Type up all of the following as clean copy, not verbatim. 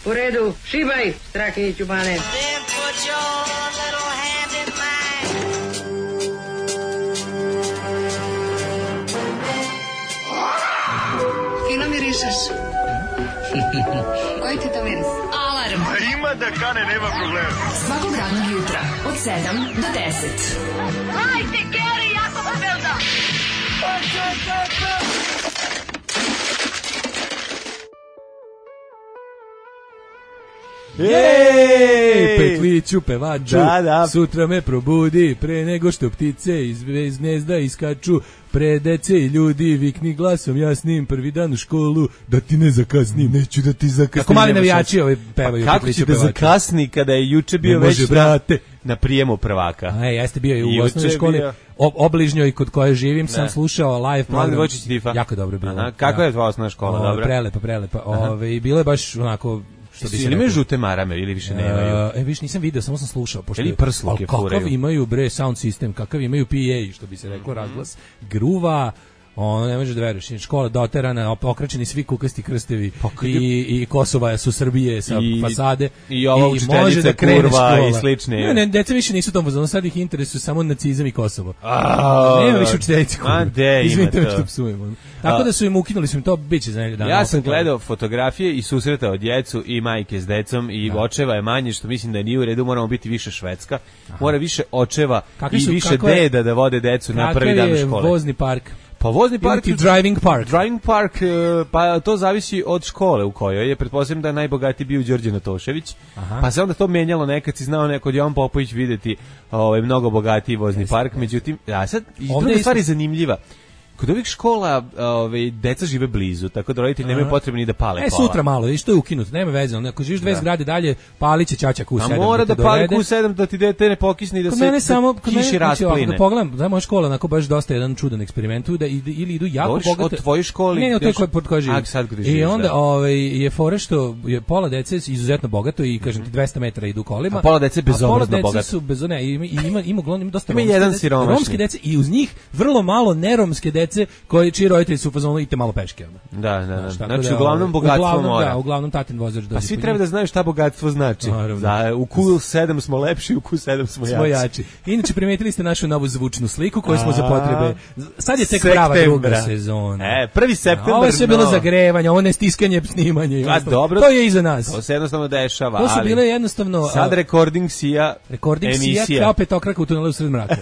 U redu, šibaj, Strahinjiću Bane. Fino mirišeš. Koji ti to miris? Alarm. Ima da kane, nema problema. Svakog radnog jutra, od 7 do 10. Hajde, Geri, jako se velda. Jej, petliću pevaču, da. Sutra me probudi, pre nego što ptice iz gnezda iskaču, pre dece i ljudi, vikni glasom jasnim, prvi dan u školu, da ti ne zakasnim, neću da ti zakasnim. Kako mali navijači pevaju. Pa kako će da zakasni kada je juče bio već na prijemu prvaka? Jeste bio i u osnovnoj školi, obližnjoj kod koje živim, sam slušao live program. Jako dobro bilo. Kako je tvoja osnovna škola? Dobro. Prelepa. I bilo je baš onako... Ili imaju žute marame ili više nemaju? Više nisam video, samo sam slušao. Ili prsluke furaju. Kakav imaju sound system, kakav imaju PA, što bi se reklo, razglas gruva, ne možeš da veruješ, škola doterana, pokračeni svi kukasti krstevi i Kosova su Srbije sa fasade. I ova učiteljica kurva i slične. Ne, deca više nisu tom fazonu, sad ih interesuju samo nacizam i Kosovo. Nema više učiteljice kurva. Izvinite što psujem. Tako da su im ukinuli, su im to biće za neki dan. Ja sam gledao fotografije i susretao djecu i majke s decom i očeva je manje, što mislim da nije u redu, moramo biti više Švedska. Mora više očeva i više deda da vode decu na prvi dan škole. Kakav je vozni park? Pa vozni park i driving park. Driving park, pa to zavisi od škole u kojoj je. Pretpostavljam da je najbogatiji bio Đorđe Natošević. Pa se onda to menjalo, nekad si znao kod Jovan Popović videti mnogo bogatiji vozni park. Međutim, sad druga stvar je zanimljiva. Kod ovih škola deca žive blizu, tako da roditelji nemaju potrebe ni da pale kola. Sutra malo, i što je ukinuto, nema veze. Ako živiš 2 zgrade dalje, pili će ćaća Q7. A mora da pali Q7 da ti dete ne pokisne i da se kiši raspline. Da pogledam, da moja škola onako baš dosta jedan čudan eksperiment, da ili idu jako bogate. Od tvoje škole? Ne, od toj pod koje živim. I onda je fora što je pola dece izuzetno bogato i kažem ti 200 metara idu kolima. A pola dece bezobrazno bogato. Pola dece su bezone, ima dosta romske dece i uz njih vrlo malo neromske dece čiji roditelji su u fazonu idite malo peške. Da. Znači, uglavnom bogatstvo mora. Da, uglavnom tatin vozač. Pa svi treba da znaju šta bogatstvo znači. U Q7 smo lepši, u Q7 smo jači. Inače, primetili ste našu novu zvučnu sliku koju smo za potrebe. Sad je tek prava druga sezona. 1. septembar. Ovo je sve bilo zagrevanje, ovo ne stiskanje, snimanje. Dobro. To je iza nas. To se jednostavno dešava. To su bile jednostavno... Sad recording sija emisija. Kao petokraka u tunelu sred mraka.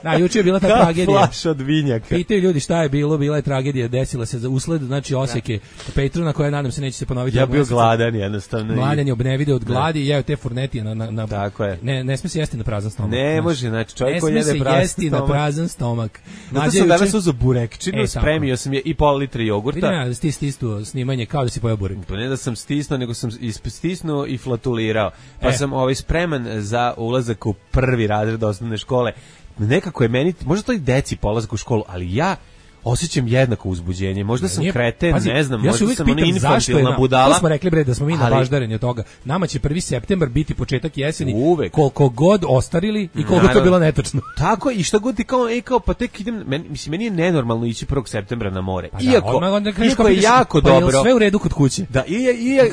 Da, juče je bila ta tragedija. Flaš od vinjaka. Pitaju ljudi šta je bilo, bila je tragedija, desila se za usled, znači oseke Petruna koja nadam se neće se ponoviti. Ja bio gladan jednostavno. Mladen je obnevide od gladi i jeo te furnetije na Tako je. Ne sme se jesti na prazan stomak. Ne može, znači čovjek koji jede prazan stomak. Ne sme se jesti na prazan stomak. Zato sam danas uzeo burekčinu, spremio sam je i pol litra jogurta. Vidim da si stisnuo snimanje kao da si pojeo burek. Pa ne da sam stisnuo, nego sam stisnuo i flatulirao. Pa sam spreman za ulazak u prvi razred osnovne škole. Nekako je meni, možda to i deci polazak u školu, ali ja osjećam jednako uzbuđenje. Možda sam kreten, ne znam, možda sam ona infantilna budala. To smo rekli bre da smo mi nabaždareni od toga. Nama će 1. septembar biti početak jeseni. Koliko god ostarili i koliko to bilo netačno. Tako i šta god ti kao pa tek idem, meni je nenormalno ići 1. septembra na more. Iako je jako dobro. Pa je sve u redu kod kuće. Da,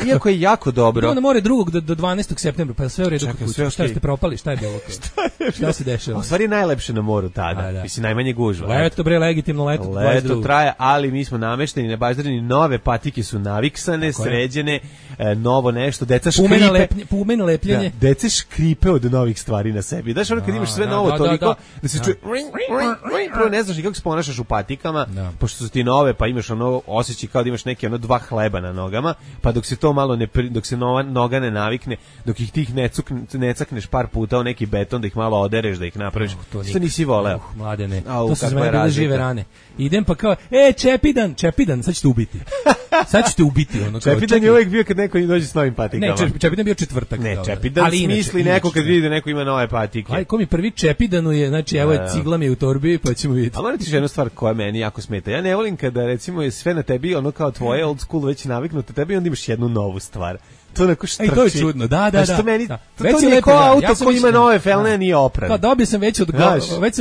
iako je jako dobro. Idemo na more 2. do 12. septembra, pa sve u redu kod kuće. Šta ste propali, šta je bilo? Šta se dešava? U stvari najlepše na moru tada. Mislim najmanje gužva. Leto bre, legitimno leto. Leto traje, ali mi smo namešteni, nebaždareni, nove patike su naviksane, sređene, novo nešto, deca škripe. Pumeno lepljenje. Deca škripe od novih stvari na sebi. Znaš, ono kad imaš sve novo toliko, da se čuje, prvo ne znaš ni kako se ponašaš u patikama, pošto su ti nove, pa imaš ono osjećaj kao da imaš neki 2 hleba na nogama, pa dok se to malo dok se noga ne navikne, dok ih tih ne cakneš par puta u neki beton, da ih malo odereš, da ih napraviš, što nisi voleo. Mladene, to su za mene bile žive rane. Idem pa kao, Čepidan, sad ćete ubiti. Čepidan je uvijek bio kad neko dođe s novim patikama. Ne, Čepidan bio četvrtak. Ne, Čepidan smisli neko kad vidi da neko ima nove patike. Aj, ko mi prvi Čepidanu je, znači evo je cigla mi je u torbi, pa ćemo vidjeti. A moram ti jednu stvar koja meni jako smeta. Ja ne volim kada recimo je sve na tebi, ono kao tvoje old school već naviknuto tebi, onda imaš jednu novu stvar. To neko štrči. To je čudno, da. To meni, da. to nije ko auto koji ima nove felne, nije opran. Pa dobio sam već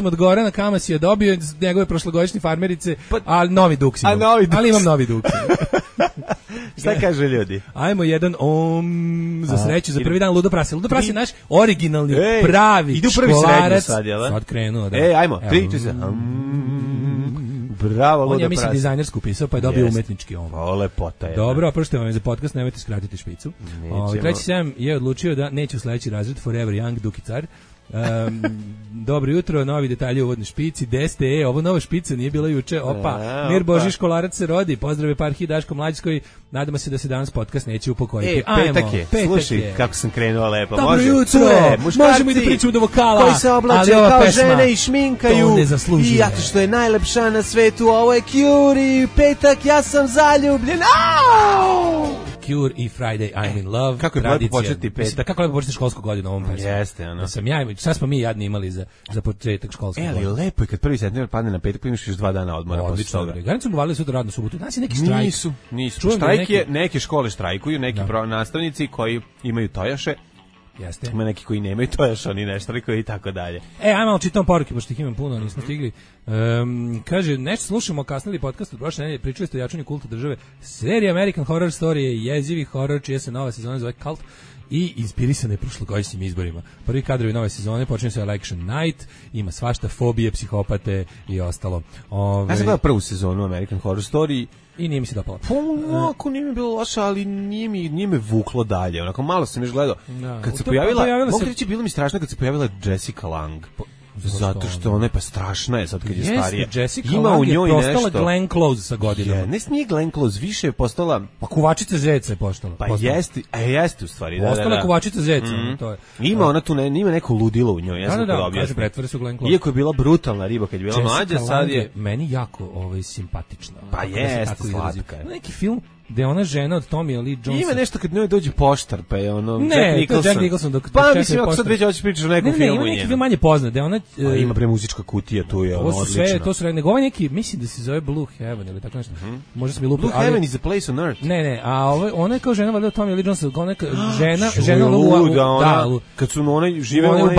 od Gorana Kamasija, dobio njegove prošlogodišnje farmerice, a novi Dux imam. Ali imam novi Dux. Šta kaže ljudi? Ajmo jedan za sreću, za prvi dan Ludo Prase. Ludo Prase je naš originalni, pravi školarac. Sad krenuo, da. Ajmo, 3, 4, bravo, Ludo Prase. On je, mislim, dizajnersku pisao, pa je dobio umetnički O, lepota je. Dobro, oprošte vam za podcast, nemojte skratiti špicu. Treći sam je odlučio da neće u sledeći razred Forever Young Duki Car. Dobro jutro, novi detalji u uvodnoj špici, DSTE, ovo nova špica nije bila juče, Mir Boži školarac se rodi, pozdrav Eparhiji Daško Mlađskoj, nadamo se da se danas podcast neće upokojiti. Petak je, slušaj kako sam krenuo lepo. Dobro jutro, možemo i da pričamo do vokala, koji se oblače kao žene i šminkaju, i zato što je najlepša na svetu, ovo je Cure, petak, ja sam zaljubljen, Cure i Friday I'm in Love. Kako je lepo početi petak. Kako lepo početi školsku godinu ovom pesmom. Jeste, ono. Sad smo mi jadni imali za početak školske godine. Ali lepo je kad 1. septembar padne na petak, pa imaš još 2 dana odmora. Odlično. Granica su uvalili sutra radnu subotu. Danas je neki štrajk. Nisu. Štrajk je, neke škole štrajkuju, neki nastavnici koji imaju tojaše. Jeste. Ima neki koji nemaju tojaše, oni ne štrajkuju i tako dalje. Ajmo čitam poruke, pošto ih imam puno, nismo stigli. Kaže, nešto slušamo kasnili podcast od prošle nedelje, pričali ste o jačanju kulta države. Serija American Horror Story je jezivi horor, čija se nova sezona zove Cult i inspirisana je prošlogodišnjim izborima. Prvi kadrovi nove sezone počinju se Election Night, ima svašta, fobije, psihopate i ostalo. Ja sam gledao prvu sezonu American Horror Story i nije mi se dopalo. Onako nije mi bilo loše, ali nije me vuklo dalje. Onako malo sam još gledao. Kad se pojavila, mogu reći, bilo mi strašno kad se pojavila Jessica Lang. Zato što ona je pa strašna je sad kad je starija. Jessica Lang je postala Glenn Close sa godinama. Nije Glenn Close, više je postala... Pa kuvačica zeca je postala. Pa jeste u stvari. Postala kuvačica zeca. Ima ona tu, ima neko ludilo u njoj. Da, kaže, pretvori su Glenn Close. Iako je bila brutalna riba kad je bila mlađa, sad je... Meni jako simpatična. Pa jeste, slatka je. Neki film gde ona žena od Tommy Lee Jonesa. Ima nešto kad njoj dođe poštar, pa je ono Jack Nicholson. Pa mislim, ako sad već hoćeš pričati o nekom filmu. Ima neki film manje poznat, da ona... ima muzička kutija, tu je odlično. To su nego ovaj neki, mislim da se zove Blue Heaven ili tako nešto. Možda sam mi lupio. Blue Heaven is a place on earth. Ne, a ona je kao žena valjda od Tommy Lee Jonesa, ona žena luda, kad su ona žive u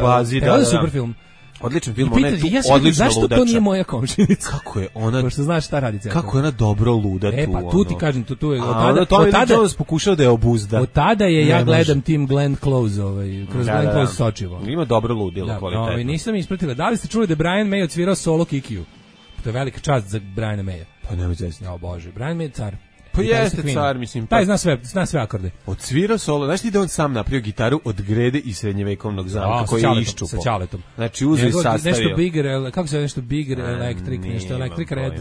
bazi, da. Super film. Odličan film, ona je tu odlična ludača. Zašto to nije moja komšinica? Kako je ona... Pošto znaš šta radi centar. Kako je ona dobro luda tu. Pa tu ti kažem, tu je... Od tada Jones pokušao da je obuzda. Od tada je ja gledam tim Glenn Close, kroz Glenn Close sočivo. Ima dobro ludilo, kvalitetno. Nisam ispratila. Da li ste čuli da je Brian May odsvirao solo Kikiju? To je velika čast za Briana Maya. Pa nemoj zesti. Ja, Bože, Brian May je car. Pa jeste car, mislim. Taj zna sve akorde. Odsvirao solo, znaš ti da on sam napravio gitaru od grede i srednjevekovnog zamka koji je iščupao. Sa ćaletom. Znači uzeo i sastavio. Nešto bigger, kako se zove nešto bigger electric, nešto electric red.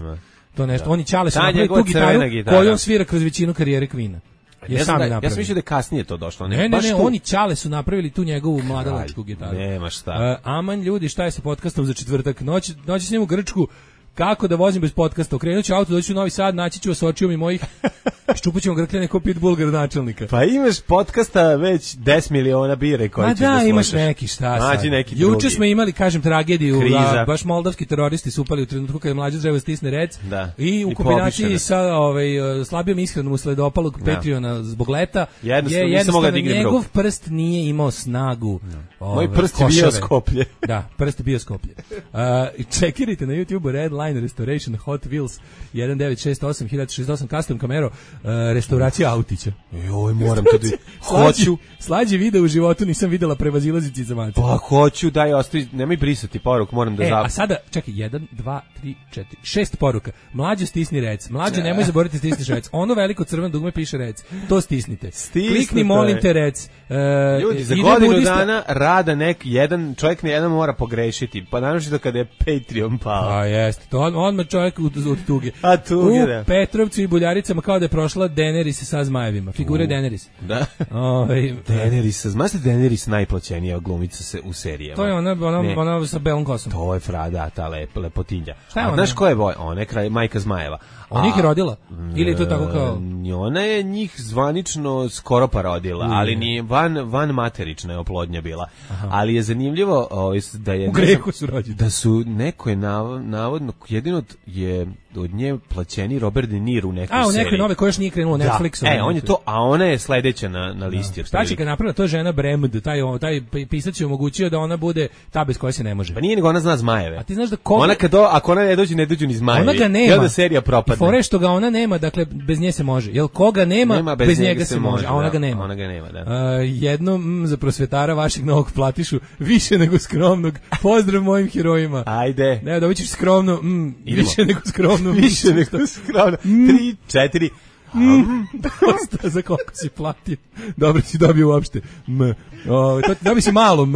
To nešto, oni ćale su napravili tu gitaru koju on svira kroz većinu karijere Queen-a. Ja sam mislio da je kasnije to došlo. Ne, oni ćale su napravili tu njegovu mladalačku gitaru. Nema šta. Aman ljudi, šta je sa podcastom za četvrtak? Noći s njim u Grčku. Kako da vozim bez podcasta? Okrenut ću auto, doći u Novi Sad, naći ću vas očijom i mojih, ščupat ćemo grkljane ko Pitbull gradonačelnika. Pa imaš podcasta već 10 miliona bire koji ćeš da slušaš. Imaš neki, šta sad? Juče smo imali, kažem, tragediju, baš moldavski teroristi su upali u trenutku kada je mlađa treba stisne rec i u kombinaciji sa slabijom ishranom usled opalog Patreona zbog leta jednostavno njegov prst nije imao snagu. Moj prst je bio Skoplje. Da, prst je bio Skoplje. Čekirajte na YouTube Red Line Restoration Hot Wheels 1968 1068 custom kamero restauracija autića. Joj, moram to da hoću. Slađi video u životu nisam videla prevazilazici za mace. Pa hoću, daj ostavi, nemoj brisati poruku, moram da a sada čekaj 1 2 3 4 6 poruka. Mlađo stisni rec. Mlađo nemoj zaboraviti stisniš rec. Ono veliko crveno dugme piše rec. To stisnite. Klikni molim te rec. Ljudi, za godinu dana rada jedan čovjek jedan mora pogrešiti. Pa naravno kada je Patreon pao. A jeste. To odmah čovjek od tuge. A tuge, da. U Petrovcu i Buljaricama kao da je prošla Daenerys sa zmajevima. Figure Daenerys. Da. Daenerys, znaš da Daenerys najplaćenija glumica u serijama? To je ona sa belom kosom. To je Frada, ta lepotinja. Šta je ona? Znaš ko je ona je majka zmajeva. On ih je rodila? Ili je to tako kao... Ona je njih zvanično skoro pa rodila, ali nije van materična je oplodnja bila. Ali je zanimljivo da je... U grehu su rođeni. Da su neko je navodno, jedino je od nje plaćeni Robert De Niro u nekoj seriji. U nekoj nove koje još nije krenulo Netflixom. On je to, a ona je sledeća na listi. Šta će kad napravila, to je žena Bremd, taj pisac je omogućio da ona bude ta bez koje se ne može. Pa nije nego ona zna zmajeve. A ti znaš da ako ona ne dođu ni zmajevi. Ona ga nema. I onda serija propadne. I fore što ga ona nema, dakle bez nje se može. Jel koga nema bez njega se može, a ona ga nema. Ona ga nema, da. Jedno za prosvetara vašeg novog platišu, više nego skromnog. Pozdrav mojim herojima. Ajde. Ne, da ćeš skromno, više nego skromno. Više nego skromno. 3, 4. Dosta za koliko si platio. Dobro si dobio uopšte. Dobio si malo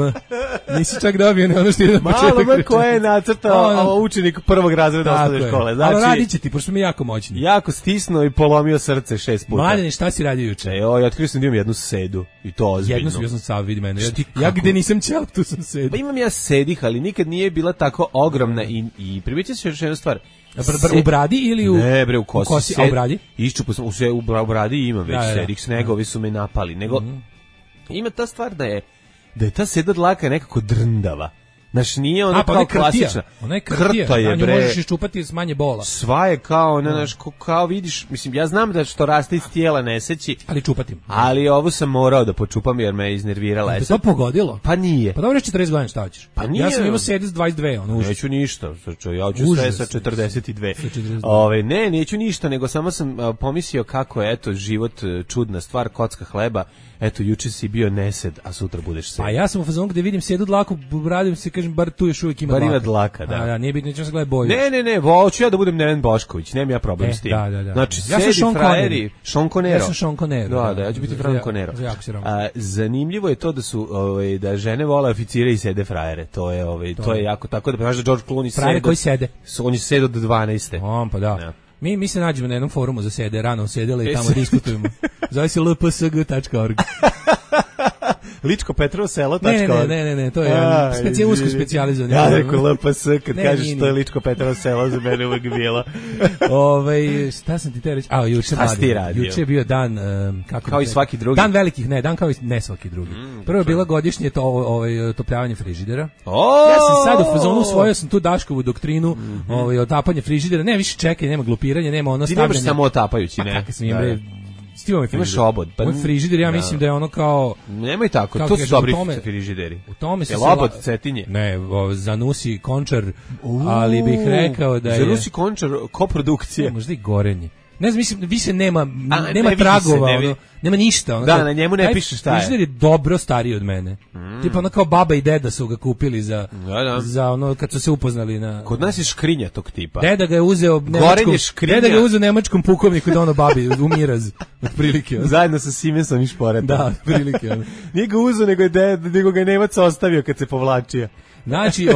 nisi čak dobio ne ono što je na početak. Malo koje je nacrtao učenik prvog razreda osnovne škole. Znači, ali radit će ti, pošto smo jako moćni. Jako stisnuo i polomio srce 6 puta. Mladene, šta si radio juče? Ja otkrio sam da imam jednu sedu i to ozbiljno. Ja sam sav, vidi mene. Ja gde nisam ćel, tu sam sedu. Pa imam ja sedih, ali nikad nije bila tako ogromna i primećam se još jednu stvar. U bradi ili u... Ne bre, u kosi. A u bradi? Iščupo sam, u bradi imam već sedih, snegovi su me napali. Nego, ima ta stvar da je ta seda dlaka nekako drndava. Znaš, nije ona kao klasična. Ona je krta je, bre. Možeš iščupati s manje bola. Sva je kao, kao vidiš, mislim, ja znam da što raste iz tijela neseći. Ali čupatim. Ali ovo sam morao da počupam jer me je iznervirala. To pogodilo? Pa nije. Pa dobro, 40 godina, šta hoćeš? Pa nije. Ja sam imao sedi s 22, Neću ništa, ja ću sve sa 42. Ne, neću ništa, nego samo sam pomislio kako je, eto, život čudna stvar, kocka hleba. Eto, juče si bio nesed, a sutra budeš sed. A ja sam u fazonu gde vidim sedu dlaku, radim se, kažem, bar tu još uvijek ima dlaka. Bar ima dlaka, da. Da, nije bitno, nećemo se gledati boju. Ne, hoću ja da budem Neven Bošković, nemam ja problem s tim. Da. Znači, ja sedi frajeri, Sean Conero. Ja sam Sean Conero. Da, ja ću biti Frank Conero. Zanimljivo je to da su, da žene vole oficire i sede frajere. To je jako tako, da znaš da George Clooney sede. Frajere koji sede? On je sedo do 12. On, pa da. Mi se nađemo na jednom forumu za sede, rano sedele i tamo diskutujemo. Zove se lpsg.org. Ličko-Petrovo-selo.org. Ne, to je usko specijalizovan. Ja rekao LPS, kad kažeš to je Ličko-Petrovo-selo, za mene uvek bilo. Šta sam ti te reći? Juče je bio dan, kao i svaki drugi. Dan velikih, dan kao i ne svaki drugi. Prvo je bila godišnje otopljavanje frižidera. Ja sam sad u fazonu usvojio sam tu Daškovu doktrinu, otapanje frižidera, nema više čekanja, nema glupiranja, nema ono stavljanja. Ti nemaš samo otapajući, ne? Kako sam imaš obod. Moj frižider, ja mislim da je ono kao... Nemoj tako, to su dobri frižideri. U tome se... Jel obod Cetinje? Ne, Zanusi Končar, ali bih rekao da je... Zanusi Končar, koprodukcija. Možda i Gorenje. Ne znam, mislim, više nema tragova, nema ništa. Da, na njemu ne piše šta je. Frižider je dobro stariji od mene. Tipa ono kao baba i deda su ga kupili za ono kad su se upoznali na... Kod nas je škrinja tog tipa. Deda ga je uzeo nemačkom pukovniku da ono babi umiraz, otprilike. Zajedno sa Siemensom i Šporetom. Da, otprilike. Nije ga uzeo, nego ga je Nemac ostavio kad se povlačio. Znači,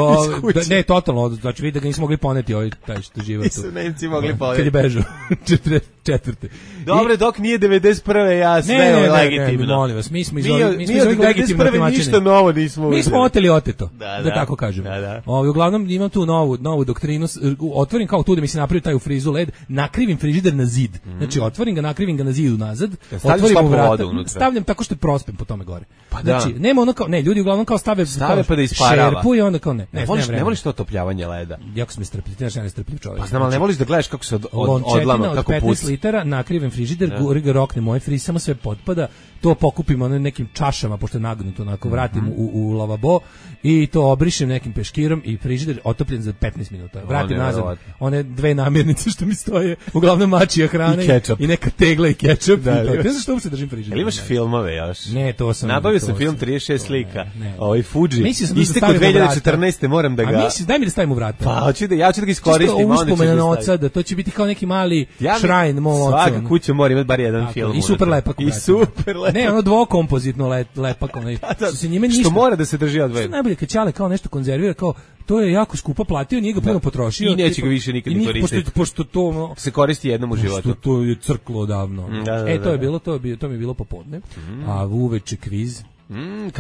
ne, totalno, znači vidi da ga nismo mogli poneti taj što živa tu. Nisu Nemci mogli poneti. Kad je bežao, 44. Dobre, dok nije 91. ja sve je legitimno. Ne, molim vas, mi smo legitimno tumačeni. Ništa novo nismo uzeli. Mi smo oteli oteto, da tako kažemo. Uglavnom imam tu novu doktrinu, otvorim kao tu da mi se napravi taj u frizu led, nakrivim frižider na zid. Znači, otvorim ga, nakrivim ga na zidu nazad, otvorim mu vrata, stavljam tako što je prospem po tome gore. Znači, nema ono kao, ne, ljudi uglavnom kao stave pa da isparava. Šerpu i onda kao ne voliš to otopljavanje leda. Jako sam strpljiv, ja ne strpljiv čovjek. Pa znam, ali ne voliš da gledaš kako se odlama, kako puci. 15 litara, nakrivim frižider, ga roknem moj friz, samo sve potpada, to pokupim nekim čašama, pošto je nagnuto, onako vratim u lavabo i to obrišem nekim peškirom i frižider otopljen za 15 minuta. Vratim nazad one dve namirnice što mi stoje, uglavnom mačija hrana i neka tegla i kečap. Ne znam što uopšte držim frižider. Ili imaš filmove još? Ne, to sam... Nabavio sam film 36 slika, Fuji, isteko 2014. moram da ga... A misliš, daj mi da stavim u vrata. Pa, ja ću da ga iskoristim. Čisto uspomena na oca, da to će biti kao neki mali šrajn mom oca. Svaka kuća mora imati bar jedan film. I super lepak. Ne, ono dvokompozitno lepak. Što mora da se drži odvojeno. Što najbolje kad Ćale kao nešto konzervira, kao to je jako skupo platio, nije ga puno potrošio. I neće ga više nikad ni koristiti. Pošto to se koristi jednom u životu. Pošto to je crklo odavno. To mi je bilo popodne. A uveče kviz.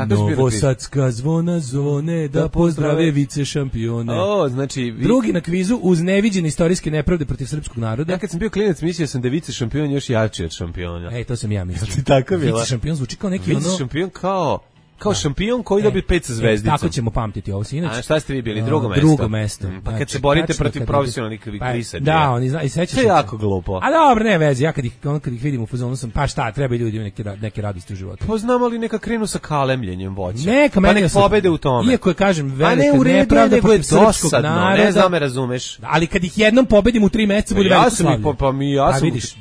Novosadska zvona zvone da pozdrave vice šampione. Znači drugi na kvizu uz neviđene istorijske nepravde protiv srpskog naroda. Ja kad sam bio klinac mislio sam da vice šampion još jači od šampiona. To sam ja mislio. Tako bilo. Vice šampion zvuči kao neki vice šampion kao kao šampion koji dobije 5 sa zvezdicom. Tako ćemo pamtiti ovo sinoć. A šta ste vi bili? Drugo mesto? Drugo mesto. Pa kad Znači, se borite tačno protiv kad profesionalnih kvisača. Da, oni zna i sećaš se. To je jako glupo. A dobro, ne vezi, ja kad ih vidim u fazonu sam, pa šta, treba i ljudi neke radosti u životu. Pa znam, ali neka krenu sa kalemljenjem voća. Neka pa nek pobede u tome. Iako je, kažem, velika nepravda protiv srpskog naroda. Ne znam, me razumeš. Ali kad ih jednom pobedim u 3 meseca bude veliko slavlje. Vidiš,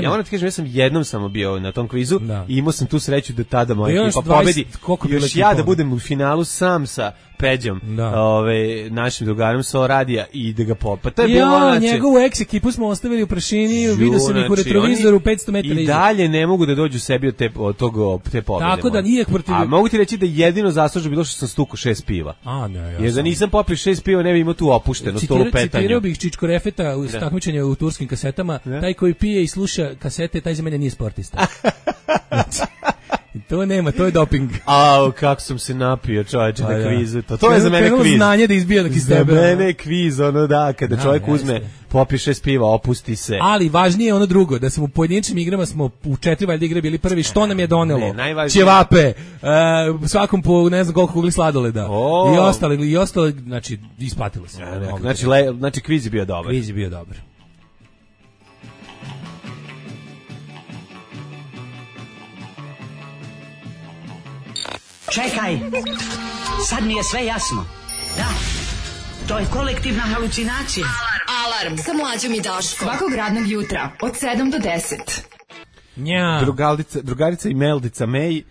ja moram ti kažem, ja sam jednom samo bio na tom kvizu i imao sam tu sreću da tada moja ekipa pobedi. Još ja da budem u finalu sam sa Peđom, našim drugarom sa radija i da ga popa. To je bilo njegovu ex ekipu smo ostavili u prašini, vidio sam ih u retrovizoru 500 metara i dalje ne mogu da dođu sebi od te pobede. Tako da nije protiv. A mogu ti reći da jedino zaslužno bilo što sam stukao 6 piva. Jer da nisam popio 6 piva ne bi imao tu opušteno stolu petanju. Citirao bih Čičko Refeta u takmičenju u turskim kasetama, taj koji pije i sluša kasete, taj za mene nije sportista. To nema, to je doping. Au, kako sam se napio, čoveče, na kvizu. To je za mene kviz. Znanje da izbija iz tebe. Za mene je kviz, kada čovjek uzme, popije 6 piva, opusti se. Ali važnije je ono drugo, da smo u pojedinačnim igrama smo u 4 valjda igre bili prvi, što nam je donelo? Ćevape, svakom po ne znam koliko kugli sladoleda. I ostalo, znači, isplatilo se. Znači, kviz je bio dobar. Kviz je bio dobar. Čekaj, sad mi je sve jasno. Da, to je kolektivna halucinacija. Alarm sa Mlađom i Daškom. Svakog radnog jutra od 7 do 10. Drugarica i Meldica May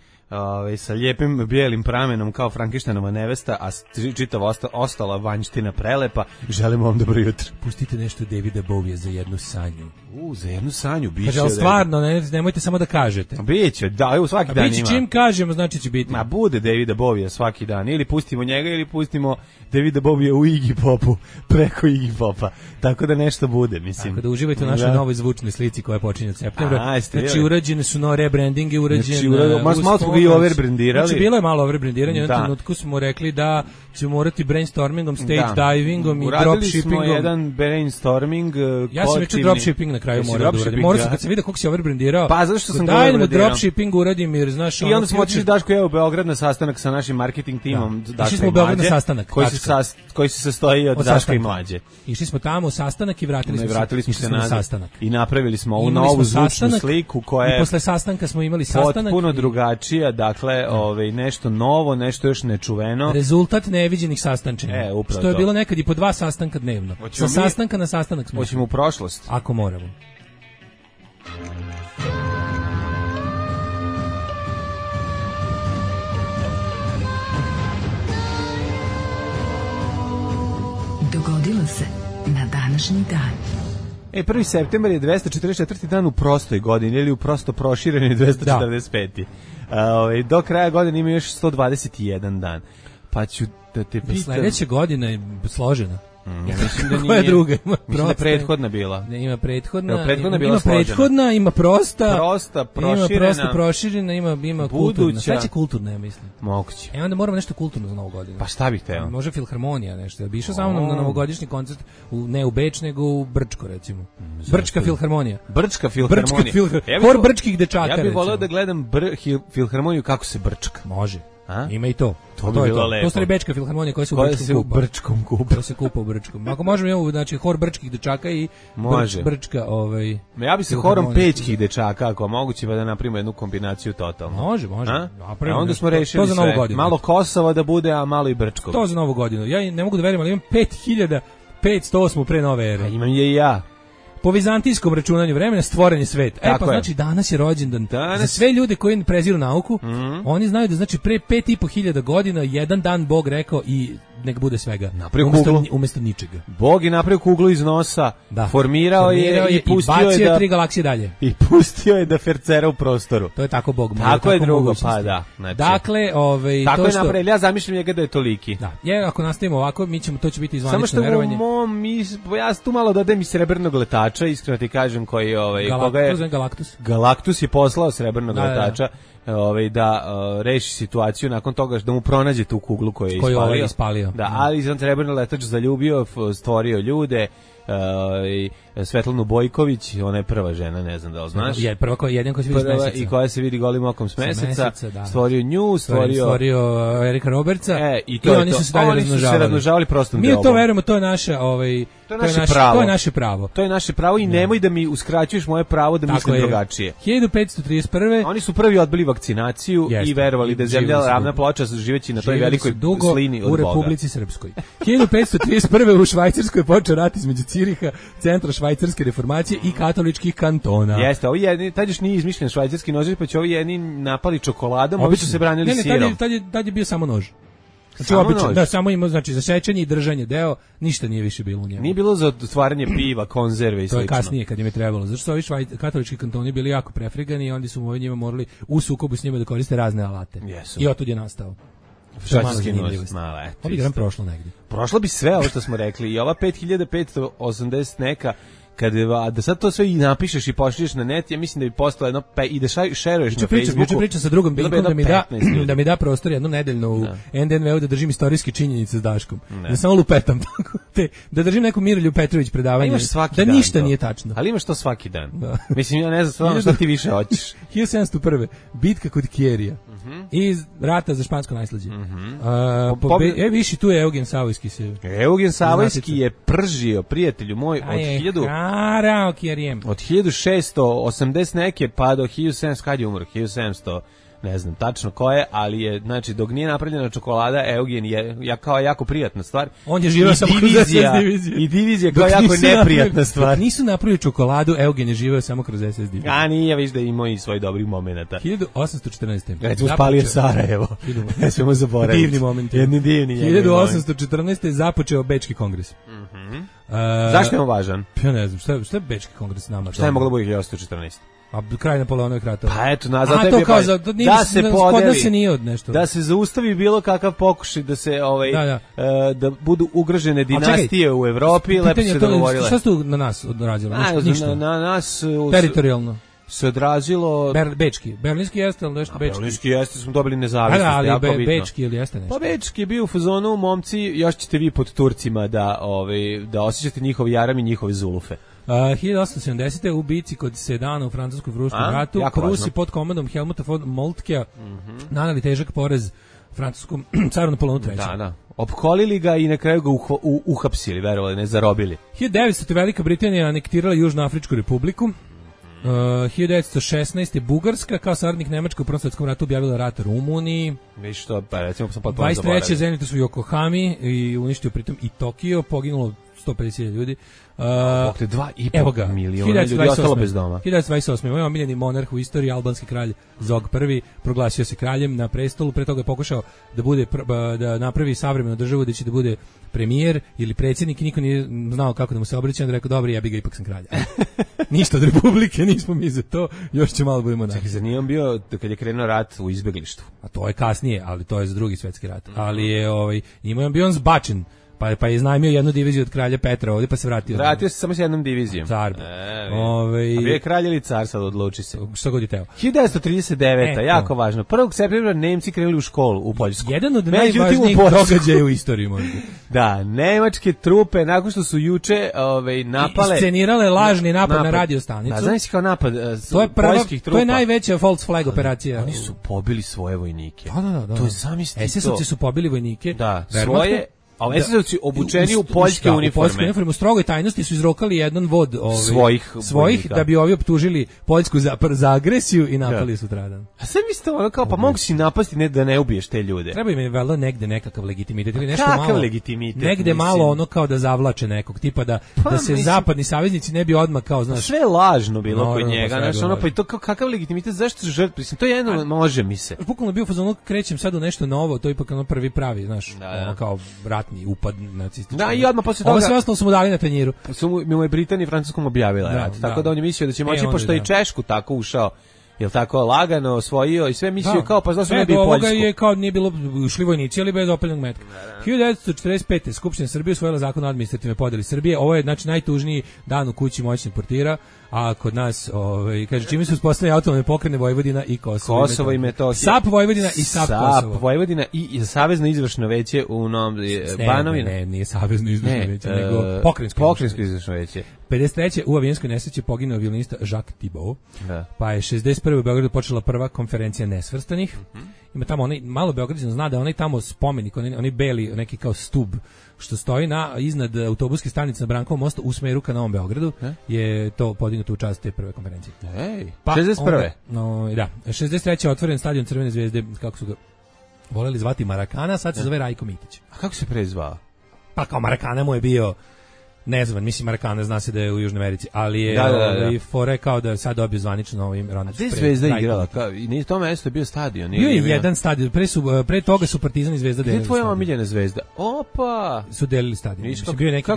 sa lijepim bijelim pramenom kao Frankensteinova nevesta, a čitava ostala vanjština prelepa. Želimo vam dobro jutro. Pustite nešto Davida Bowie za jednu sanju. Za jednu sanju biće. Kaže, ali stvarno, nemojte samo da kažete. Biće, da, svaki dan ima. Čim kažemo, znači će biti. Ma bude Davida Bowie svaki dan. Ili pustimo njega, ili pustimo Davida Bowie u Iggy Popu, preko Iggy Popa. Tako da nešto bude, mislim. Tako da uživajte u našoj novoj zvučnoj slici koja počinje od septembra. Znači, urađene su no rebrandinge, malo smo ga i overbrandirali. Znači, bilo je malo overbrandiranje. U jednom trenutku smo rekli da ćemo morati brainstormingom, stage divingom i dropshippingom. Uradili smo jedan brainstorming. Ja sam već dropshipping na kraju morao da uradim. Morao sam kad se vidi kako si overbrandirao. Pa zašto sam ga overbrandirao? Daj dropshipping uradim jer znaš. I onda smo otišli Daško i ja u Beograd na sastanak sa našim marketing timom. Išli smo u Beograd na sastanak. Koji se sastoji od Daška i Mlađe. Išli smo tamo u sastanak i vratili smo se na sastanak. I napravili smo ovu novu zvučnu sliku koja je. I posle sastanka smo imali sastanak. Potpuno drugačija, dakle, nešto novo, nešto još nečuveno. Rezultat neviđenih sastančenja. Što je bilo nekad i po 2 sastanka dnevno. Sa sastanka na sastanak smo. Hoćemo u prošlost. Ako moramo. Dogodilo se na današnji dan. 1. septembar je 244. dan u prostoj godini ili u prosto prošireni 245. Do kraja godine ima još 121 dan. Pa ću da te pitam. Sledeća godina je složena. Ja mislim da nije. Koja druga? Mislim da prethodna bila. Ne, ima prethodna. Prethodna ima prethodna, ima prosta. Proširena. Ima prosta proširena, ima kulturna. Sve će kulturna, ja mislim. Moguće. Onda moramo nešto kulturno za Novu godinu. Pa šta bih teo? Može filharmonija nešto. Ja bi išao sa mnom na novogodišnji koncert, ne u Beč, nego u Brčko, recimo. Brčka filharmonija. Brčka filharmonija. Hor brčkih dečaka. Ja bih voleo da gledam filharmoniju kako se brčka. Može. Ima i to. To bi bilo lepo. To stvari Bečka filharmonija koja se u Brčkom kupa. Koja se kupa u Brčkom. Ako možemo imamo, znači, hor brčkih dečaka i Brčka, Ja bi se horom pećkih dečaka, ako moguće, pa da napravimo jednu kombinaciju totalno. Može. A onda smo rešili sve. Malo Kosova da bude, a malo i Brčkog. To za Novu godinu. Ja ne mogu da verujem, ali imam 5508 pre nove ere. Imam je i ja. Po vizantijskom računanju vremena stvoren je svet. Znači danas je rođendan. Za sve ljude koji preziru nauku, oni znaju da znači pre 5.500 godina jedan dan Bog rekao i nek bude svega. Umesto ničega. Bog je napravio kuglu iz nosa, formirao je i pustio je bacio 3 galaksije dalje. I pustio je da fercera u prostoru. To je tako Bog. Tako je drugo, pa da. Dakle, tako je napravio. Ja zamišljam njega da je toliki. Da. Ako nastavimo ovako, to će biti zvanično verovanje. Samo što ja tu malo dodajem i srebrnog letača, iskreno ti kažem, koji koga je Galaktus je poslao srebrnog letača. Da reši situaciju nakon toga da mu pronađe tu kuglu koju je ispalio. Ispalio. Da, ali on srebrni letač zaljubio, stvorio ljude Svetlanu Bojković, ona je prva žena, ne znam da li znaš. Je prva koja jedina koja se vidi s meseca. I koja se vidi golim okom s meseca. Da. Stvorio nju, stvorio Erika Robertsa. I oni su se razmnožavali prostom delom. Mi to verujemo, to je naše to je naše pravo. To je naše pravo. To je naše pravo i nemoj da mi uskraćuješ moje pravo da mislim drugačije. 1531. Oni su prvi odbili vakcinaciju i verovali da je zemlja ravna ploča živeći na toj velikoj slini od Boga. U Republici Srpskoj. 1531. u Švajcarskoj je počeo rat između Ciriha, centra švajcarske reformacije i katoličkih kantona. Jeste, ovi jedni, tad još nije izmišljen švajcarski nož, pa će ovi jedni napali čokoladom, ovi su se branili sirom. Tad je bio samo nož. Znači, obično, da, samo ima, znači, za sečenje i držanje deo, ništa nije više bilo u njemu. Nije bilo za otvaranje piva, konzerve i slično. To je kasnije, kad im je trebalo. Zašto su ovi katolički kantoni bili jako prefrigani i onda su mu njima morali u sukobu s njima da koriste razne alate. Jesu. I otud je nastao. Švajcarski nož. Ovo bi prošlo negdje. Prošlo bi sve ovo što smo rekli. I ova 5580 neka, da sad to sve i napišeš i pošliš na net, ja mislim da bi postalo jedno i da šeruješ na Facebooku. Juče pričam sa drugom Bilkom da mi da prostor jednu nedeljno u NDNV-u da držim istorijske činjenice s Daškom. Da samo lupetam tako. Da držim neku Mirolju Petrović predavanje. Da ništa nije tačno. Ali imaš to svaki dan. Mislim, ja ne znam stvarno šta ti više hoćeš. 1701. Bitka kod Kjerija. Iz rata za špansko najslađe. Viši tu je Eugen Savojski se. Eugen Savojski je pržio, prijatelju moj, od 1680 neke pa do 1700, kad je umro, 1700, ne znam tačno ko je, ali je, znači, dok nije napravljena čokolada, Eugen je kao jako prijatna stvar. On je živio samo kroz SS diviziju. I divizija kao jako neprijatna stvar. Nisu napravili čokoladu, Eugen je živio samo kroz SS diviziju. A nije, viš da ima i svoj dobrih momenata. 1814. Recimo spalio Sarajevo. Ne smemo zaboraviti. Divni moment. Jedni divni. 1814. započeo Bečki kongres. Zašto je on važan? Ja ne znam, šta je Bečki kongres nama? Šta je moglo biti 1814? A kraj Napoleonovih ratova. Pa eto, nazad tebi da se podeli, se nije od nešto. Da se zaustavi bilo kakav pokušaj da se da budu ugrožene dinastije u Evropi, lepo se dogovorile. Šta se tu na nas odrazilo? Na nas teritorijalno se odrazilo Bečki. Berlinski jeste, ali nešto Bečki. Berlinski jeste, smo dobili nezavisnost. Ali Bečki ili jeste nešto? Pa Bečki je bio u fazonu, momci, još ćete vi pod Turcima da osjećate njihov jaram i njihove zulufe. 1870. u bici kod Sedana u francuskom Pruskom ratu, Prusi pod komandom Helmuta von Moltkea naneli težak porez francuskom caru Napoleonu III. Da. Opkolili ga i na kraju ga uhapsili, verovali, ne zarobili. 1900. Velika Britanija anektirala Južnoafričku republiku. 1916. Bugarska kao saradnik Nemačke u Prvom svjetskom ratu objavila rat Rumuniji. Viš što, pa recimo sam potpuno 23. zemljište su u Yokohami i uništio pritom i Tokio, poginulo 150.000 ljudi. 2,5 miliona ljudi ostalo bez doma. 1928. Moj omiljeni monarh u istoriji, albanski kralj Zog I, proglasio se kraljem na prestolu, pre toga je pokušao da napravi savremenu državu gde će da bude premijer ili predsjednik i niko nije znao kako da mu se obraća, onda rekao, dobro, ja bi ga, ipak sam kralj. Ništa od republike, nismo mi za to, još će malo budemo naći. Čekaj, za nije on bio, kad je krenuo rat u izbeglištvu? A to je kasnije, ali to je za drugi svjetski rat. Ali je, imao je bio on zbačen. Pa je iznajmio jednu diviziju od kralja Petra ovdje, pa se vratio. Vratio se samo s jednom divizijom. Car. A bio je kralj ili car, sad odluči se. Što god je teo. 1939. Jako važno. 1. septembra Nemci krenuli u školu u Poljsku. Jedan od najvažnijih događaja u istoriji možda. Da, nemačke trupe, nakon što su juče napale... Iscenirale lažni napad na radio stanicu. Da, znaš kao napad poljskih trupa. To je najveća false flag operacija. Oni su pobili svoje vojnike. Da. To je zamisli to. SS-ovci su pobili vojnike. Da, svoje... A SS-ovci obučeni u poljske uniforme. U strogoj tajnosti su izrokali jedan vod svojih da bi ovi optužili Poljsku za agresiju i napali sutradan. A sad mislite kao, pa mogu si napasti da ne ubiješ te ljude. Treba im je valjda negde nekakav legitimitet ili nešto malo. Kakav legitimitet? Negde malo kao da zavlače nekog, tipa da se zapadni saveznici ne bi odmah kao, znaš. Sve je lažno bilo kod njega, znaš, pa i to kakav legitimitet, zašto žrtve? To je jedno, može mi se. Bukvalno bio fazon, krećem sad u nešto novo, to je ipak prvi pravi, znaš, kao upad nacistički. Da, i odmah posle toga. Ovo sve ostalo su mu dali na tanjiru. Mu je Britanija i Francuskom objavila rat. Tako da on je mislio da će moći, pošto i Češku tako ušao, jel tako, lagano osvojio i sve mislio kao, pa znaš, ne bi Poljsku. Ovoga je kao nije bilo ušli vojnici, ali bez opaljenog metka. 1945. Skupština Srbije usvojila zakon o administrativnoj podeli Srbije. Ovo je, znači, najtužniji dan u kući moćnih portira. a kod nas, kaže, čime su uspostavljene autonomne pokrajine Vojvodina i Kosovo i Metohija. SAP Vojvodina i SAP Kosovo. SAP Vojvodina i Savezno izvršno veće u Novom Banovini. Ne, nije Savezno izvršno veće, nego Pokrajinsko izvršno veće. 53. u avijanskoj nesreći poginuo violinista Jacques Thibault. Pa je 61. u Beogradu počela prva konferencija nesvrstanih. Ima tamo onaj, malo Beograđan zna da onaj tamo spomenik, onaj beli, neki kao stub, što stoji iznad autobuske stanice na Brankovom mostu u smeru ka Novom Beogradu, je to podignuto u čast te prve konferencije. Pa 61. Da, 63. je otvoren stadion Crvene zvezde, kako su ga voleli zvati Marakana, sad se zove Rajko Mitić. A kako se prezvao? Pa kao Marakana mu je bio, ne znam, mislim Marakana zna se da je u Južnoj Americi, ali je fore kao da sad dobio zvanično ovim Ronald. A gde Zvezda igrala? I nije to mesto bio stadion. Bio je jedan stadion, pre toga su Partizan i Zvezda delili. Gde je tvoja omiljena Zvezda? Opa! Su delili stadion. Bio je neki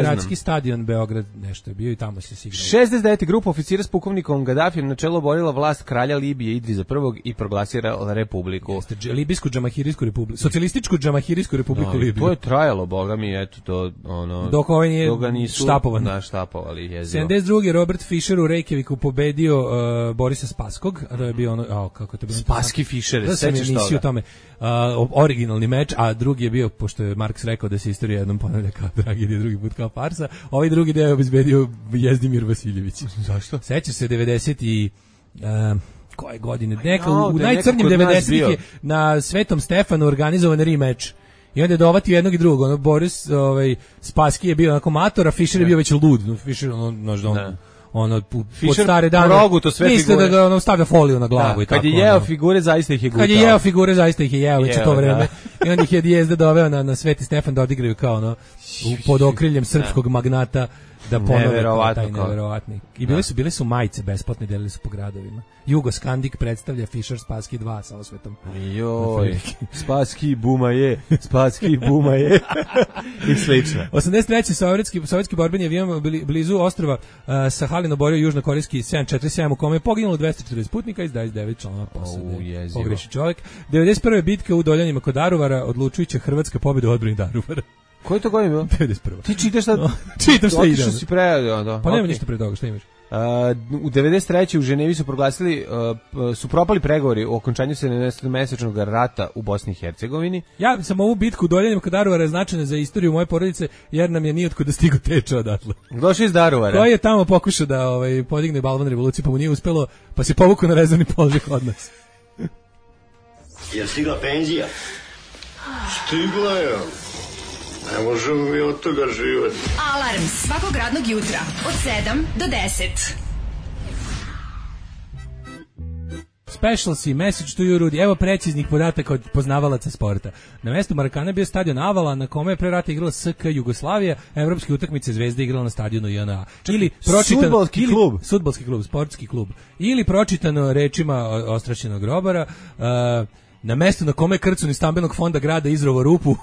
gradski stadion Beograd, nešto je bio i tamo se igralo. 69. grupa oficira s pukovnikom Gaddafijem na čelo borila vlast kralja Libije Idrisa I i proglasila republiku. Libijsku džamahirijsku republiku, socijalističku džamahirijsku republiku Libiju. To je trajalo, boga mi, eto to ono. Dok ovaj nije štapovali jezivo. 72. Robert Fischer u Reykjaviku pobedio Borisa Spaskog, a to je bio ono, kako je to bilo? Spaski Fischer, sećaš toga? Tome, originalni meč, a drugi je bio, pošto je Marks rekao da se istorija jednom ponavlja kao tragedija, drugi put kao farsa, ovaj drugi deo je obezbedio Jezdimir Vasiljević. Zašto? Sećaš se 90 i... koje godine? U najcrnjim 90-ih je na Svetom Stefanu organizovan rematch. I onda je dovatio jednog i drugog. Boris Spassky je bio onako mator, a Fischer je bio već lud. Fischer, pod stare dane. Mislite da ga stavlja foliju na glavu i tako. Kad je jeo figure, zaista ih je gutao. Kad je jeo figure, zaista ih je jeo već u to vreme. I onda ih je Dijezda doveo na Sveti Stefan da odigraju kao pod okriljem srpskog magnata da ponove taj neverovatni. I bile su majice besplatne, delili su po gradovima. Jugoskandik predstavlja Fischer Spassky 2 sa osvetom. Joj, Spassky buma je. I slično. 83. sovjetski borbeni avion blizu ostrva Sahalin oborio južnokorejski 747 u kome je poginulo 240 putnika i 29 članova posade. Pogreši čovjek. 91. bitka u Doljanima kod Daruvara, odlučujuća hrvatska pobjeda u odbrani Daruvara. Koji to godin bilo? 91. Ti čitaš šta? Čitam šta ide. Otišao si Pa nema ništa pre toga, šta imaš? U 93. u Ženevi su proglasili, su propali pregovori o okončanju 17-mesečnog rata u Bosni i Hercegovini. Ja sam ovu bitku u Doljanima kod Daruvara značajna za istoriju moje porodice, jer nam je nijotko da stigo teče odatle. Došao iz Daruvara. Koji je tamo pokušao da podigne balvan revolucije, pa mu nije uspelo, pa se povukao na rezervni položaj od nas. Je stigla penzija? Stigla je. Ne možemo mi od toga živjeti. Alarm svakog radnog jutra od 7 do 10. Specialsi, message to you, Rudi. Evo preciznih podataka od poznavalaca sporta. Na mjestu Marakana bio stadion Avala, na kome je pre rata igrala SK Jugoslavija, evropske utakmice Zvezda igrala na stadionu JNA. Ili fudbalski klub, sportski klub. Ili pročitano rečima Ostrašćenog Grobara, na mestu na kome Krcun iz stambenog fonda grada izrovo rupu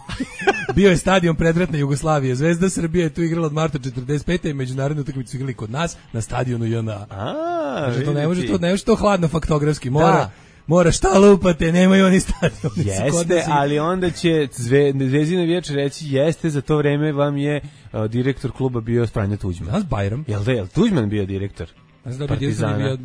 bio je stadion predratne Jugoslavije. Zvezda Srbije je tu igrala od marta 45. i međunarodnu utakmicu su igrali kod nas na stadionu JNA. To ne može to hladno faktografski. Mora šta lupate, nemaju oni stadion. Jeste, ali onda će Zvezdina vijeće reći jeste, za to vreme vam je direktor kluba bio Franjo Tuđman. Danas Bajram. Jel Tuđman bio direktor? Partizana.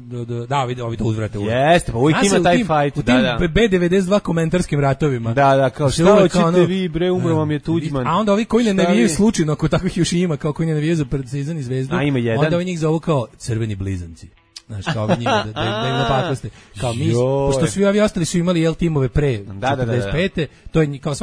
Da, ovi to uzvrate. Jeste, pa uvijek ima taj fight. U tim B92 komentarskim ratovima. Da, kao šta hoćete vi, bre, umro vam je Tuđman. A onda ovi koji ne navijaju slučajno, ako takvih još ima, kao koji ne navijaju za Partizan i Zvezdu, onda ovi njih zovu kao crveni blizanci. Znaš, kao ovi njima, da im napakoste. Kao mi, pošto svi ovi ostali su imali timove pre 45. To je, kao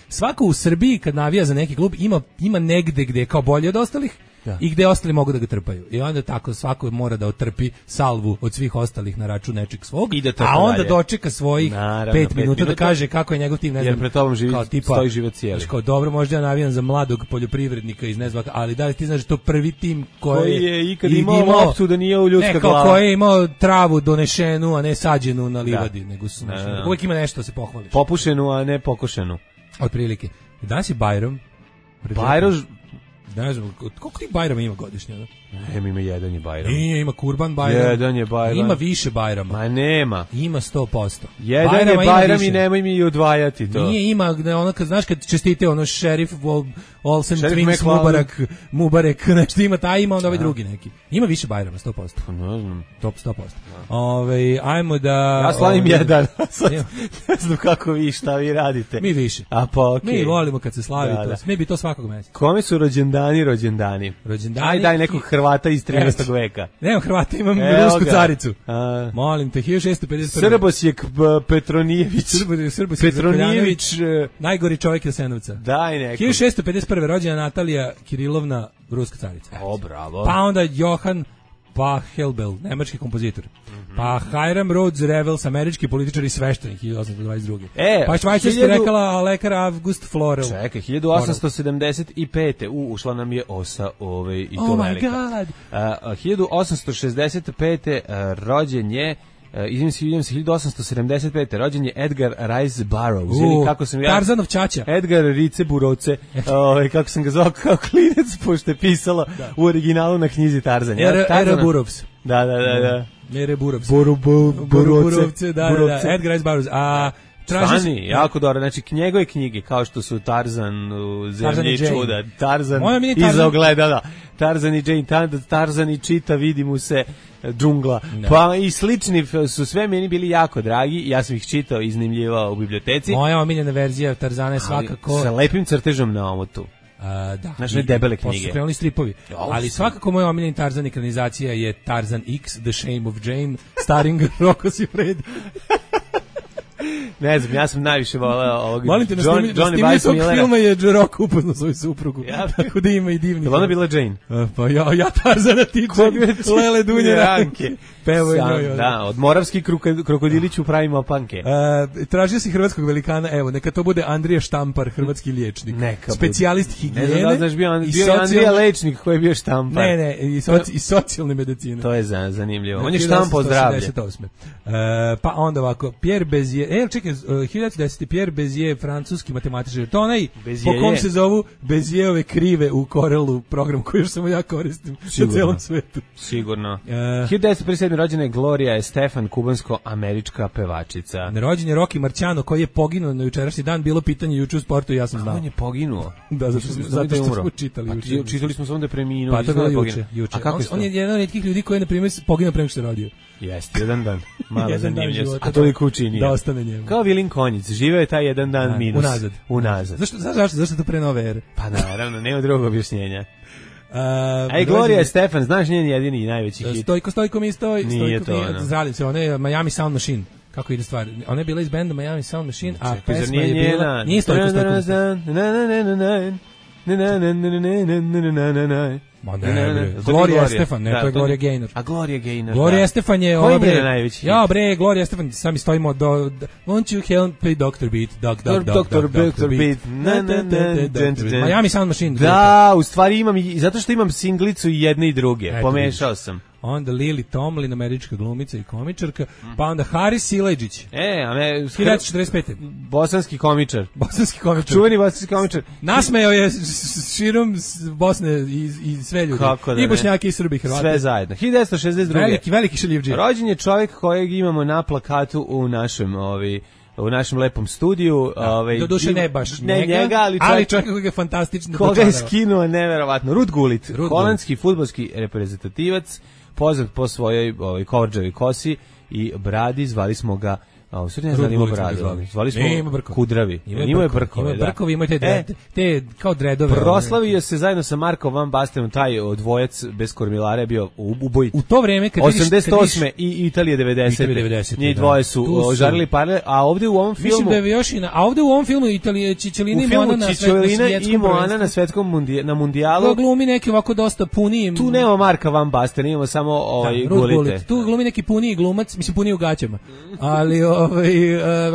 svako u Srbiji kad navija za neki klub ima negde gde je kao bolje od ostalih, i gde ostali mogu da ga trpaju. I onda tako svako mora da otrpi salvu od svih ostalih na račun nečeg svog, a onda dočeka svojih 5 minuta da kaže kako je njegov tim, ne znam. Jer pred tobom stoji život cijeli. Kao, dobro, možda ja navijam za mladog poljoprivrednika iz Nezvaka, ali da li ti znaš to prvi tim koji je ikad imao loptu da nije u ljudska glava. Koji je imao travu donešenu, a ne sađenu na livadi, nego su uvijek ima nešto da se pohvališ. Popušenu, a ne pokošenu. Otprilike. Danas je Bajram. Bajram. Ne znam, koliko ti Bajrama ima godišnje? Ima jedan je Bajram. Nije, ima Kurban Bajram. Jedan je Bajram. Ima više Bajrama. Ma nema. Ima 100%. Jedan Bajrama je Bajram i nemoj mi odvajati to. Nije, ima, ono kad znaš kad čestite ono šerif Olsen Twins Mubarek, nešto ima, taj ima onda ovaj drugi neki. Ima više Bajrama, 100%. Ne znam. Top 100%. Ajmo da... Ja slavim jedan. Ne znam kako vi, šta vi radite. Mi više. A pa okej. Mi volimo kad se slavi to. Mi bi to svakog meseca. Kome su rođendani? Aj daj nekog Hrvata iz 13. veka. Nemam Hrvata, imam rusku caricu. Molim te, 1651. Srbosjek Petronijević. Petronijević, najgori čovjek Jasenovca. Daj neko. 1651. rođena Natalija Kirilovna, ruska carica. O, bravo. Pa onda Johann Pachelbel, nemački kompozitor. Pa Hiram Rhodes Revels, američki političar i sveštenik 1822. Pa švajcarski rekala lekar August Florel. Čekaj, 1875. Ušla nam je osa i to velika. Oh my god. 1865. Rođen je 1875. rođen je Edgar Rice Burroughs, ili kako sam ja... Tarzanov ćaća. Edgar Rice Buroce, kako sam ga zvao kao klinec, pošto je pisalo u originalu na knjizi Tarzan. Era Burroughs. Da. Mere Burroughs. Burovce. Edgar Rice Burroughs. Stani, jako dobro. Znači, njegove knjige, kao što su Tarzan, Zemlji čuda, Tarzan iza ogledala, Tarzan i Jane, Tarzan i čita, vidi mu se džungla. Pa i slični su sve meni bili jako dragi, ja sam ih čitao, iznimljivao u biblioteci. Moja omiljena verzija Tarzana je svakako... Sa lepim crtežom na omotu. Da. Znači, debele knjige. Posle su krenuli stripovi. Ali svakako moja omiljena Tarzan ekranizacija je Tarzan X, The Shame of Jane, starring Rocco Siffredi. Ne znam, ja sam najviše voleo ovog Johnny Weissmullera. Tog filma je Rocco upoznao svoju suprugu. Tako da ima i divni. Je ona bila Jane? Pa ja Tarzana ti Lele Dunje Ranke. Pevo je njoj. Da, od Moravski krokodiliću pravimo opanke. Tražio si hrvatskog velikana, evo, neka to bude Andrija Štampar, hrvatski liječnik. Specijalist higijene. Ne znam da znaš, bio Andrija Lečnik koji je bio Štampar. Ne, i socijalne medicine. To je zanimljivo. On je Štampao zdravlje. Pa onda ovako, Pierre Bézier, čekaj, 1910. Pierre Bézier, francuski matematičar. To onaj po kom se zovu Bézierove krive u Corelu, program koji još samo ja koristim na celom svetu. Sigurno. 1957. rođena je Gloria Estefan, kubansko-američka pevačica. Rođen je Rocky Marciano, koji je poginuo na jučerašnji dan, bilo pitanje juče u sportu i ja sam znao. On je poginuo? Da, zato što smo čitali juče. Čitali smo samo da je preminuo. Pa to je bilo juče. On je jedan od retkih ljudi koji je, na primjer, poginuo prema što se rodio. Jeste, jedan dan. Malo zanimljivo. A toliko učinio. Da ostane njemu. Kao Vilin Konjic, živeo je taj jedan dan minus. Unazad. Zašto to pre nove ere? Pa naravno, nema drugog objašnjenja. Gloria Estefan, znaš njen jedini i najveći hit? Stojko mi stoj. Nije to. Zradim se, ona je Miami Sound Machine. Kako ide stvar? Ona je bila iz benda Miami Sound Machine, a pesma je bila... Nije Stojko mi Gloria Estefan, ne, to je Gloria Gaynor. A Gloria Gaynor, Gloria Estefan je... Koji je najveći? Ja, Gloria Estefan, sami stojimo do... Won't you help me, Dr. Beat, Dr. Beat, Miami Sound Machine. Da, u stvari imam, zato što imam singlicu i jedne i druge, pomešao sam. Onda Lily Tomlin, američka glumica i komičarka, pa onda Haris Sileđić. 1945. Bosanski komičar. Čuveni bosanski komičar. Nasmejao je širom Bosne i sve ljudi. I Bošnjaki i Srbi, Hrvati. Sve zajedno. 1962. Veliki šaljivdžija. Rođen je čovjek kojeg imamo na plakatu u našem lepom studiju. Do duše ne baš njega, ali čovjek koji je fantastično dočarao. Koga je skinuo neverovatno. Rud Gullit, holandski fudbalski reprezentativac, poznat po svojoj kovrđavoj kosi i bradi, zvali smo ga u stvari ne znam, ima bradu. Zvali smo Kudravi. Ima je brkove, da. Brkovi imaju te kao dredove. Proslavio se zajedno sa Markom Van Bastenom, taj dvojac bez kormilara je bio ubojit. U to vreme, kad 88. i Italija 90. Njih dvoje su žarili parle, a ovdje u ovom filmu... Mislim da je još a ovdje u ovom filmu Italija Čičelina i Moana na svetskom na mundijalu. Glumi neki ovako dosta puniji. Tu nema Marka Van Basten, imamo samo Gulite. Tu glumi neki puniji glumac, mislim puniji u gaćama. Ali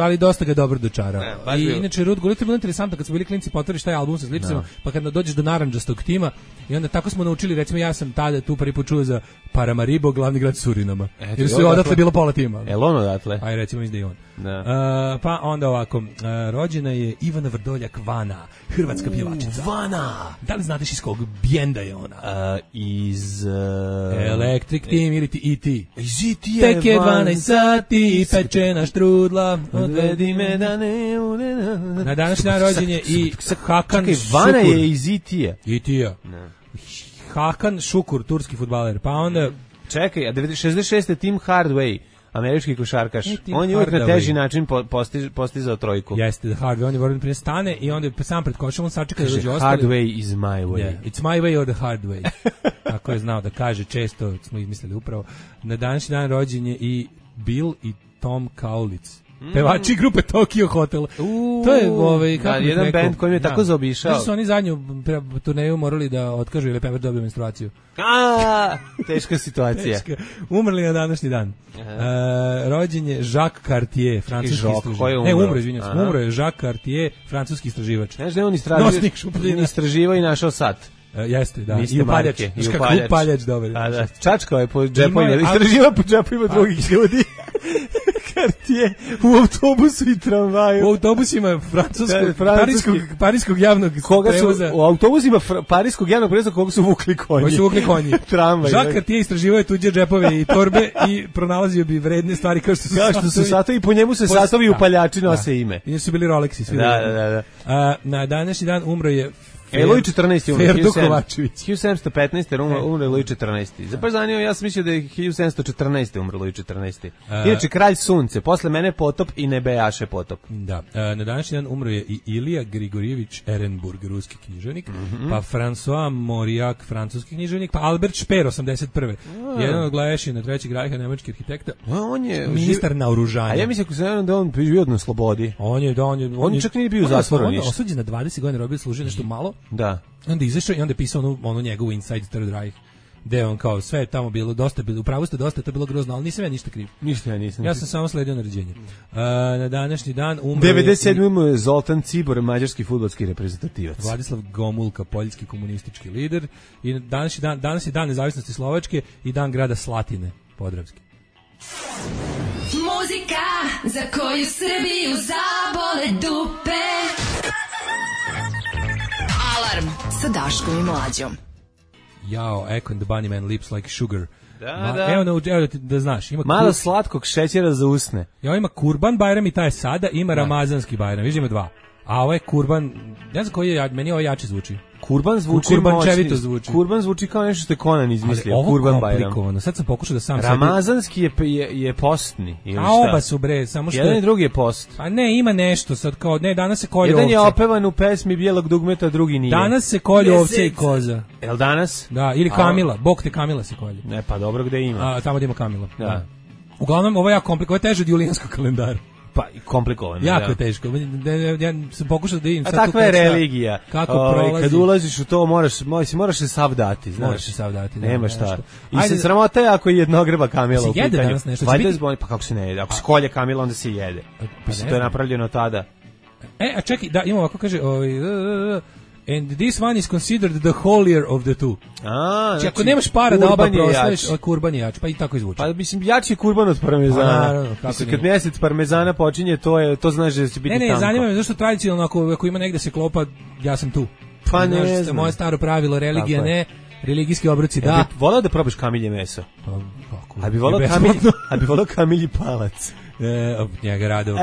ali dosta ga dobro dočarao. I inače Ruud Gullit je bilo interesantno kad smo bili klinci, potvoriš taj album sa sličicama, pa kad dođeš do narandžastog tima i onda tako smo naučili, recimo ja sam tada tu prvi put čuo za Paramaribo, glavni grad Surinama. Jer su odatle bilo pola tima. Jel on odatle? Aj recimo izda i on. Pa onda ovako, rođena je Ivana Vrdoljak Vana, hrvatska pjevačica. Vana! Da li znate iz kog bjenda je ona? Iz... Electric Team ili E.T. Iz E.T. je Tek je 12 sati, pečena štrudla, odvedi me da ne... Na današnji dan rođen je i Hakan Šukur. Vana je iz E.T. E.T. Hakan Šukur, turski fudbaler. Pa onda... Čekaj, a 66. je Tim Hardaway, američki košarkaš. On je uvijek na teži način postizao trojku. Jeste, Hardaway, on je voran prije stane i onda sam pred košom, on sačeka da dođe ostali. Hardway is my way. Yeah, it's my way or the hard way. Tako je znao da kaže, često smo izmislili upravo. Na današnji dan rođen je i Bill i Tom Kaulitz. Pevači grupe Tokyo Hotel. To je kako jedan bend koji mi je tako zaobišao. Znači su oni zadnju turneju morali da otkažu ili Pepper dobio menstruaciju. Teška situacija. Teška. Umrli na današnji dan. Rođen je Jacques Cartier, francuski istraživač. Ne, umro je Jacques Cartier, francuski istraživač. Znaš da je on istraživao i našao sat. Jeste, da. I upaljač. Upaljač, dobro. Čačkao je po džepovima, istraživao po džepovima drugih ljudi. Cartier u autobusu i tramvaju. U autobusima parijskog javnog prevoza. U autobusima parijskog javnog prevoza koga su vukli konji. Tramvaj. Jacques Cartier istraživao je tuđe džepove i torbe i pronalazio bi vredne stvari kao što su satovi. I po njemu se satovi upaljači nose ime. I su bili Rolexi svi. Da. Na današnji dan umro je Louis 14. umro. Ferdo Kovačević. 1715. umro Louis 14. Zapravo zanimljivo, ja sam mislio da je 1714. umro Louis 14. Inače, kralj sunce, posle mene potop i nebejaše potop. Da. Na današnji dan umro je i Ilija Grigorjević Ehrenburg, ruski književnik, pa François Mauriac, francuski književnik, pa Albert Speer, 81. Jedan od glavešina Trećeg rajha, nemački arhitekta. On je ministar naoružanja. A ja mislim da on bio na slobodi. On čak nije bio u zatvoru ništa. Osuđen na 20 godina, robio, služio nešto malo. Da. Onda izašao i onda je pisao onu njegovu Inside Third Reich, gde on kao sve je tamo bilo dosta, upravo ste dosta, to je bilo grozno, ali nisam ja ništa kriv. Ništa ja nisam. Ja sam samo sledio naređenje. Na današnji dan umro 97. je Zoltan Cibor, mađarski fudbalski reprezentativac. Vladislav Gomulka, poljski komunistički lider. I danas je dan nezavisnosti Slovačke i dan grada Slatine, Podravski. Muzika za koju Srbiju zabole dupe. Alarm sa Daškom i Mlađom. Jao, Echo and the Bunnymen, Lips Like Sugar. Da. Evo da znaš. Ima malo slatkog šećera za usne. Ja, ima Kurban Bajram i taj sada, ima Ramazanski Bajram, viš ima dva. A ovo je Kurban, ne znam koji je, meni ovo jače zvuči. Kurban zvuči kurbančevito zvuči. Kurban zvuči kao nešto što je Conan izmislio. Kurban Bajram. Sad sam pokušao da sam Ramazanski je postni ili šta? A oba su bre, samo što jedan i drugi je post. A ne, ima nešto sad kao danas se kolje ovce. Jedan je opevan u pesmi Bijelog dugmeta, drugi nije. Danas se kolje ovce i koza. Jel danas? Da, ili Kamila, Bog te Kamila se kolje. Ne, pa dobro, gde ima? Tamo gde ima Kamila. Da. Uglavnom ovo je jako komplikovano, teže od julijanskog kalendara. Pa komplikovano. Jako je teško. Ja sam pokušao da vidim sad takva je religija. Kako prolazi. Kad ulaziš u to moraš se sav dati, znaš. Moraš se sav dati. Nema šta. I se sramota je ako je jednogreba kamila u pitanju. Jede danas nešto. Pa kako se ne jede? Ako se kolje kamila, onda se jede. Mislim, to je napravljeno tada. A čekaj, da, imamo ovako kaže, and this one is considered the holier of the two. Znači, ako nemaš para da oba proslaviš, kurban je jač, pa i tako izvuči. Pa mislim, jači je kurban od parmezana. Mislim, kad mjesec parmezana počinje, to znaš da će biti tanko. Ne, zanima me zašto tradicionalno, ako ima negde se klopa, ja sam tu. Pa ne znam. Moje staro pravilo, religija ne, religijski obroci da. Volao da probaš kamilje meso? Pa, kako? A bi volao kamilji palac? Njega rado.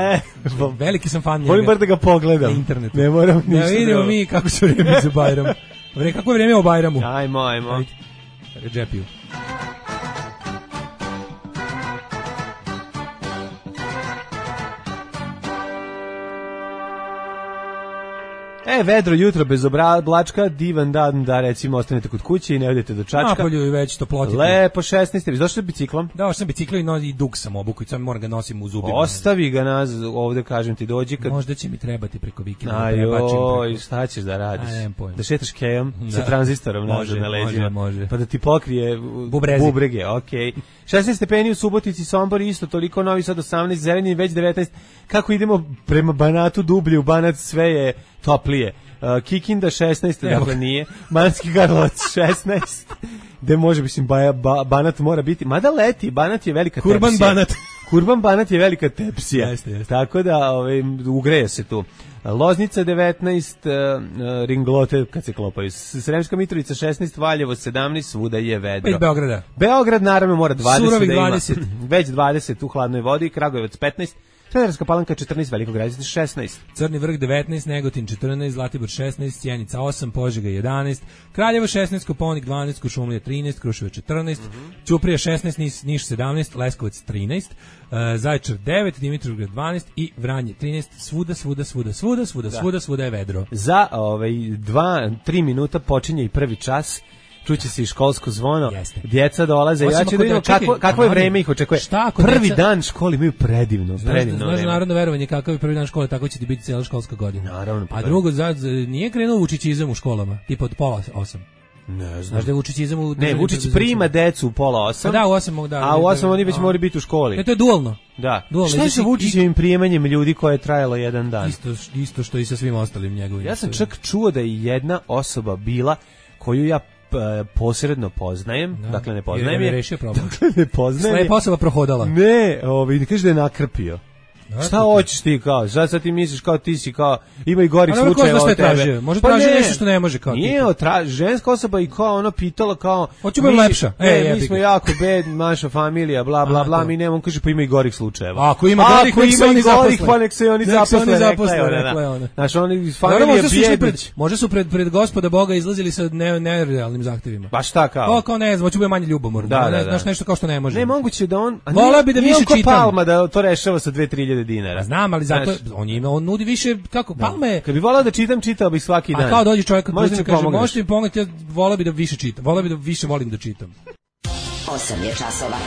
Veliki sam fan njega. Volim bar da ga pogledam. Na internetu. Ne moram ništa. Da vidimo mi kako će vreme za Bajram. Kako je vreme o Bajramu? Ajmo. Džepiju. Vedro jutro bez oblačka, divan dan da recimo ostanete kod kuće i ne odete do Čačka. Napolju je već toplotite. Lepo 16. Vi došli biciklom? Da, sam biciklom i dug sam obuku i sam moram ga nosim u zubima. Ostavi ga ovde, kažem ti, dođi kad... Možda će mi trebati preko vikenda. Ajoj, šta ćeš da radiš? Da šetaš kejom sa tranzistorom nazad na leđima. Može. Pa da ti pokrije bubrege, okej. 16 stepeni u Subotici, Sombor isto, toliko, Novi Sad 18, Zrenjanin već 19. Kako idemo prema Banatu dublje, u Banat sve je toplije. Kikinda 16, dakle nije. Banatski Karlovac 16. Gde može, mislim, Banat mora biti. Mada leti, Banat je velika tepsija. Kurban Banat je velika tepsija. Jeste. Tako da ugreje se tu. Loznica 19, ringlote kad se klopaju. Sremska Mitrovica 16, Valjevo 17, svuda je vedro. Iz Beograda. Beograd naravno mora 20. Surovih da ima. 20. Već 20 u hladnoj vodi, Kragujevac 15, Smederevska Palanka 14, Veliko Gradište 16. Crni vrh 19, Negotin 14, Zlatibor 16, Sjenica 8, Požega 11, Kraljevo 16, Koponik 12, Kuršumlija 13, Kruševac 14, Ćuprija 16, Niš 17, Leskovac 13, Zaječar 9, Dimitrovgrad 12 i Vranje 13. Svuda je vedro. Za 2-3 minuta počinje i prvi čas. Čuće se i školsko zvono, djeca dolaze, ja ću da vidimo kakvo je vreme ih očekuje. Prvi dan škole imaju predivno vreme. Znaš narodno verovanje kakav je prvi dan škole, tako će ti biti cijela školska godina. Naravno. A drugo, nije krenuo vučićizam u školama, tipa od 7:30. Ne znam. Znaš da je vučićizam u... Ne, Vučić prima decu u 7:30. Da, u 8, da. A u 8 oni već moraju biti u školi. Ne, to je dualno. Da. Šta je sa Vučićevim prijemanjem ljudi koje je trajalo jedan dan? Isto što i sa svim ostalim njegovim. Ja sam čak čuo da je jedna osoba bila koju ja posredno poznajem, dakle ne poznajem je. Dakle ne poznajem. Slepa osoba prohodala. Ne, kaže da je nakrpio. Šta hoćeš ti kao? Sad ti misliš kao ti si kao ima i gorih slučajeva od tebe. Može traži nešto što ne može kao ti. Nije, ženska osoba i kao ono pitala kao hoću biti lepša. Mi smo jako bed, naša familija, bla bla bla, mi nemamo, kaže pa ima i gorih slučajeva. Ako ima gorih, pa nek se oni zaposle, rekla ona. Znaš, oni iz familije Bjedić. Može su pred Gospoda Boga izlazili sa nerealnim zahtevima. Pa šta kao? Kao ne znam, hoću biti manje ljubomorno. Znaš nešto kao što ne može. Ne, moguće da on voleo bi da više čitam. Palma da to rešava sa 2-3 dinara. Znam, ali zato on nudi više kako Palme. Kad bi voleo da čitam, čitao bih svaki dan. A kao dođe čovjek koji kaže možete mi pomoći, ja voleo bih da više čitam. Voleo bih da više volim da čitam. 8 je časova.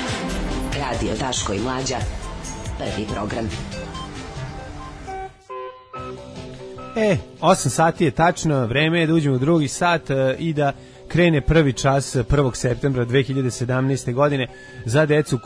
Radio Daško i Mlađa. Prvi program. 8 sati je tačno, vreme je da uđemo u drugi sat i da krene prvi čas 1. septembra 2017. godine za decu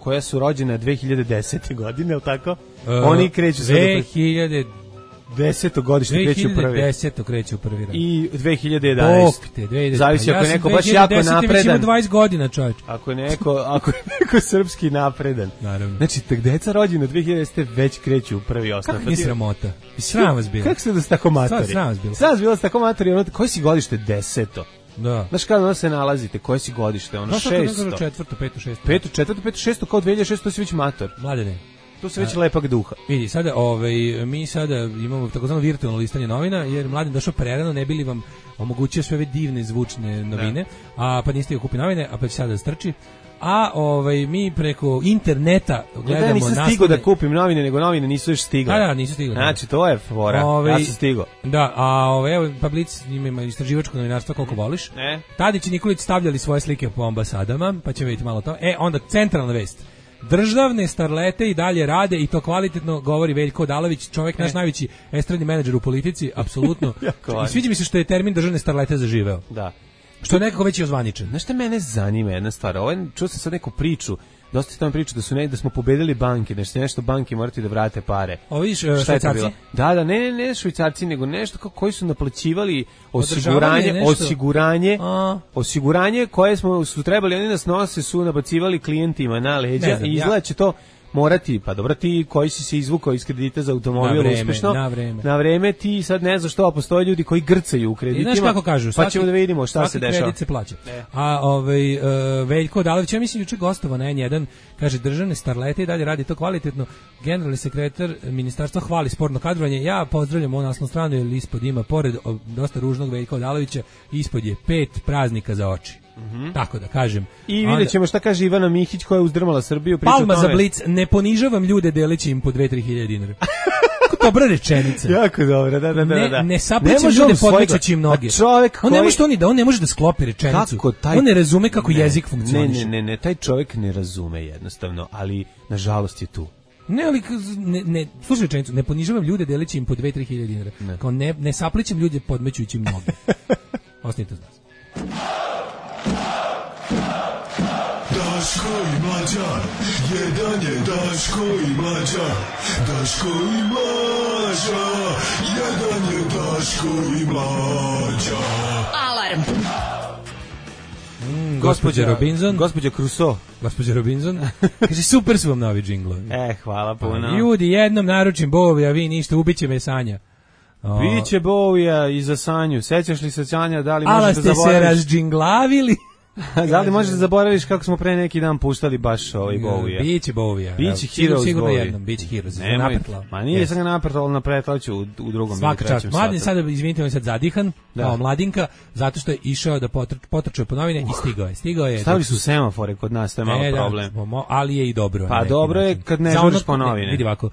koja su rođena 2010. godine, je li tako? Oni kreću sad 2010. godišnje kreću u prvi. 2010. kreću u prvi rad. I 2011. Zavisi ako je neko baš jako napredan. 20 godina, čovječ. Ako je neko srpski napredan. Naravno. Znači, tak deca rođena 2010. već kreću u prvi osnov. Kako nije sramota? Sram vas bilo. Kako se da ste tako matori? Sram vas bilo. Sram vas bilo da ste tako matori. Koji si godište 10. Da. Znaš kada ono se nalazite, koje si godište, ono 600. Četvrto, peto, šesto. Četvrto, peto, šesto, kao 2006, to si već mator. Mladene. To se već lepak duha. Vidi, sada, mi sada imamo takozvano virtualno listanje novina, jer Mladen došao prerano, ne bili vam omogućio sve ove divne zvučne novine, pa niste joj kupi novine, a pa će sada strči. A mi preko interneta gledamo ja nisam stigao da kupim novine, nego novine nisu još stigle. Da, nisu stigle. Znači, to je fora. Ja sam stigao. Da, evo, pa Blic ima istraživačko novinarstvo koliko voliš. Tadić i Nikolić stavljali svoje slike po ambasadama, pa ćemo vidjeti malo to. Onda centralna vest. Državne starlete i dalje rade i to kvalitetno, govori Veljko Odalović, čovjek naš najveći estradni menadžer u politici, apsolutno. I sviđa mi se što je termin državne starlete zaživeo. Da. Što je nekako već i ozvaničen. Znaš šta mene zanima jedna stvar? Čuo sam sad neku priču, dosta tamo priču da smo pobedili banke, da će nešto banke morati da vrate pare. Vidiš, švajcarci? Da, ne švajcarci, nego nešto koji su naplaćivali osiguranje koje su trebali, oni nas nose, su nabacivali klijentima na leđa i izgleda će to morati, pa dobro, ti koji si se izvukao iz kredita za automobil uspešno, na vreme ti sad ne znaš što, postoje ljudi koji grcaju u kreditima. I znaš kako kažu, pa ćemo da vidimo šta se dešava. Svaki kredit se plaća. A Veljko Odalović, ja mislim juče gostovao na N1, kaže državne starlete i dalje radi to kvalitetno. Generalni sekretar ministarstva hvali sportno kadrovanje. Ja pozdravljam ovu naslovnu stranu, jer ispod ima, pored dosta ružnog Veljka Odalovića, ispod je 5 praznika za oči. Tako da kažem. I vidjet ćemo šta kaže Ivana Mihić koja je uzdrmala Srbiju. Palma za Blic, ne ponižavam ljude deleći im po 2-3 hiljade dinara. jako dobra rečenica. Jako dobra, da. Ne saplićem ljude podmećući im noge. On ne može to on ne može da sklopi rečenicu. On ne razume kako jezik funkcioniše. Ne, taj čovjek ne razume jednostavno, ali nažalost je tu. Ne, ali slušaj rečenicu, ne ponižavam ljude deleći im po 2-3 hiljade dinara. Kao ne saplićem ljude podmećući im noge. Ostanite uz nas. Daško i Mlađa, jedan je Daško i Mlađa, Daško i Mlađa, jedan je Daško i Mlađa. Alarm! Gospođa Robinson. Gospođa Crusoe. Gospođa Robinson. Kaže, super su vam novi džinglovi. Hvala puno. Ljudi, jednom naručim Bowie, a vi ništa, ubiće me Sanja. Biće Bowija i za Sanju. Sećaš li se Sanja, da li možeš da zaboraviš? Ali ste se razđinglavili. Da li možeš da zaboraviš kako smo pre neki dan puštali baš Bowija? Biće Bowija. Biće Heroes sigurno Bowie. Jednom, biće Heroes. Ma nije sam ga napretlao, napretlao u drugom. Svaka čast. Mladen sada, izvinite, on je sad zadihan, kao mladinka, zato što je išao da potrčuje po novine i stigao je. Stavili su semafore kod nas, to je malo problem. Ali je i dobro. Pa dobro je kad ne žuriš po novine. Vidi ovako,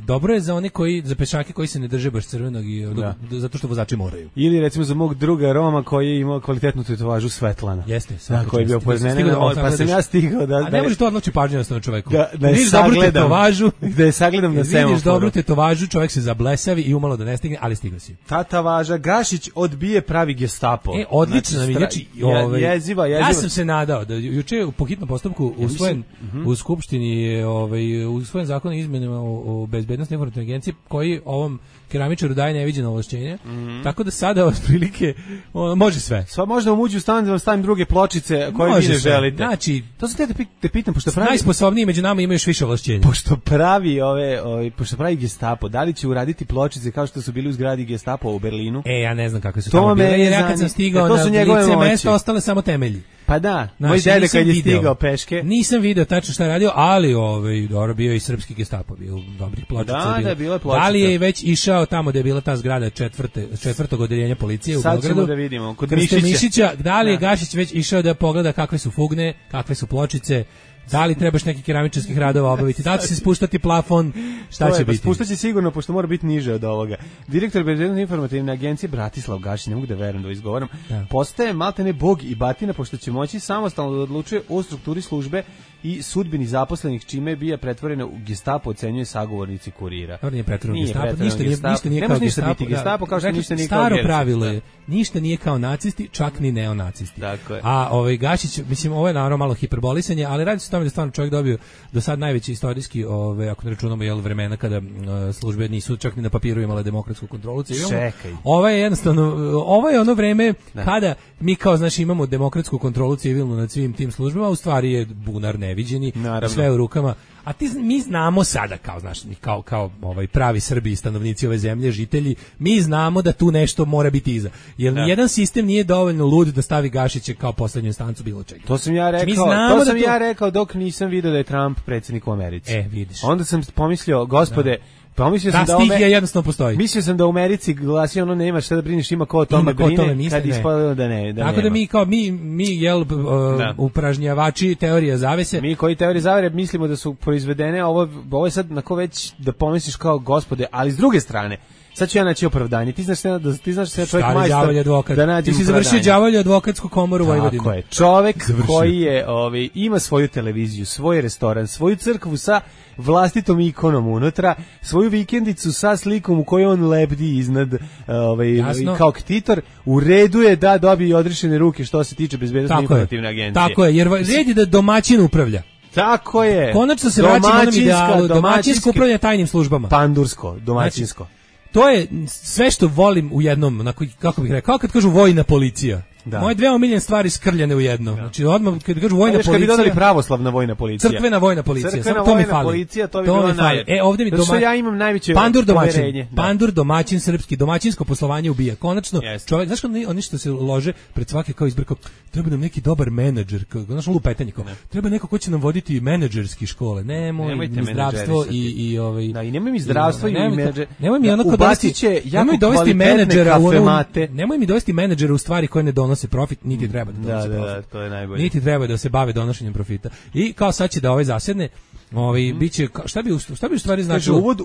dobro je za one za pešake koji se ne drže baš crvenog i zato što vozači moraju. Ili recimo za mog druga Roma koji je imao kvalitetnu tetovažu Svetlana. Jeste, koji je bio pored mene, pa sam ja stigao da... A ne može to odloči pažnju na čoveku. Da je sagledam, da je sagledam na semaforu. Vidiš dobru tetovažu, čovjek se zablesavi i umalo da ne stigne, ali stigao si. Tatovaža, Gašić odbije pravi Gestapo. Odlično nam je, jeziva. Ja sam se nadao da juče po hitnom postupku usvojen u Skupštini je usvojen zakon o izmenama o bezbednosnoj informativnoj agenciji koji ovom keramičaru daje neviđeno ovlašćenje. Tako da sada otprilike može sve. Sva možda uđu u stan da vam stavim druge pločice koje vi ne želite. Znači, to sam te pitam pošto pravi najsposobniji među nama imaju još više ovlašćenja. Pošto pravi Gestapo, da li će uraditi pločice kao što su bili u zgradi Gestapo u Berlinu? Ja ne znam kakve su tamo bile. Jer ja kad sam stigao na lice mesta ostale samo temelji. Pa da, moj dede kad je stigao peške. Nisam video tačno šta je radio, ali dobro bio i srpski Gestapo, bio dobrih pločica. Da, bilo je pločica. Da li je već išao tamo gde je bila ta zgrada četvrtog odeljenja policije u Beogradu? Sad ćemo da vidimo, kod Mišića. Da li je Gašić već išao da pogleda kakve su fugne, kakve su pločice, da li trebaš nekih keramičarskih radova obaviti, da li će se spuštati plafon, šta će biti? Spuštaće sigurno, pošto mora biti niže od ovoga. Direktor Bezbednosne informativne agencije Bratislav Gašić, ne mogu da verujem da izgovaram, postaje maltene bog i batina, pošto će moći samostalno da odlučuje o strukturi službe i sudbini zaposlenih, čime bi je pretvorena u Gestapo, ocenjuje sagovornici Kurira. Nije pretvoreno Gestapo, ništa nije kao Gestapo. Gestapo kao što ništa nije kao staro pravilo je, ništa nije kao nacisti, čak ni neonacisti. A Gašić, mislim, ovo je naravno malo hiperbolisanje, ali radi se o tome da stvarno čovjek dobio do sad najveći istorijski, ako ne računamo vremena kada službe nisu čak ni na papiru imale demokratsku kontrolu. Čekaj. Ovo je jednostavno, ovo je ono vreme kada mi kao imamo demokratsku kontrolu civilnu nad svim tim službama, u stvari je bunar neviđeni, sve u rukama. A mi znamo sada kao pravi Srbi, stanovnici ove zemlje, žitelji, mi znamo da tu nešto mora biti iza. Jer nijedan sistem nije dovoljno lud da stavi Gašiće kao poslednju instancu bilo čega. To sam ja rekao dok nisam video da je Trump predsjednik u Americi. Vidiš. Onda sam pomislio, gospode, jednostavno postoji. Mislio sam da u Americi glasi ono nema šta da brineš, ima ko o tome brine, kad ispadalo da ne. Tako da mi upražnjavači teorija zavese. Mi koji teorije zavere mislimo da su proizvedene, ovo je sad nako već da pomisliš kao gospode, ali s druge strane, sad ću ja naći opravdanje. Ti znaš da se čovjek majstor da nađe. Ti si završio đavolju advokatsku komoru u Vojvodini. Tako je. Čovjek koji je ima svoju televiziju, svoj restoran, svoju crkvu sa vlastitom ikonom unutra, svoju vikendicu sa slikom u kojoj on lebdi iznad kao ktitor, u redu je da dobije odrešene ruke što se tiče bezbednosne informativne agencije. Tako je, jer red je da domaćin upravlja. Tako je. Konačno se vraća onom idealu, domaćinsko upravljanje tajnim službama. Pandursko, domaćinsko. To je sve što volim u jednom, kako bih rekao, kao kad kažu vojna policija. Moje dve omiljene stvari skrljene u jedno. Znači odmah kad kažu vojna policija, kad bi dodali pravoslavna vojna policija. Crkvena vojna policija. Crkvena vojna policija, to bi bilo najbolje. Ovdje mi ja imam najveće poverenje. Pandur domaćin srpski, domaćinsko poslovanje ubija. Konačno čovjek, znaš oni što se lože pred svake kao izbrko, treba nam neki dobar menadžer, znaš lupetanje kao. Treba neko ko će nam voditi menadžerski škole. Nemojte zdravstvo i Da, i nemoj mi zdravstvo i menadžer. Nemoj mi ono nemoj mi dovesti menadžera u stvari koje ne donose profit, niti treba da donose profit. Da, to je najbolje. Niti treba da se bave donošenjem profita. I kao sad će da zasedne, biće šta bi u stvari značilo? Uvod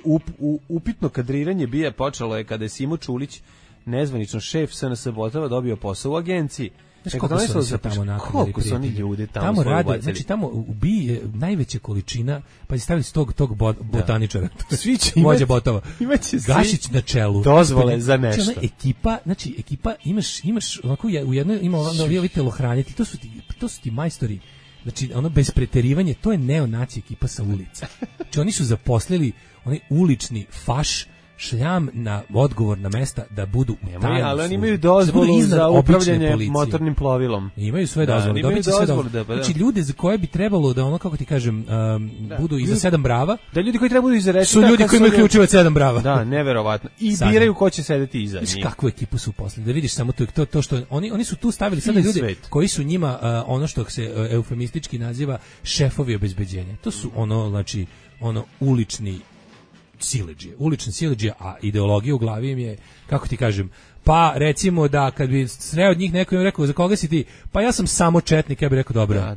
upitno kadriranje bija počelo je kada je Simo Čulić, nezvanično šef SNS Botova, dobio posao u agenciji. Znaš koliko su tamo napravili? Koliko su oni ljudi tamo rade, ubacili? znači tamo ubije najveća količina, pa stavili s tog botaničara. Svi će vođa Botova. Gašić na čelu. Dozvole za nešto. Ekipa, imaš onako u jednoj ima ovi telohranitelji, to su ti majstori. Znači, ono bez preterivanja, to je neonaci ekipa sa ulica. Znači, oni su zaposlili onaj ulični faš, šljam na odgovorna mesta da budu u tajnom službi. Ali oni imaju dozvolu za upravljanje motornim plovilom. Imaju sve dozvole. Znači, ljude za koje bi trebalo da ono, kako ti kažem, budu iza 7 brava. Da ljudi koji trebaju iza rečita. Su ljudi koji imaju ključeve od 7 brava. Da, neverovatno. I biraju ko će sedeti iza njih. Znači, kakvu ekipu su uposlili. Da vidiš samo to što oni su tu stavili sada ljude koji su njima ono što se eufemistički naziva šefovi obezbeđenja. To su znači ulične siledžije, a ideologija u glavi im je, kako ti kažem, pa recimo da kad bi sreo od njih neko im rekao za koga si ti, pa ja sam samo četnik, ja bih rekao dobro.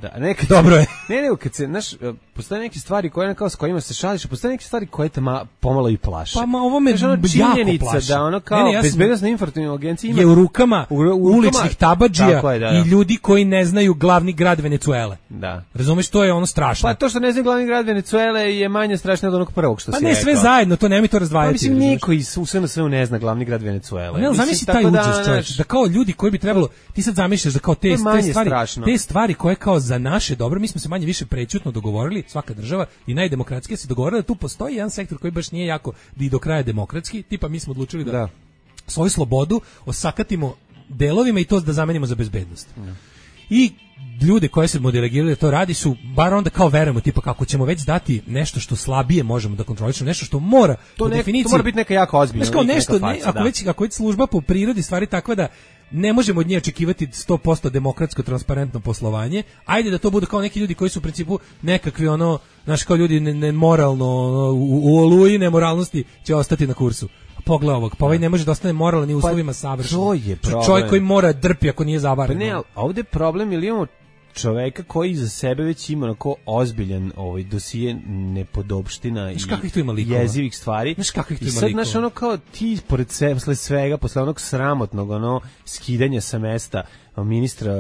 Dobro je. Ne, kad se, znaš, postoje neke stvari koje kao s kojima se šališ, postoje neke stvari koje te pomalo i plaše. Pa ovo me jako plaše. Da ono kao bezbednosna informativna agencija ima je u rukama uličnih tabadžija i ljudi koji ne znaju glavni grad Venecuele. Da. Razumeš, to je ono strašno. Pa to što ne znaju glavni grad Venecuele je manje strašno od onog prvog što si rekao. Pa ne sve zajedno, to nemoj to razdvajati. Pa mislim niko iz SNS-a ne zna glavni grad Venecuele. Si taj užas, čovječ, da kao ljudi koji bi trebalo, ti sad zamišljaš da kao te stvari koje kao za naše dobro, mi smo se manje više prećutno dogovorili, svaka država i najdemokratskija se dogovorila da tu postoji jedan sektor koji baš nije jako i do kraja demokratski, tipa mi smo odlučili da svoju slobodu osakatimo delovima i to da zamenimo za bezbednost. I ljude koje se delegirali da to radi su, bar onda kao verujemo, tipa kako ćemo već dati nešto što slabije možemo da kontrolišemo, nešto što mora po definiciji. To mora biti neka jako ozbiljna. Znaš kao nešto, ako već služba po prirodi stvari takva da ne možemo od nje očekivati 100% demokratsko, transparentno poslovanje, ajde da to bude kao neki ljudi koji su u principu nekakvi znaš kao ljudi nemoralno, u oluji nemoralnosti će ostati na kursu. Pogledaj ovog, pa ovaj ne može da ostane moralan i u uslovima savršen. To je problem. Čovjek koji mora drpi ako nije zavaren. Pa ne, ovdje je problem ili imamo čoveka koji za sebe već ima onako ozbiljan dosije nepodopština i jezivih stvari. I sad, znaš, ono kao ti pored svega, posle onog sramotnog skidanja sa mesta ministra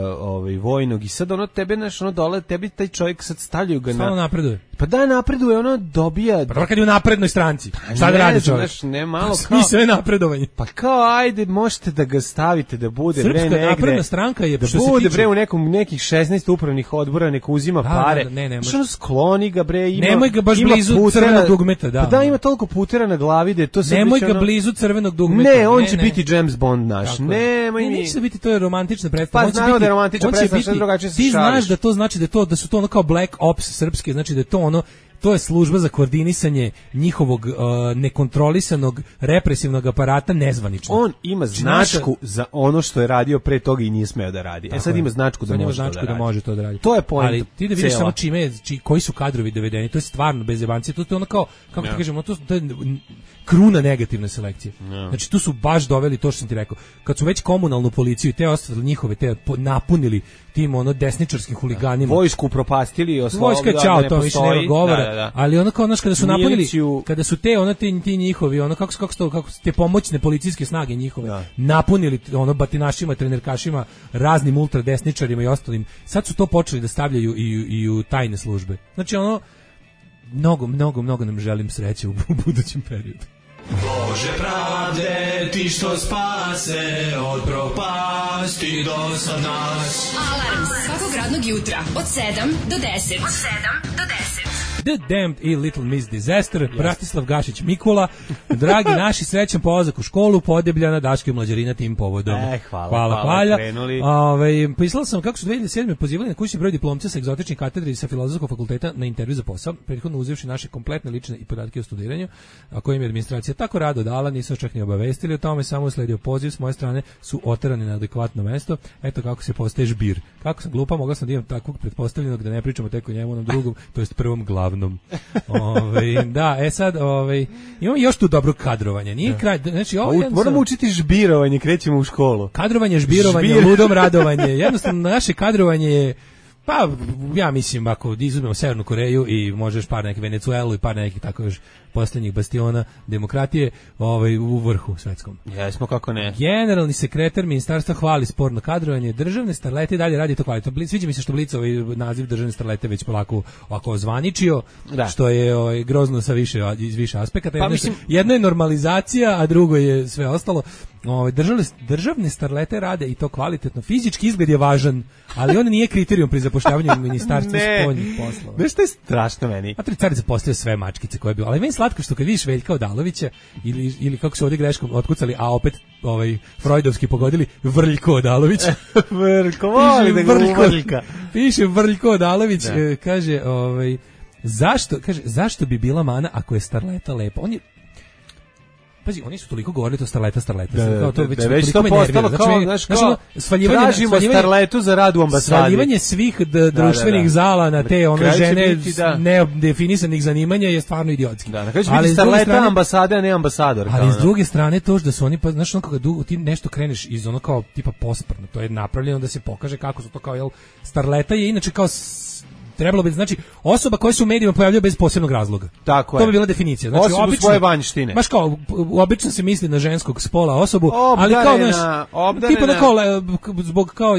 vojnog i sad tebe, znaš, dole, tebi taj čovjek sad stavljaju ga Stalo napreduje. Pa da, napreduje, dobija... Pa kad je u naprednoj stranci, šta da radi čovjek? Znaš, ne malo kao... Sve napredovanje. Pa kao, ajde, možete da ga stavite, da bude Srpska napredna stranka je, da bude bre u nekih 16 upravnih odbora, neko uzima pare. Što skloni ga bre, ima... Nemoj ga baš blizu crvenog dugmeta, da. Pa da, ima toliko putera na glavi da je to sve... Nemoj ga blizu crvenog dugmeta. Ne, on će biti James Bond naš. Nemoj mi... Neće biti, to je romantična predstava. Pa znamo da je romantična predstava, što drugačije se šališ. Ti znaš da to znači da su to kao Black Ops srpske, znači da je to to je služba za koordinisanje njihovog nekontrolisanog represivnog aparata nezvanično. On ima značku za ono što je radio pre toga i nije smeo da radi. Sad ima značku da može to da radi. To je point. Ali ti da vidiš samo koji su kadrovi dovedeni, to je stvarno bez jebancije, to je ono kao, kako ti kažemo, to je kruna negativne selekcije. Znači tu su baš doveli to što sam ti rekao. Kad su već komunalnu policiju i te ostale njihove, te napunili tim desničarskim huliganima. Vojsku propastili, vojska čao, to više nema govora. Ali kao kada su napunili, kada su ti njihovi, kako te pomoćne policijske snage njihove napunili batinašima, trenerkašima, raznim ultradesničarima i ostalim, sad su to počeli da stavljaju i u tajne službe. Znači mnogo nam želim sreće u budućem periodu. Bože pravde, ti što spase od propasti do sad nas. Alarm svakog radnog jutra od 7 do 10. The Damned i Little Miss Disaster, Bratislav Gašić Mikula, dragi naši, srećan polazak u školu, Podebljana, Daško i Mlađarina tim povodom. Hvala. Pisala sam kako su 2007. pozivali na kućni broj diplomca sa egzotičnih katedri sa Filozofskog fakulteta na intervju za posao, prethodno uzevši naše kompletne lične i podatke o studiranju, a kojim je administracija tako rado dala, nisu čak ni obavestili o tome, samo usledio poziv s moje strane, su oterani na adekvatno mesto. Eto kako se postaje žbir. Kako sam glupa, mogla sam da imam takvog pretpostavljenog da ne pričamo tek o njemu, onom drugom, to jest prvom glavnom. Da, sad imamo još tu dobro kadrovanje. Nije kraj, znači moramo učiti žbirovanje, krećemo u školu. Kadrovanje, žbirovanje, ludom radovanje. Jednostavno naše kadrovanje je Pa, ja mislim, ako izuzmemo Severnu Koreju i možeš par neke Venecuelu i par nekih tako još posljednjih bastiona demokratije u vrhu svetskom. Jesmo, kako ne. Generalni sekretar ministarstva hvali sporno kadrovanje, državne starlete i dalje radi to kvalitetno. Sviđa mi se što Blic naziv državne starlete već polako ovako ozvaničio, što je grozno sa iz više aspekata. Jedno je normalizacija, a drugo je sve ostalo. Državne starlete rade i to kvalitetno. Fizički izgled je važan, ali on nije kriterijum pri zapošljavanju u ministarstvu spoljnih poslova. Znaš što je strašno meni? A Cari zaposlio sve mačkice koje je bilo. Ali meni slatko što kad vidiš Veljka Odalovića ili kako su ovdje greškom otkucali, a opet Freudovski pogodili, Vrljko Odalović. Vrljko, voli da ga Vrljka. Piše Vrljko Odalović, kaže, zašto bi bila mana ako je starleta lepa? Pazi, oni su toliko govorili to starleta. Već to postalo kao, tražimo starletu za rad u ambasadi. Svaljivanje svih društvenih zala na te žene nedefinisanih zanimanja je stvarno idiotski. Da, na kraju će biti starleta ambasade, a ne ambasador. Ali s druge strane to da su oni, znaš, kada ti nešto kreneš iz ono kao tipa posprno, to je napravljeno da se pokaže kako su to kao, starleta je inače kao trebalo bi, znači, osoba koja se u medijima pojavljuje bez posebnog razloga. Tako to bi bila definicija. Znači, osobu svoje vanjštine. Baš kao, obično se misli na ženskog spola osobu, ali kao, tipa da kao, zbog kao,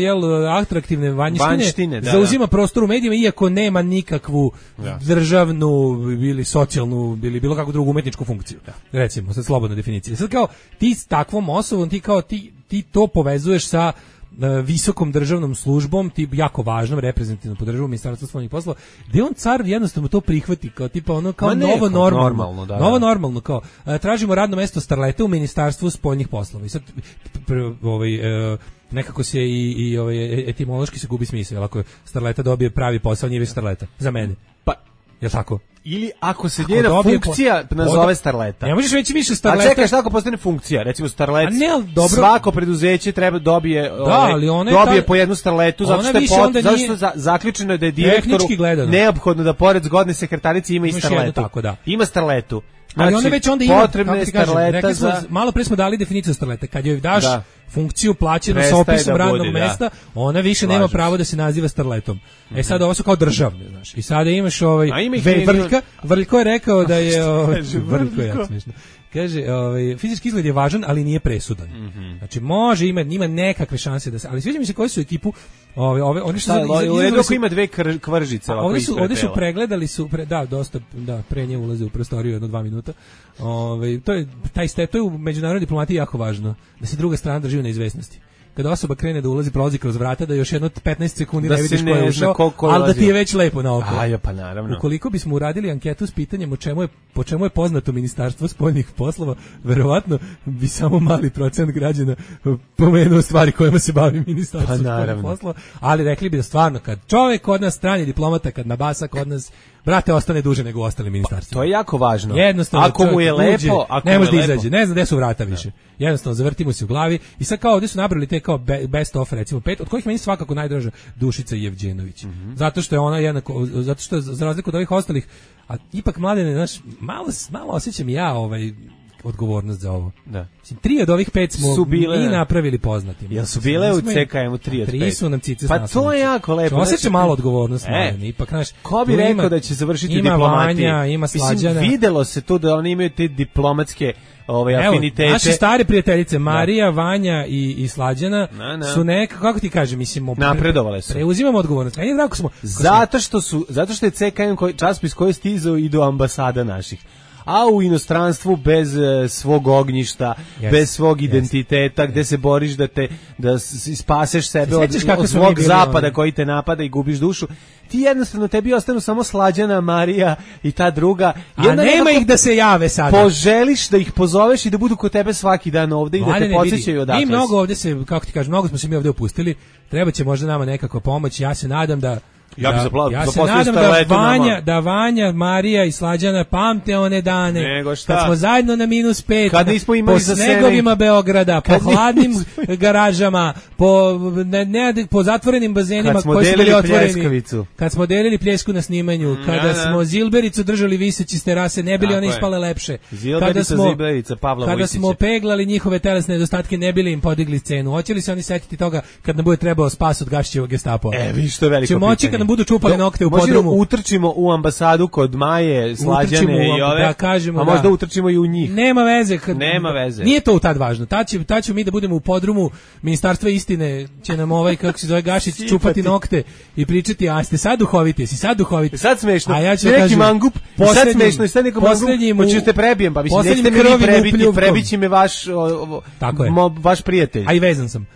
atraktivne vanjštine zauzima prostor u medijima, iako nema nikakvu državnu ili socijalnu ili bilo kakvu drugu umetničku funkciju. Recimo, sad slobodna definicija. Sad kao, ti s takvom osobom, ti to povezuješ sa visokom državnom službom, jako važnom, reprezentativnom po državu Ministarstva spoljnih poslova, gde on car jednostavno to prihvati kao tipa ono kao novo normalno. Novo normalno, kao tražimo radno mesto starlete u Ministarstvu spoljnih poslova. I sad nekako se i etimološki se gubi smisao, ako starleta dobije pravi posao, nije već starleta. Za mene. Pa, je tako? Ili ako se njena funkcija nazove starleta. Ne možeš reći više starleta. A čekaj, šta ako postane funkcija? Recimo starlet, svako preduzeće treba dobije po jednu starletu, zato što zaključeno je da je direktoru neophodno da pored zgodne sekretarice ima i starletu. Ima starletu. Ali ona već onda ima, potrebna je starleta za... Malo pre smo dali definiciju starlete. Kad joj daš funkciju plaćenu sa opisom radnog mesta, ona više nema pravo da se naziva starletom. Sad ovo su kao državne, znaš. I sada imaš Vrljko je rekao da je... Vrljko je jako smiješno. Kaže, fizički izgled je važan, ali nije presudan. Znači, može, ima nekakve šanse da se... Ali sviđa mi se koji su ekipu... Oni su ako ima dve kvržice. Ovdje su pregledali, dosta pre ulaze u prostoriju 1-2 minuta. To je u međunarodnoj diplomatiji jako važno, da se druga strana drži u neizvesnosti. Kada osoba krene da prolazi kroz vrata, da još jedno 15 sekundi ne vidiš ko je ušao, ali da ti je već lepo na oko. Pa naravno. Ukoliko bismo uradili anketu s pitanjem po čemu je poznato Ministarstvo spoljnih poslova, verovatno bi samo mali procent građana pomenuo stvari kojima se bavi Ministarstvo spoljnih poslova, ali rekli bi da stvarno kad čovjek kod nas, strani diplomata, kad nabasa kod nas, brate, ostane duže nego u ostalim ministarstvima. To je jako važno. Jednostavno, ako mu je lepo, ne može da izađe, ne znam gde su vrata više. Jednostavno, zavrtimo se u glavi i sad kao ovdje su nabrali te kao best of, recimo 5, od kojih meni svakako najdraža Dušica Jevđenović. Zato što je ona jednako, zato što za razliku od ovih ostalih, a ipak Mladene, znaš, malo osjećam ja odgovornost za ovo. Da. 3 od ovih 5 smo i napravili poznatim. Jel su bile u CKM-u 3 od 5? 3 su nam cice s naslovnice. Pa to je jako lepo. Osjećam malo odgovornost, ipak, znaš. Ko bi rekao da će završiti diplomatiju? Ima Vanja, ima Slađana. Mislim, videlo se to da oni imaju te diplomatske afinitete. Naše stare prijateljice Marija, Vanja i Slađana su kako ti kažem, mislim, napredovale su. Preuzimamo odgovornost. Meni je drago smo. Zato što je CKM časopis koji je stizao i do ambasada naših. A u inostranstvu bez svog ognjišta, bez svog identiteta, gde se boriš da spaseš sebe od svog zapada koji te napada i gubiš dušu, ti jednostavno tebi ostanu samo Slađana, Marija i ta druga. A nema ih da se jave sada. Poželiš da ih pozoveš i da budu kod tebe svaki dan ovde i da te podsjećaju odakle. Mi mnogo ovde se, kako ti kažem, mnogo smo se mi ovde opustili, treba će možda nama nekako pomoć, ja se nadam da Ja bih Ja se nadam da Vanja, Marija i Slađana pamte one dane. Nego šta? Kad smo zajedno na -5. Kad nismo imali po za snegovima Beograda, po hladnim garažama, po zatvorenim bazenima koji su bili otvoreni. Kad smo delili pljesku na snimanju, kada smo Zilbericu držali viseći s terase, ne bili one ispale lepše. Kada smo peglali njihove telesne nedostatke, ne bili im podigli cenu. Hoće li se oni setiti toga kad nam bude trebao spas od Gašićevog Gestapo? Vi što je veliko pitanje. Će moći kad nam budu čupali nokte u podrumu. Utrčimo u ambasadu kod Maje, Slađane i ove, da kažemo, a možda utrčimo i u njih. Nema veze. Nema veze. Nije to tad važno. Tad ćemo mi da budemo u podrumu Ministarstva istine, će nam kako se zove Gašić čupati nokte i pričati, a ste sad duhoviti, Sad smešno. A ja ću neki mangup, sad smešno, sad neko mangup, hoćete prebijem, pa mislim, nećete mi prebiti, prebići me vaš prijatelj. A i vezan sam.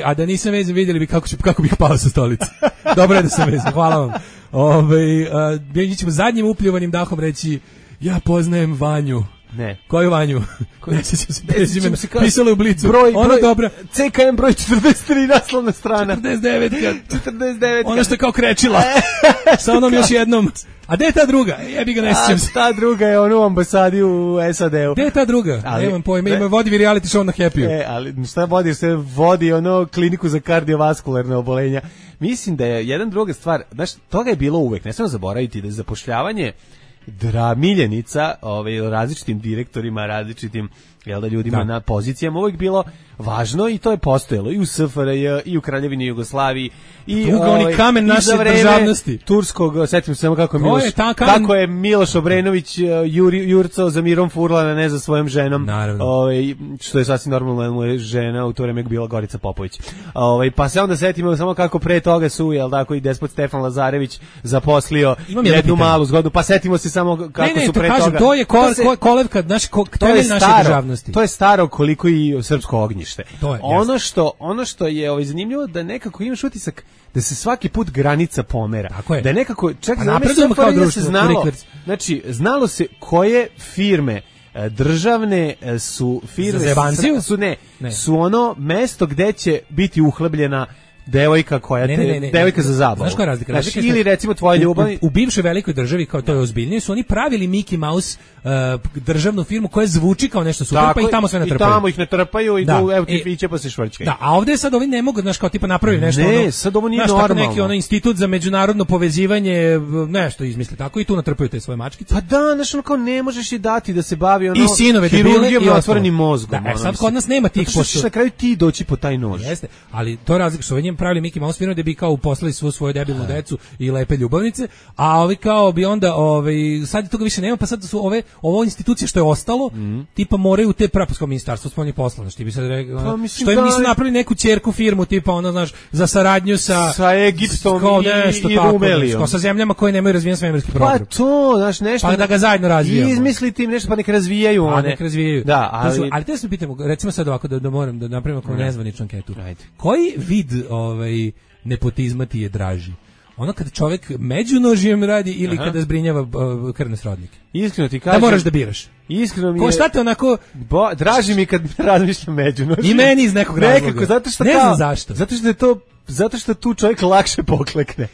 A da nisam vezan, vidjeli bi kako bih pao sa stolice. Dobro je da sam vezan, hvala vam. Mi ćemo zadnjim upljuvanim dahom reći, ja poznajem Vanju. Ne. Koju Vanju? Ne sjećam se prezimena. Pisalo u Blicu. Ona dobra. CKM broj 43, naslovna strana. 49. Ona što je kao krečila. Sa onom još jednom. A gde je ta druga? Jebi ga, ne sjećam se. Ta druga je ono u ambasadi u SAD-u. Gde je ta druga? Nemam pojma, vodi reality show na Happy-u. Ali šta vodi? Se vodi ono kliniku za kardiovaskularne obolenja. Mislim da je jedan druga stvar, znaš, toga je bilo uvek, ne smemo zaboraviti da je zapošljavanje miljenica različitim direktorima, različitim ljudima na pozicijama uvijek bilo važno i to je postojalo i u SFRJ i u Kraljevini Jugoslaviji i oni kamen naše državnosti turskog, setim se samo kako je Miloš Obrenović jurcao za Mirom Furlana, ne za svojom ženom, što je sasvim normalno, mu je žena u to vreme bila Gorica Popović, pa se onda setimo samo kako pre toga su i despot Stefan Lazarević zaposlio jednu malu zgodu, pa setimo se samo kako su pre toga. To je kolevka, temelj naše državnosti. To je staro koliko i srpsko ognjište. Ono što je zanimljivo da nekako imaš utisak da se svaki put granica pomera. Da je nekako čak se znalo se koje firme državne su firme su ono mesto gde će biti uhlebljena devojka koja devojka za zabavu. Znaš koja je razlika? Ili recimo tvoja ljubav. U bivšoj velikoj državi, kao to je ozbiljnije, su oni pravili Mickey Mouse državnu firmu koja zvuči kao nešto super, pa i tamo sve natrpaju. I tamo ih natrpaju i evo ti piće pa se švrćkaju. Da, a ovdje sad ovi ne mogu, znaš, kao tipa napraviti nešto. Ne, sad ovo nije normalno. Neki institut za međunarodno povezivanje, nešto izmisli tako i tu natrpaju te svoje mačkice. Pa da, znaš, ono kao ne možeš je dati da se bavi hirurgijom i otvorenim mozgom. Da, sad kod nas nema tih pošto. Na kraju ti doći po taj nož. Jeste, ali to je razlika što ovi pravili Mickey Mouse firmu da bi kao uposlali svu svoju debilnu decu i lepe ljubavnice, a ovi kao bi onda sad toga više nema, pa sad su ovo institucije što je ostalo, tipa moraju te praposko ministarstvo spoljnih poslova, znači ti bi sad što im nisu napravili neku ćerku firmu tipa ono, znaš, za saradnju sa Egiptom i Rumelijom, kao sa zemljama koje nemaju razvijen svemirski program. Pa to, znaš, nešto pa da ga zajedno razvijamo. Izmisliti im nešto pa nek razvijaju one. Nek razvijaju. Da, ali te se pitamo, recimo sad ovako da moram da napravimo kao nezvaničnu anketu. Koji vid nepotizma ti je draži? Ono kada čovjek među nožijem radi ili kada zbrinjava krvne srodnike? Iskreno ti kažem. Da moraš da biraš. Iskreno mi je. Šta te onako draži mi kad razmišljam među nožijem. I meni iz nekog razloga. Nekako, zato što ne znam zašto. Zato što tu čovjek lakše poklekne.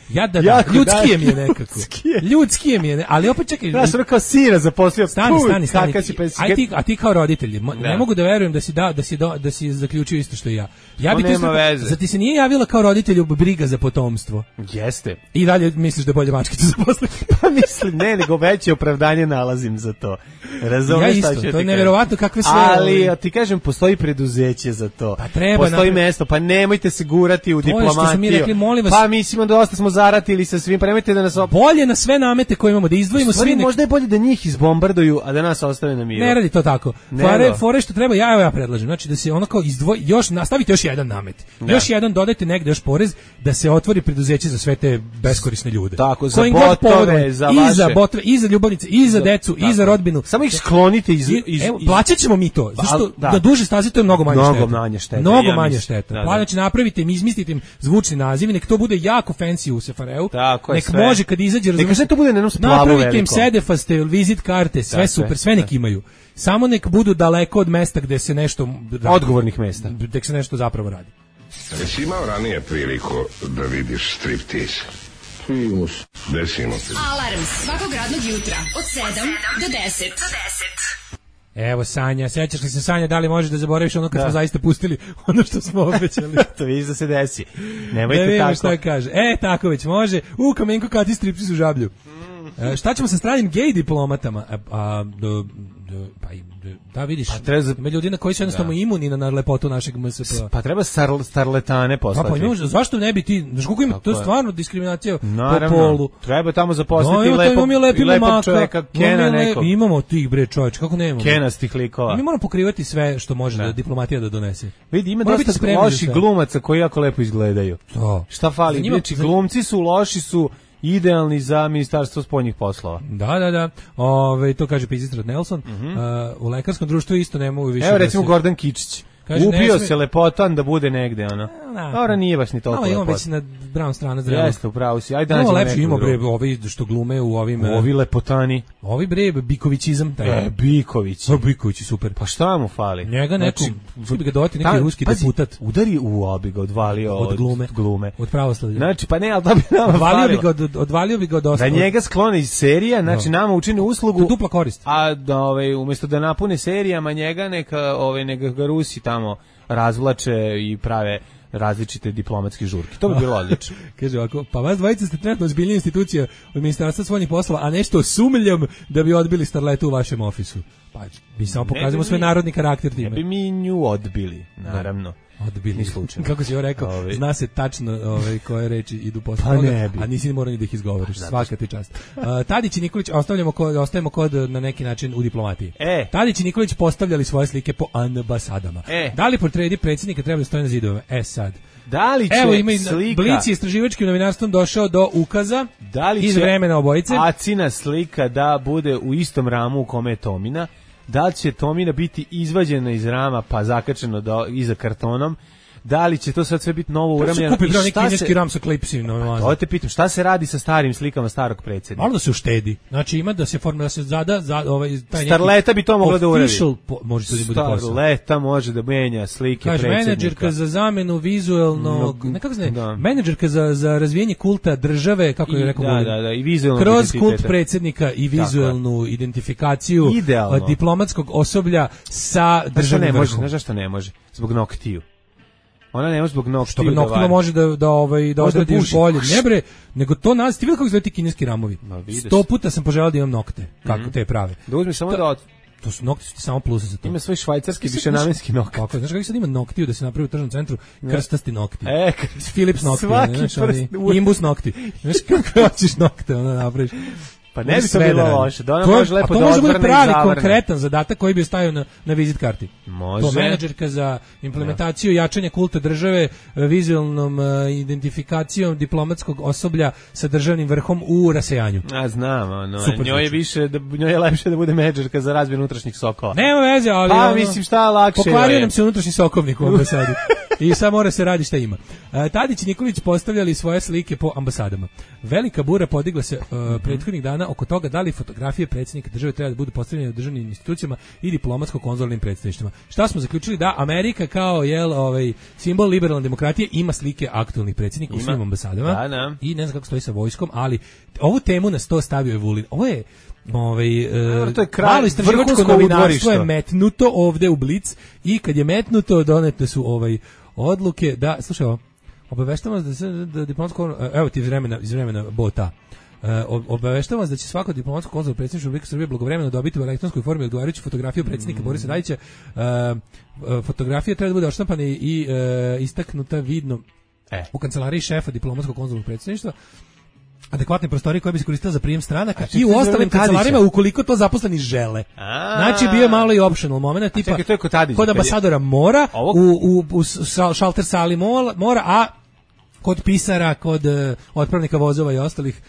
Ljudskije mi je nekako. Ljudskije mi je, ali opet čekaj. Ja sam kao sina zaposlio. Stani. A ti kao roditelji, ne mogu da verujem da si zaključio isto što i ja. Ja bih za ti se nije javila kao roditelju briga za potomstvo. Jeste. I dalje misliš da je bolje mačkicu zaposliti? Pa mislim, nego veće opravdanje nalazim za to. Razumeš šta ću ti kažem? To je neverovatno kakve sve. Ali ti kažem, postoji preduzeće za to. Pa treba. Postoji mesto, pa nemojte se gurati u diplomatiju. Pa mislimo dosta smo zaratili sa svim, pa nemojte da nas bolje na sve namete koje imamo da izdvojimo svi. Možda je bolje da njih izbombarduju, a da nas ostave na miru. Ne radi to tako. Fore što treba, ja predlažem, znači da se ono kao izdvoji, nastavite još jedan namet. Još jedan dodajte negde još porez da se otvori preduzeće za sve te beskorisne ljude. Tako, za botove, za vaše. I za ljubavnice, i za decu, i za rodbinu. Samo ih sklonite Evo, plaćat ćemo mi to. Zašto da duže stazi to je mnogo manje šteta. Mnogo manje šteta. Znači napravite im, izmislite im zvučni naziv, nek to bude jako fancy u SFRJ-u. Nek može kad izađe, neka sve to bude na jednom splavu veliko. Napravite im sedefaste, vizit karte, sve super, sve nek imaju. Samo nek budu daleko od mesta gde se nešto odgovornih mesta. Gde se nešto zapravo radi. Jesi imao ranije priliku da vidiš striptease? Primus. Desimo se. Alarm svakog radnog jutra od 7 do 10. Evo Sanja, sećaš li se Sanja, da li možeš da zaboraviš ono kad smo zaista pustili ono što smo obećali? To vidiš da se desi. Nemojte ne tako. Šta kaže. Tako već može. Kamenko kati stripci u Žablju. Šta ćemo sa stranim gej diplomatama? Da vidiš, ima ljudi na koji su jednostavno imuni na lepotu našeg MSP. Pa treba starletane poslati. Pa zašto ne bi ti, znaš koliko ima, to je stvarno diskriminacija po polu. Treba tamo zaposliti lepog čoveka, Kena nekog. Imamo tih bre čovječ, kako nemamo? Kenastih likova. Mi moramo pokrivati sve što može da diplomatija da donese. Vidi, ima dosta loših glumaca koji jako lepo izgledaju. Šta fali? Znači, glumci su loši su idealni za ministarstvo spoljnih poslova. Da. To kaže Pizistrad Nelson. U lekarskom društvu isto ne mogu više. Evo recimo Gordon Kičić. Kaže, ubio se lepotan da bude negde, ono. Ora nije baš ni toliko lepotan. Imamo već na brown strana zdravlja. Jeste, upravo si. Ajde nađemo lepši ima bre, ovi što glume u ovim... Ovi lepotani. Ovi bre, Bikovićizam. Biković. Biković je super. Pa šta mu fali? Njega neko, što bi ga dovati neki ruski deputat. Udari u obi ga, odvalio od glume. Od pravoslavlja. Znači, pa ne, ali da bi nama falilo. Odvalio bi ga od ostalo. Da njega sklone iz serija, znači nama učini uslugu. To dupla korist. A umjesto da napune serijama njega, neka ga Rusi tamo razvlače i prave različite diplomatske žurke. To bi bilo odlično. Kaže ovako, pa vas dvojica ste trenutno ozbiljnija institucija od Ministarstva spoljnih poslova, a nešto sumljam da bi odbili starletu u vašem ofisu. Pa mi samo pokazujemo svoj narodni karakter time. Ne bi mi nju odbili, naravno. Odbili slučajno. Kako si joj rekao, zna se tačno koje reči idu posle toga, a nisi morao ni da ih izgovoriš. Svaka ti čast. Tadić i Nikolić, ostajemo kod na neki način u diplomatiji. Tadić i Nikolić postavljali svoje slike po ambasadama. Da li portredi predsjednika treba da stoje na zidove? Sad. Da li će slika... Blic je istraživačkim novinarstvom došao do ukaza iz vremena obojice. Acina slika da bude u istom ramu u kome je Tomina. Da li će Tomina biti izvađena iz rama pa zakačeno iza kartonom, da li će to sad sve biti novo uramljeno. Kupi neki kineski ram sa klipsima. To te pitam, šta se radi sa starim slikama starog predsjednika? Malo da se uštedi. Znači ima da se formira, da se zada taj Starleta bi to mogla da uradi. Može to da bude posao. Starleta može da menja slike predsjednika. Kaže, menadžerka za zamenu vizuelnog, nekako se ne, menadžerka za razvijenje kulta države, kako je rekao, i vizuelnog kroz kult predsjednika i vizuelnu identifikaciju diplomatskog osoblja sa državnim vrhom. Znaš zašto ne može? Zbog noktiju. Ona ne može zbog noktiju. Što bi noktilo može da odradi još bolje. Ne bre, nego to nas, ti vidi kako izgleda ti kineski ramovi. 100 puta sam poželao da imam nokte, kako te prave. Da uzmeš samo da... To su nokti, su ti samo plusa za to. Ima svoj švajcarski višenamenski nokat. Kako, znaš kako sad ima noktiju da se napravi u tržnom centru? Krstasti nokti. Philips nokti. Imbus nokti. Znaš kako hoćeš nokte, onda napraviš. Pa ne bi to bilo loše. Da ona može lepo da odvrne i zavrne. To može biti pravi konkretan zadatak koji bi stavio na vizit karti. Može. To menadžerka za implementaciju jačanja kulta države, vizualnom identifikacijom diplomatskog osoblja sa državnim vrhom u rasejanju. Znam, njoj je lepše da bude menadžerka za razvoj unutrašnjih sokova. Nema veze, ali... Pa mislim šta lakše. Pokvario nam se unutrašnji sokovnik u ambasadi. I sad mora se radi šta ima. Tadić i Nikolić postavljali svoje slike po ambasadama. Velika bura podigla se prethodnih dana oko toga da li fotografije predsjednika države treba da budu postavljene u državnim institucijama i diplomatsko-konzularnim predstavništvima. Šta smo zaključili? Da Amerika kao simbol liberalne demokratije ima slike aktualnih predsjednika u svim ambasadama. I ne znam kako stoji sa vojskom, ali ovu temu nas to stavio je Vulin. Ovo je malo istraživačko novinarstvo je metnuto ovde u Blic i kad je metnuto donete su odluke da, slušaj ovo, obaveštamo vas da diplomatsko, evo ti iz vremena bota, obaveštamo vas da će svako diplomatsko konzularno predsjedništvo Republike Srbije blagovremeno dobiti u elektronskoj formi odgovarajuću fotografiju predsjednika Borisa Tadića. Fotografija treba da bude odštampana i istaknuta vidno u kancelariji šefa diplomatskog konzularnog predsjedništva, adekvatne prostorije koje bi se koristile za prijem stranaka i u ostalim kancelarima ukoliko to zaposleni žele. Znači bio je malo i optional moment, tipa kod ambasadora mora, u šalter sali mora, a kod pisara, kod otpravnika vozova i ostalih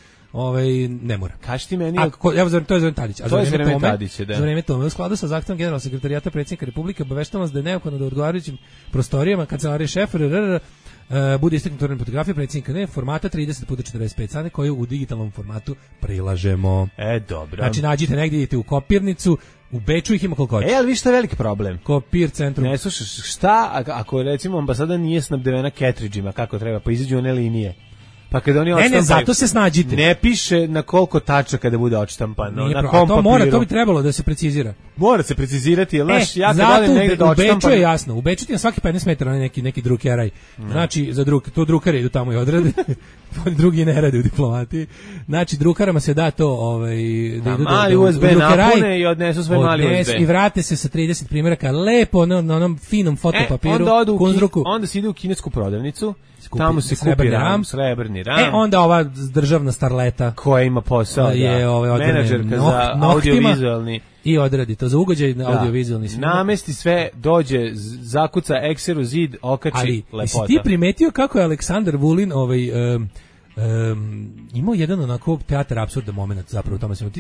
ne mora. Kaži ti meni... Evo, to je Zoran Tadić. To je Zoran Tadić, da. Za vreme tome, u skladu sa zahtevom generalnog sekretarijata predsjednika Republike, obaveštavam vas da je neophodno da u odgovarajućim prostorijama kancelarije šefa bude istaknuta fotografija predsjednika formata 30x45 cm koju u digitalnom formatu prilažemo. Dobro. Znači, nađite negdje, idete u kopirnicu, u Beču ih ima koliko hoće. Ali vi što je veliki problem? Kopir centrum. Ne slušaš, šta ako recimo ambasada nije snabdevena cartridgeima kako treba, pa izađu one linije. Pa kada oni ne, zato se snađite. Ne piše na koliko tačaka da bude odštampano. Na kom to mora, to bi trebalo da se precizira. Mora se precizirati, jel znaš, ja kad volim negde da odštampam. U Beču je jasno, u Beču ti na svaki 15 metara neki drukeraj. Znači, to drukari idu tamo i odrade. Drugi ne rade u diplomatiji. Znači, drukarama se da to da idu mali USB napune i odnesu svoj mali USB. I vrate se sa 30 primjeraka lepo na onom finom fotopapiru. Onda se ide u kinesku prodavnicu. Tamo se kupi srebrni ram. Onda ova državna starleta koja ima posao je menadžerka za audiovizualni i odradi to za ugođaj na audiovizualni snimak. Namesti sve, dođe, zakuca ekseru zid, okači lepota. Jesi ti primetio kako je Aleksandar Vulin imao jedan onako teatar apsurda moment zapravo u tome svemu.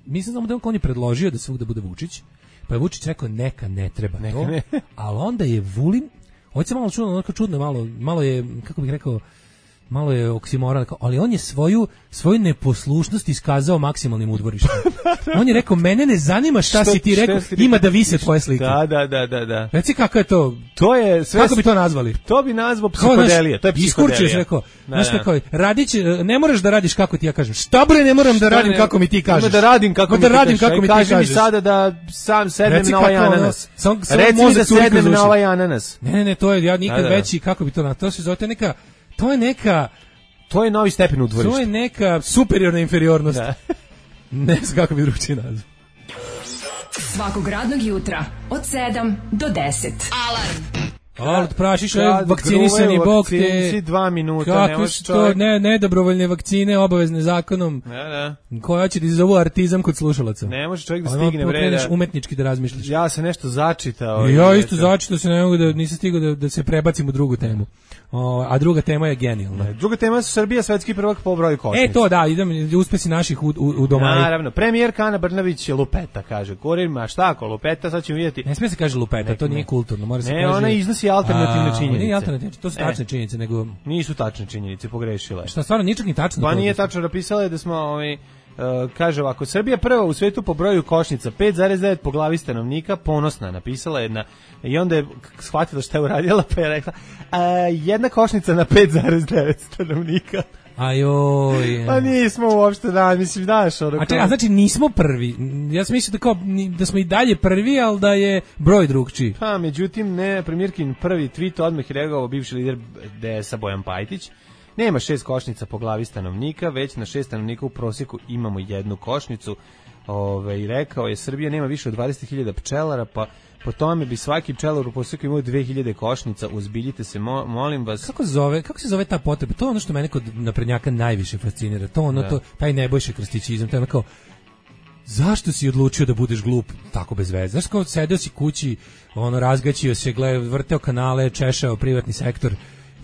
Mislim samo da on je predložio da svugda bude Vučić, pa je Vučić rekao neka ne treba to, ali onda je Vulin. Ovo se malo čudno, malo je, kako bih rekao, malo je oksimoran, ali on je svoju neposlušnost iskazao maksimalnim udvorištem. On je rekao, mene ne zanima šta si ti rekao, ima da vise tvoje slike. Da. Reci kako je to? To je sve. Kako bi to nazvali? To bi nazvao psihodelija. To je psihodelija. Iskurčio se rekao, znaš tako, ne moraš da radiš kako ti ja kažem. Šta bre, ne moram da radim kako mi ti kažeš. Da radim kako mi ti kažeš. Kaži mi sada da sam sednem na ovaj ananas. Reci mi da sednem na ovaj ananas. Ne, to je ja nikad veći, kako bi to nazvao? To se zove to je novi stepen udvorišta. To je neka superiorna inferiornost. Ne znam kako bi drugačije nazvao. Svakog radnog jutra od 7 do 10. Alarm. Prašiš vakcinisani bog te 2 minuta, kako su to nedobrovoljne vakcine obavezne zakonom. Koja će ti zovu artizam kod slušalaca. Ne može čovjek da stigne vreda. Umetnički da razmišljaš. Ja sam nešto začitao. Ja isto začitao se, ne mogu da nisam stigao da se prebacim u drugu temu. A druga tema je genijalna. Druga tema je Srbija svetski prvak po broju košnica. To da, idem uspesi naših u domaju. Naravno, premijerka Ana Brnabić je lupeta, kaže. Govorima šta ako lupeta, sad ćemo vidjeti. Ne smije se kaže lupeta, to nije kulturno, mora se kaže. Ne, ona iznosi alternativne činjenice. Nije alternativne, to su tačne činjenice, nego nisu tačne činjenice, pogrešila je. Šta stvarno ničeg ni tačno. Pa nije tačno, napisala je da smo kaže ovako, Srbija prva u svetu po broju košnica, 5,9 po glavi stanovnika, ponosna, napisala jedna, i onda je shvatila šta je uradila, pa je rekla, jedna košnica na 5,9 stanovnika. Ajoj. Pa nismo uopšte, mislim, daš ono. A znači nismo prvi. Ja sam mislio da smo i dalje prvi, ali da je broj drugčiji. Pa, međutim, ne, premijerkin prvi tweet odmah je reagovao bivši lider DS-a Bojan Pajtić. Nema 6 košnica po glavi stanovnika, već na 6 stanovnika u prosjeku imamo jednu košnicu. I rekao je, Srbija nema više od 20.000 pčelara, pa po tome bi svaki pčelar u prosjeku imao 2.000 košnica. Uzbiljite se, molim vas. Kako se zove ta potreba? To je ono što mene kod naprednjaka najviše fascinira. Taj Nebojša Krstićizam, to je kao, zašto si odlučio da budeš glup tako bez veze? Znaš, kao sedeo si kući, razgaćio se, vrteo kanale, češao privatni sektor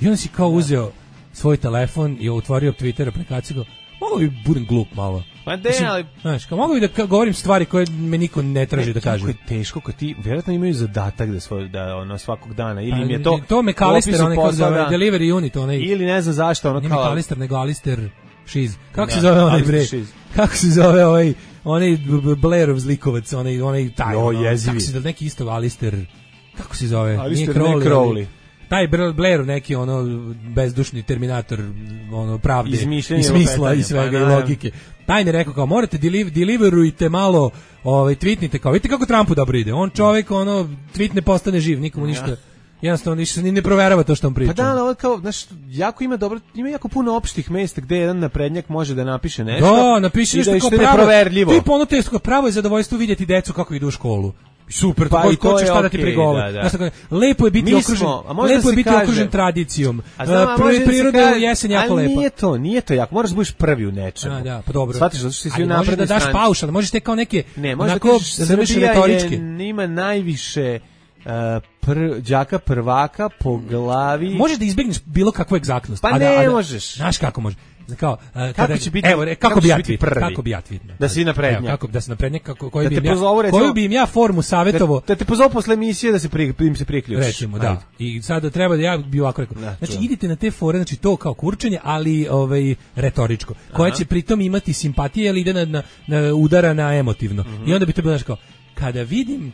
i onda si kao uzeo svoj telefon i otvorio Twitter aplikaciju, mogu bi budem glup malo. Pa ali... Znaš, mogu bi da govorim stvari koje me niko ne traži da kaže. Kako je teško kad ti, vjerojatno imaju zadatak da svakog dana, ili im je to... To McAllister, Delivery Unit, ili ne znam zašto, Nije McAllister, nego Alister Šiz. Kako se zove onaj bre? Kako se zove onaj Blairov zlikovac, onaj taj... jezivi. Kako se zove, neki isto Alister... Kako se zove? Alister, nije Crowley. Taj Blair, neki bezdušni terminator pravde i smisla i svega i logike. Taj mi rekao kao, morate deliverujte malo, tweetnite kao, vidite kako Trumpu dobro ide. On čovjek, tweet ne postane živ, nikomu ništa. Jednostavno ništa ne proverava to što on priča. Pa da, ali kao, znaš, ima jako puno opštih mesta gde jedan naprednjak može da napiše nešto. Da, napiše nešto kao neproverljivo. Ti ponuto pravo je zadovoljstvo vidjeti decu kako idu u školu. Super, pa ko će šta da ti prigovara. Lepo je biti okružen tradicijom. Priroda je jesen jako lepa. Ali nije to jako. Moraš da budeš prvi u nečemu. Da, pa dobro. Shvatiš zato što si svi napredni strani. Da daš paušal, možeš te kao neke onako retoričke. Ima najviše đaka prvaka po glavi. Možeš da izbegneš bilo kakvu egzaktnost. Pa ne možeš. Znaš kako može? kao kako će biti, evo kako bi ja tweet, da si naprednjak, kako da se naprednjak, koju bi im ja formu savjetovao da te pozove posle emisije da se im se priključiš, recimo, da. I sada treba da ja bi ovako rekao, znači idite na te fore, znači to kao kurčenje, ali retoričko, koja će pritom imati simpatije, ali ide na udara na emotivno. I onda bi to bilo kao kada vidim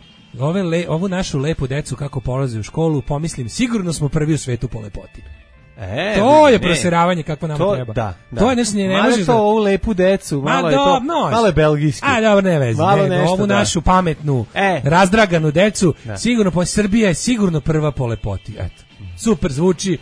ovu našu lepu decu kako polaze u školu, pomislim sigurno smo prvi u svetu po lepoti. To je proseravanje kako nam treba. Da. To je nešto ne može to ovu lepu decu, malo je belgijski. A dobro, ne vezi. Ovu našu pametnu, razdraganu decu, sigurno Srbija je sigurno prva po lepoti. Eto. Super zvuči,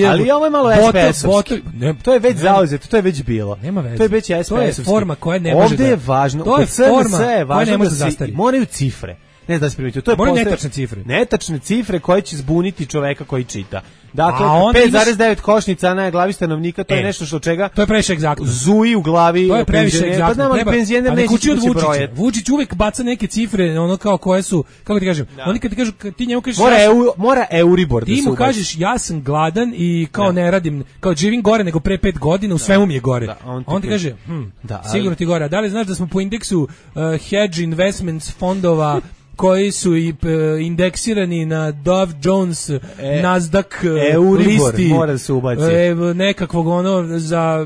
ali ovo je malo SPS-ovski. To je već zauzeto, to je već bilo. Nema veze. To je već SPS-ovski. To je forma koja ne može Ovde je važno, to je forma koja ne može da zastari. Moraju cifre. Ne da se primetio, to je netačne cifre. Netačne cifre koje će zbuniti čoveka koji čita. Dakle, 5,9 košnica na glavi stanovnika, to je nešto što čega... To je previše egzaktno. Zuji u glavi... To je previše egzaktno. Pa znam, penzioner neće kući od Vučića. Vučić uvek baca neke cifre, ono kao koje su... Kako ti kažem? Oni kad ti kažu, ti njemu kažeš... Mora Euribor da se ubaci. Ti mu kažeš, ja sam gladan i kao ne radim, kao živim gore nego pre 5 godina, u svemu mi je gore. On ti kaže, sigurno ti gore. Da li znaš da smo po indeksu hedge investments fondova koji su indeksirani na Dow Jones, Nasdaq listi, mora se ubaci. Nekakvog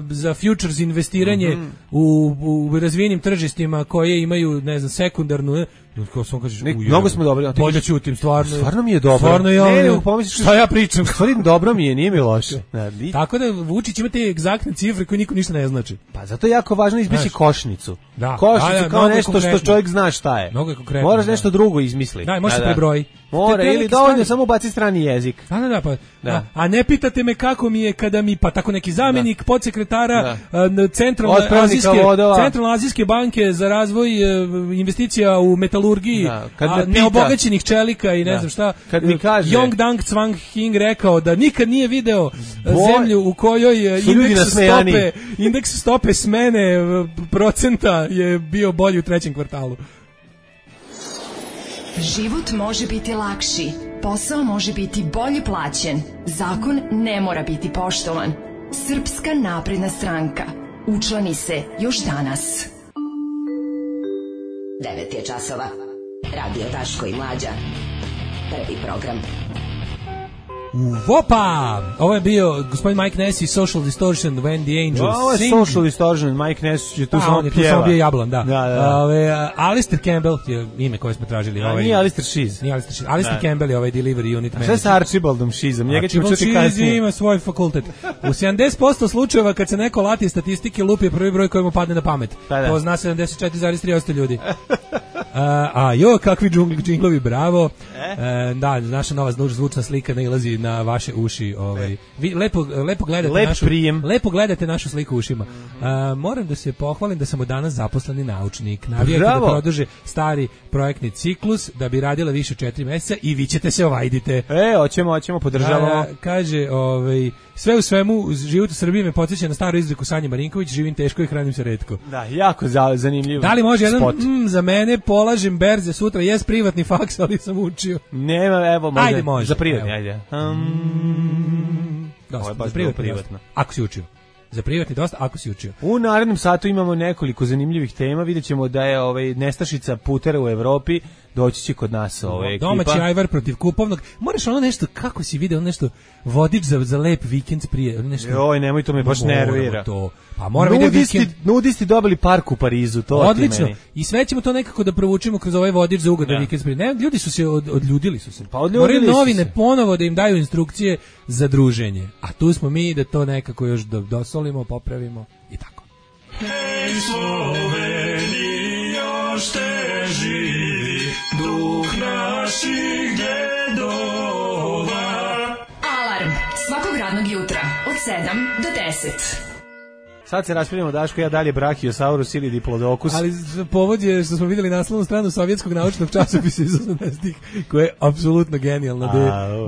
za futures investiranje u razvijenim tržištima koje imaju, ne znam, sekundarnu, kao sam kažeš, mnogo smo dobri. Bolje ćutim, stvarno mi je dobro. Stvarno ja, šta ja pričam? Stvarno dobro mi je, nije mi loše. Tako da Vučić ima te egzaktne cifre koje niko ništa ne znači. Pa zato je jako važno izbjeći košnicu. Da. Košnicu kao nešto što čovjek zna šta je. Mnogo je konkretno. Moraš nešto drugo izmisli. Da, može se prebroji. Mora, ili dovoljno samo baci strani jezik. Da. A ne pitate me kako mi je kada mi, pa tako neki zamjenik podsekretara Centralno-azijske banke za razvoj investicija u metalurgiji, neobogaćenih čelika i ne znam šta, kad mi kaže Yong Dang Cwang Hing rekao da nikad nije video zemlju u kojoj indeks stope smene procenta je bio bolji u trećem kvartalu. Život može biti lakši, posao može biti bolje plaćen, zakon ne mora biti poštovan. Srpska napredna stranka. Učlani se još danas. 9 je časova. Radio Daško i Mlađa. Prvi program. Vopa! Ovo je bio gospodin Mike Ness i Social Distortion, When the Angels Sing. Ovo je Social Distortion, Mike Ness je tu samo pjeva. Tu samo bio jablan, da. Alistair Campbell je ime koje smo tražili. Nije Alistair Shees. Alistair Campbell je ovaj delivery unit manager. Šta je sa Archibaldom Sheesom? Archibald Shees ima svoj fakultet. U 70% slučajeva kad se neko lati statistike, lupi je prvi broj koji mu padne na pamet. To zna 74,3% ljudi. Kakvi džinglovi, bravo. Da, naša nova zvučna slika nailazi na vaše uši, vi lepo gledate našu sliku ušima. Moram da se pohvalim da sam od danas zaposleni naučnik. Navijate da produže stari projektni ciklus, da bi radila više od 4 mjeseca i vi ćete se ovajdite. Hoćemo, podržavamo. Kaže, sve u svemu, život u Srbiji me podsjeća na staru izreku Sanje Marinković, živim teško i hranim se retko. Da, jako zanimljivo. Da li može jedan za mene, polažem berze sutra, jes privatni faks, ali sam učio. Nema, evo, može. Za privatni, ajde. Dosta, za privatno. Ako si učio. Za privatni dosta, ako si učio. U narednom satu imamo nekoliko zanimljivih tema. Vidjet ćemo da je nestašica putera u Evropi. Doći će kod nas ekipa. Domaći ajvar protiv kupovnog. Moraš ono nešto, kako si video, nešto vodič za lep vikend prije. Nemoj, to me baš nervira. Pa moramo vidjeti nudisti dobili park u Parizu, to odlično. I sve ćemo to nekako da provučemo kroz ovaj vodič za ugodan vikend prije. Ne, ljudi su se odljudili su se. Moraju novine ponovo da im daju instrukcije za druženje. A tu smo mi da to nekako još dosolimo, popravimo i tako. Hej Sloveni, još te živi duh naših djedova. Alarm svakog radnog jutra od 7 do 10. Sad se raspravljamo, Daško, ja dalje Brachiosaurus ili Diplodocus. Ali povod je što smo vidjeli naslovnu stranu sovjetskog naučnog časopisa iz 80-ih, koja je apsolutno genijalna,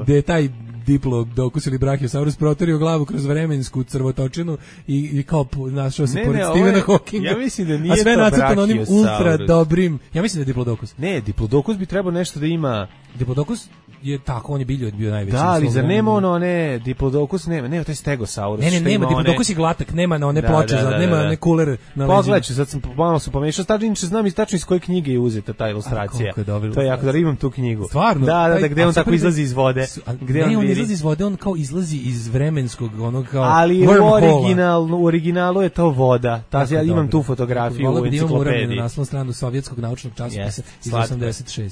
gde je taj Diplodocus ili Brachiosaurus proterio glavu kroz vremensku crvotočinu i kao našao se pored Stephena Hawkinga. Ja mislim da nije a sve to nacrtano onim ultra Brachiosaurus. dobrim. Ja mislim da je Diplodocus. Ne, Diplodocus bi trebao nešto da ima. Diplodocus je tako, on je bio najveći. Da, ali zar nema ono, ne, Diplodocus nema, to je Stegosaurus. Ne, nema, Diplodocus je glatak, nema na one ploče, nema one kuler na leđima. Pogledaj, sad sam malo se pomešao, znam i tačno iz koje knjige je uzeta ta ilustracija. To je jako da imam tu knjigu. Stvarno? Da, gde on tako izlazi iz vode. Ne, on izlazi iz vode, on kao izlazi iz vremenskog, onog kao ali u originalu je to voda. Ja imam tu fotografiju u enciklopediji. Na naslovnu stranu sovjetskog naučnog časopisa iz 86.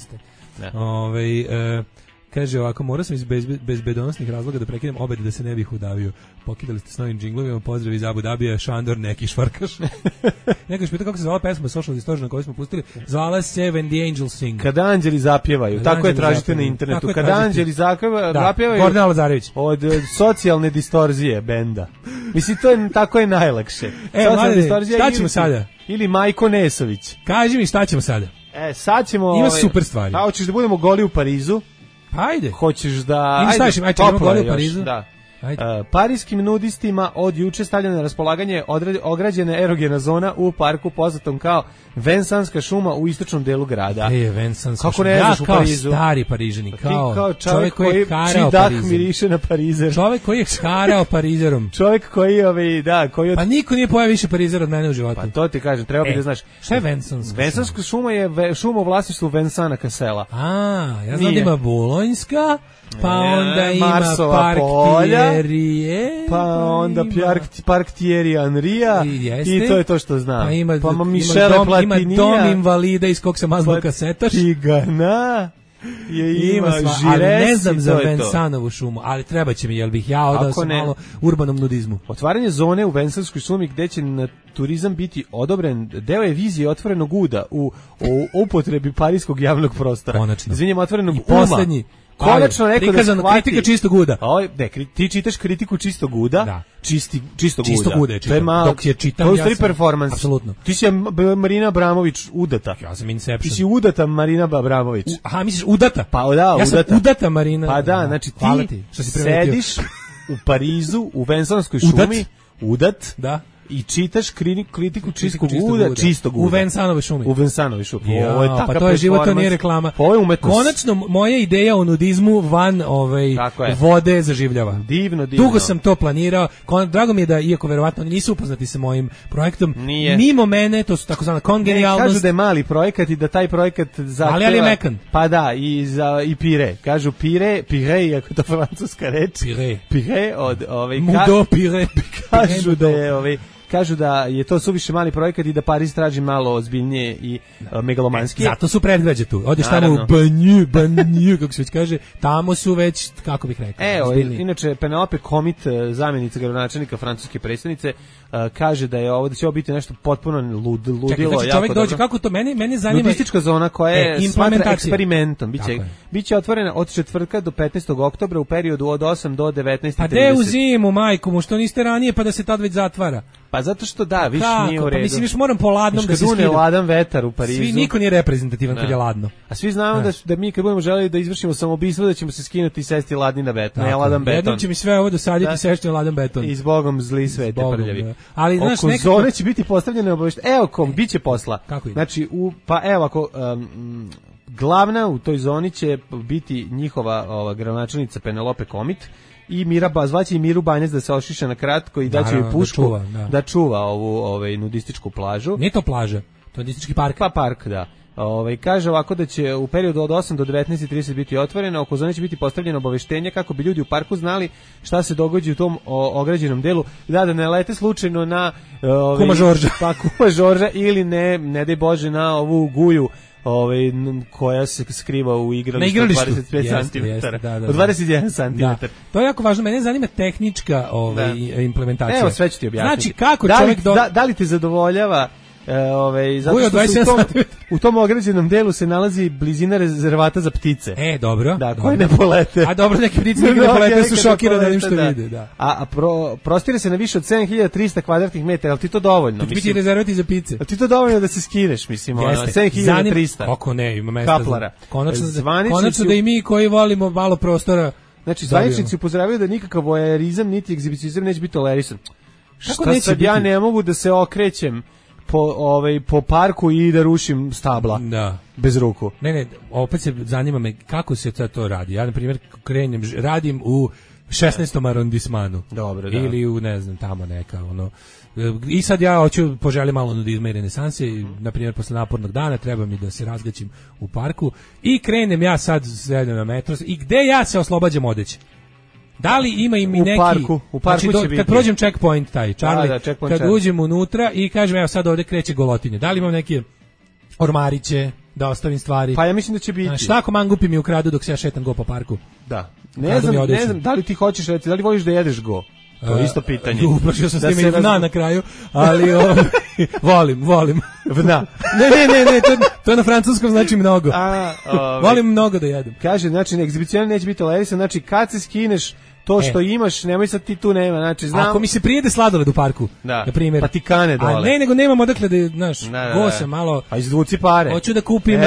Kaže ovako, morao sam iz bezbedonosnih razloga da prekinem obed da se ne bih udavio. Pokidali ste s novim džinglovima, pozdrav iz Abu Dabija, Šandor, neki švarkaš. Neko je pitao kako se zvala pesma Social Distortion koju smo pustili. Zvala se When the Angels Sing. Kada anđeli zapjevaju, tako je tražite na internetu. Kada anđeli zapjevaju Gordana Lazarević. Od socijalne distorzije benda. Mislim, tako je najlakše. Mladine, šta ćemo sada? Ili Majko Nesović. Kaži mi šta ćemo sada? Sad ćemo... Ima super stvari. A hoćeš da budemo goli u Parizu? Ajde. Hoćeš da... Ajde, goli u Parizu. Da. Parijskim nudistima od juče stavljena na raspolaganje ograđena erogena zona u parku poznatom kao Vensanska šuma u istočnom delu grada. Vensanska šuma. Ja kao stari Parižani, kao čovjek koji je karao Parizom. Miriše na Parizer. Čovjek koji je karao Parizerom. Čovjek koji Pa niko nije pojao više Parizera od mene u životu. Pa to ti kažem, treba bi da znaš. Šta je Vensanska? Vensanska šuma je šuma u vlasništvu Vensana Cassela. Ja znam da ima Bolonjska, pa onda ima Park Thierry, pa onda Park Thierry Henrya i to je to što znam. Pa Michele Platinija. Ima dom invalida iz kog se mazlo kasetaš. Tigana. Ima Žires, ali ne znam za Vensanovu šumu, ali treba će mi, jel bih ja odao sam malo urbanom nudizmu. Otvaranje zone u Vensanskoj šumi gde će na turizam biti odobren deo je vizije otvorenog uda u upotrebi parijskog javnog prostora. Konačno. Izvinjam, otvorenog i poslednji. Konačno neko da shvati. Kritika čistog uda. Ti čitaš kritiku čistog uda. Da. Čistog uda. To je malo. Dok je čitam, ja sam performans. Apsolutno. Ti si Marina Abramović udata. Ja sam Inception. Ti si udata Marina Abramović. Aha, misliš udata? Pa da, ja sam udata Marina. Pa da, znači ti sediš u Parizu, u Vensanskoj šumi, udat. Da. I čitaš kritiku čistog uda. U Vensanovoj šumi. Ovo je pa to je život, to nije reklama. Ovo je umetnost. Konačno, moja ideja o nudizmu van vode zaživljava. Divno. Dugo sam to planirao. Drago mi je da, iako verovatno nisu upoznati sa mojim projektom, mimo mene, to su takozvana kongenijalnost. Kažu da je mali projekat i da taj projekat zahteva... Ali je mekan. Pa da, i pire. Kažu pire, iako to francuska reč. Pire od... Mudo pire. Kažu da je... Kažu da je to suviše mali projekat i da Pariz traži malo ozbiljnije i megalomanski. Zato su predgrađe tu. Odeš tamo u Banju, kako se već kaže, tamo su već, kako bih rekao, ozbiljnije. Inače, Penelope Komit, zamjenica gradonačelnika francuske predsjednice, kaže da je da će ovo biti nešto potpuno ludilo. Čekaj, čovjek dođe, kako to mene zanima? Nudistička zona koja je smatra eksperimentom. Biće otvorena od četvrtka do 15. oktobra u periodu od 8 do 19:30. A gde u zimu, majku mu, što niste ranije pa da se tad već zatvara? Pa zato što više nije u redu. Pa mislim, viš moram po ladnom da se skida. Ladan vetar u Parizu. Niko nije reprezentativan kad je ladno. A svi znamo da mi kad budemo želeli da izvršimo samoubistvo da ćemo se skinuti i sesti ladni na beton, ne ladan beton. Jednom će mi sve ovo dosaditi i sešti na ladan beton. I zbogom zli svete prljavi. Ali znaš, oko zone će biti postavljene obaveštenja. Evo biće posla. Kako ide? Znači, ako glavna u toj zoni će biti njihova gradonačelnica Penelope Komit i zvaće i Miru Banjac da se ošiša na kratko i daće joj pušku da čuva ovu nudističku plažu. Nije to plaža, to je nudistički park. Pa park, da. Kaže ovako da će u periodu od 8 do 19:30 biti otvoreno, oko zone će biti postavljeno obaveštenje kako bi ljudi u parku znali šta se događa u tom ograđenom delu, da ne lete slučajno na Kuma Žorža. Pa Kuma Žorža ili ne daj Bože na ovu guju koja se skriva u igralištu od 25 cm. Od 21 cm. To je jako važno, mene zanima tehnička implementacija. Evo, sve ću ti objasniti. Znači, kako čovjek... Da li te zadovoljava... zato što u tom ograđenom delu se nalazi blizina rezervata za ptice. Dobro. Da, koje ne polete. A dobro, neke ptice ne polete, su šokirane onim što vide. Da. A prostire se na više od 7300 kvadratnih metara, ali ti to dovoljno? To biti rezervati za pice. Ali ti to dovoljno da se skineš, mislim, 7300. Kako ne, ima mesta. Kaplara. Konačno da i mi koji volimo malo prostora Znači, zvaničnici upozoravaju da nikakav voajerizam niti egzibicionizam neće biti tolerisan. Šta sad ja ne mogu da se okrećem po parku i da rušim stabla bez ruku? Ne, opet se zanima me kako se to radi. Ja, na primjer, radim u 16. arondismanu. Dobro, da. Ili u, ne znam, tamo neka, I sad ja hoću poželim malo nudizma i renesanse, na primjer, posle napornog dana treba mi da se razgaćim u parku i krenem ja sad sedem na metro i gde ja se oslobađam odeće? Da li ima i mi neki... U parku znači, će biti. Kad prođem checkpoint taj, Charlie, checkpoint kad uđem unutra i kažem, evo sad ovde kreće golotinje, da li imam neke ormariće, da ostavim stvari? Pa ja mislim da će biti. Šta ako mangupi mi ukradu dok se ja šetam go po parku? Da. Ne znam, da li ti hoćeš, da li voliš da jedeš go? To je isto pitanje. Uplašio sam s tim na kraju, ali volim. Vna. Ne, to na francuskom znači mnogo. Volim mnogo da jedem. Kaže, znači, egzibicionar neće biti tolerisan, znači, kad se skineš to što imaš, nemoj sad ti tu nema, znači, znam. Ako mi se prijede sladoled u parku, na primjer. Pa ti kane dole. A ne, nego nemam odakle da, znaš, go se malo... A izvuci pare. Hoću da kupim...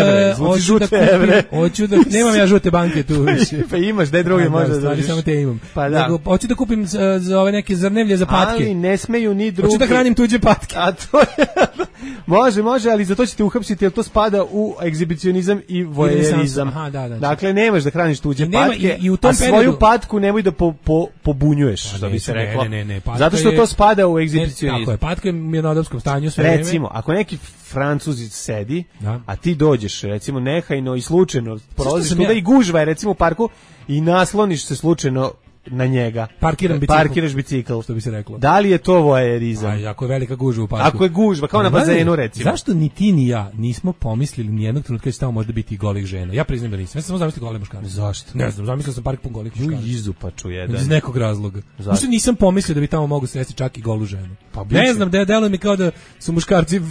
Hoću da nemam ja žute banke tu. Pa imaš, daj drugi možda da dođeš. Samo te imam. Pa da. Hoću da kupim za ove neke zrnevlje za patke. Ali ne smeju ni drugi. Hoću da hranim tuđe patke. A to je... Može, ali za to ćete uhapsiti, jer to spada u egzibicionizam i voajerizam. Dakle, nemaš da hraniš tuđe patke, a svoju patku nemoj da pobunjuješ, što bi se reklo. Ne, zato što to spada u egzibicionizam. Tako je, patka je mirnodopskom stanju sve vreme. Recimo, ako neki Francuzi sedi, a ti dođeš, recimo, nehajno i slučajno prolaziš tuda i gužva je, recimo, u parku i nasloniš se slučajno na njega. Parkiraš bicikl, što bi se reklo. Da li je to voajerizam? Ako je velika gužva u parku. Ako je gužva, kao na bazenu, recimo. Zašto ni ti ni ja nismo pomislili ni jednog trenutka da će tamo možda biti i golih žena? Ja priznam da nisam. Ja sam samo zamislio gole muškarce. Zašto? Ne znam, zamislio sam park pun golih muškaraca. Izupaču jedan. Iz nekog razloga. Zašto nisam pomislio da bi tamo mogu sresti čak i golu ženu? Pa ne znam, deluje mi kao da su muškarci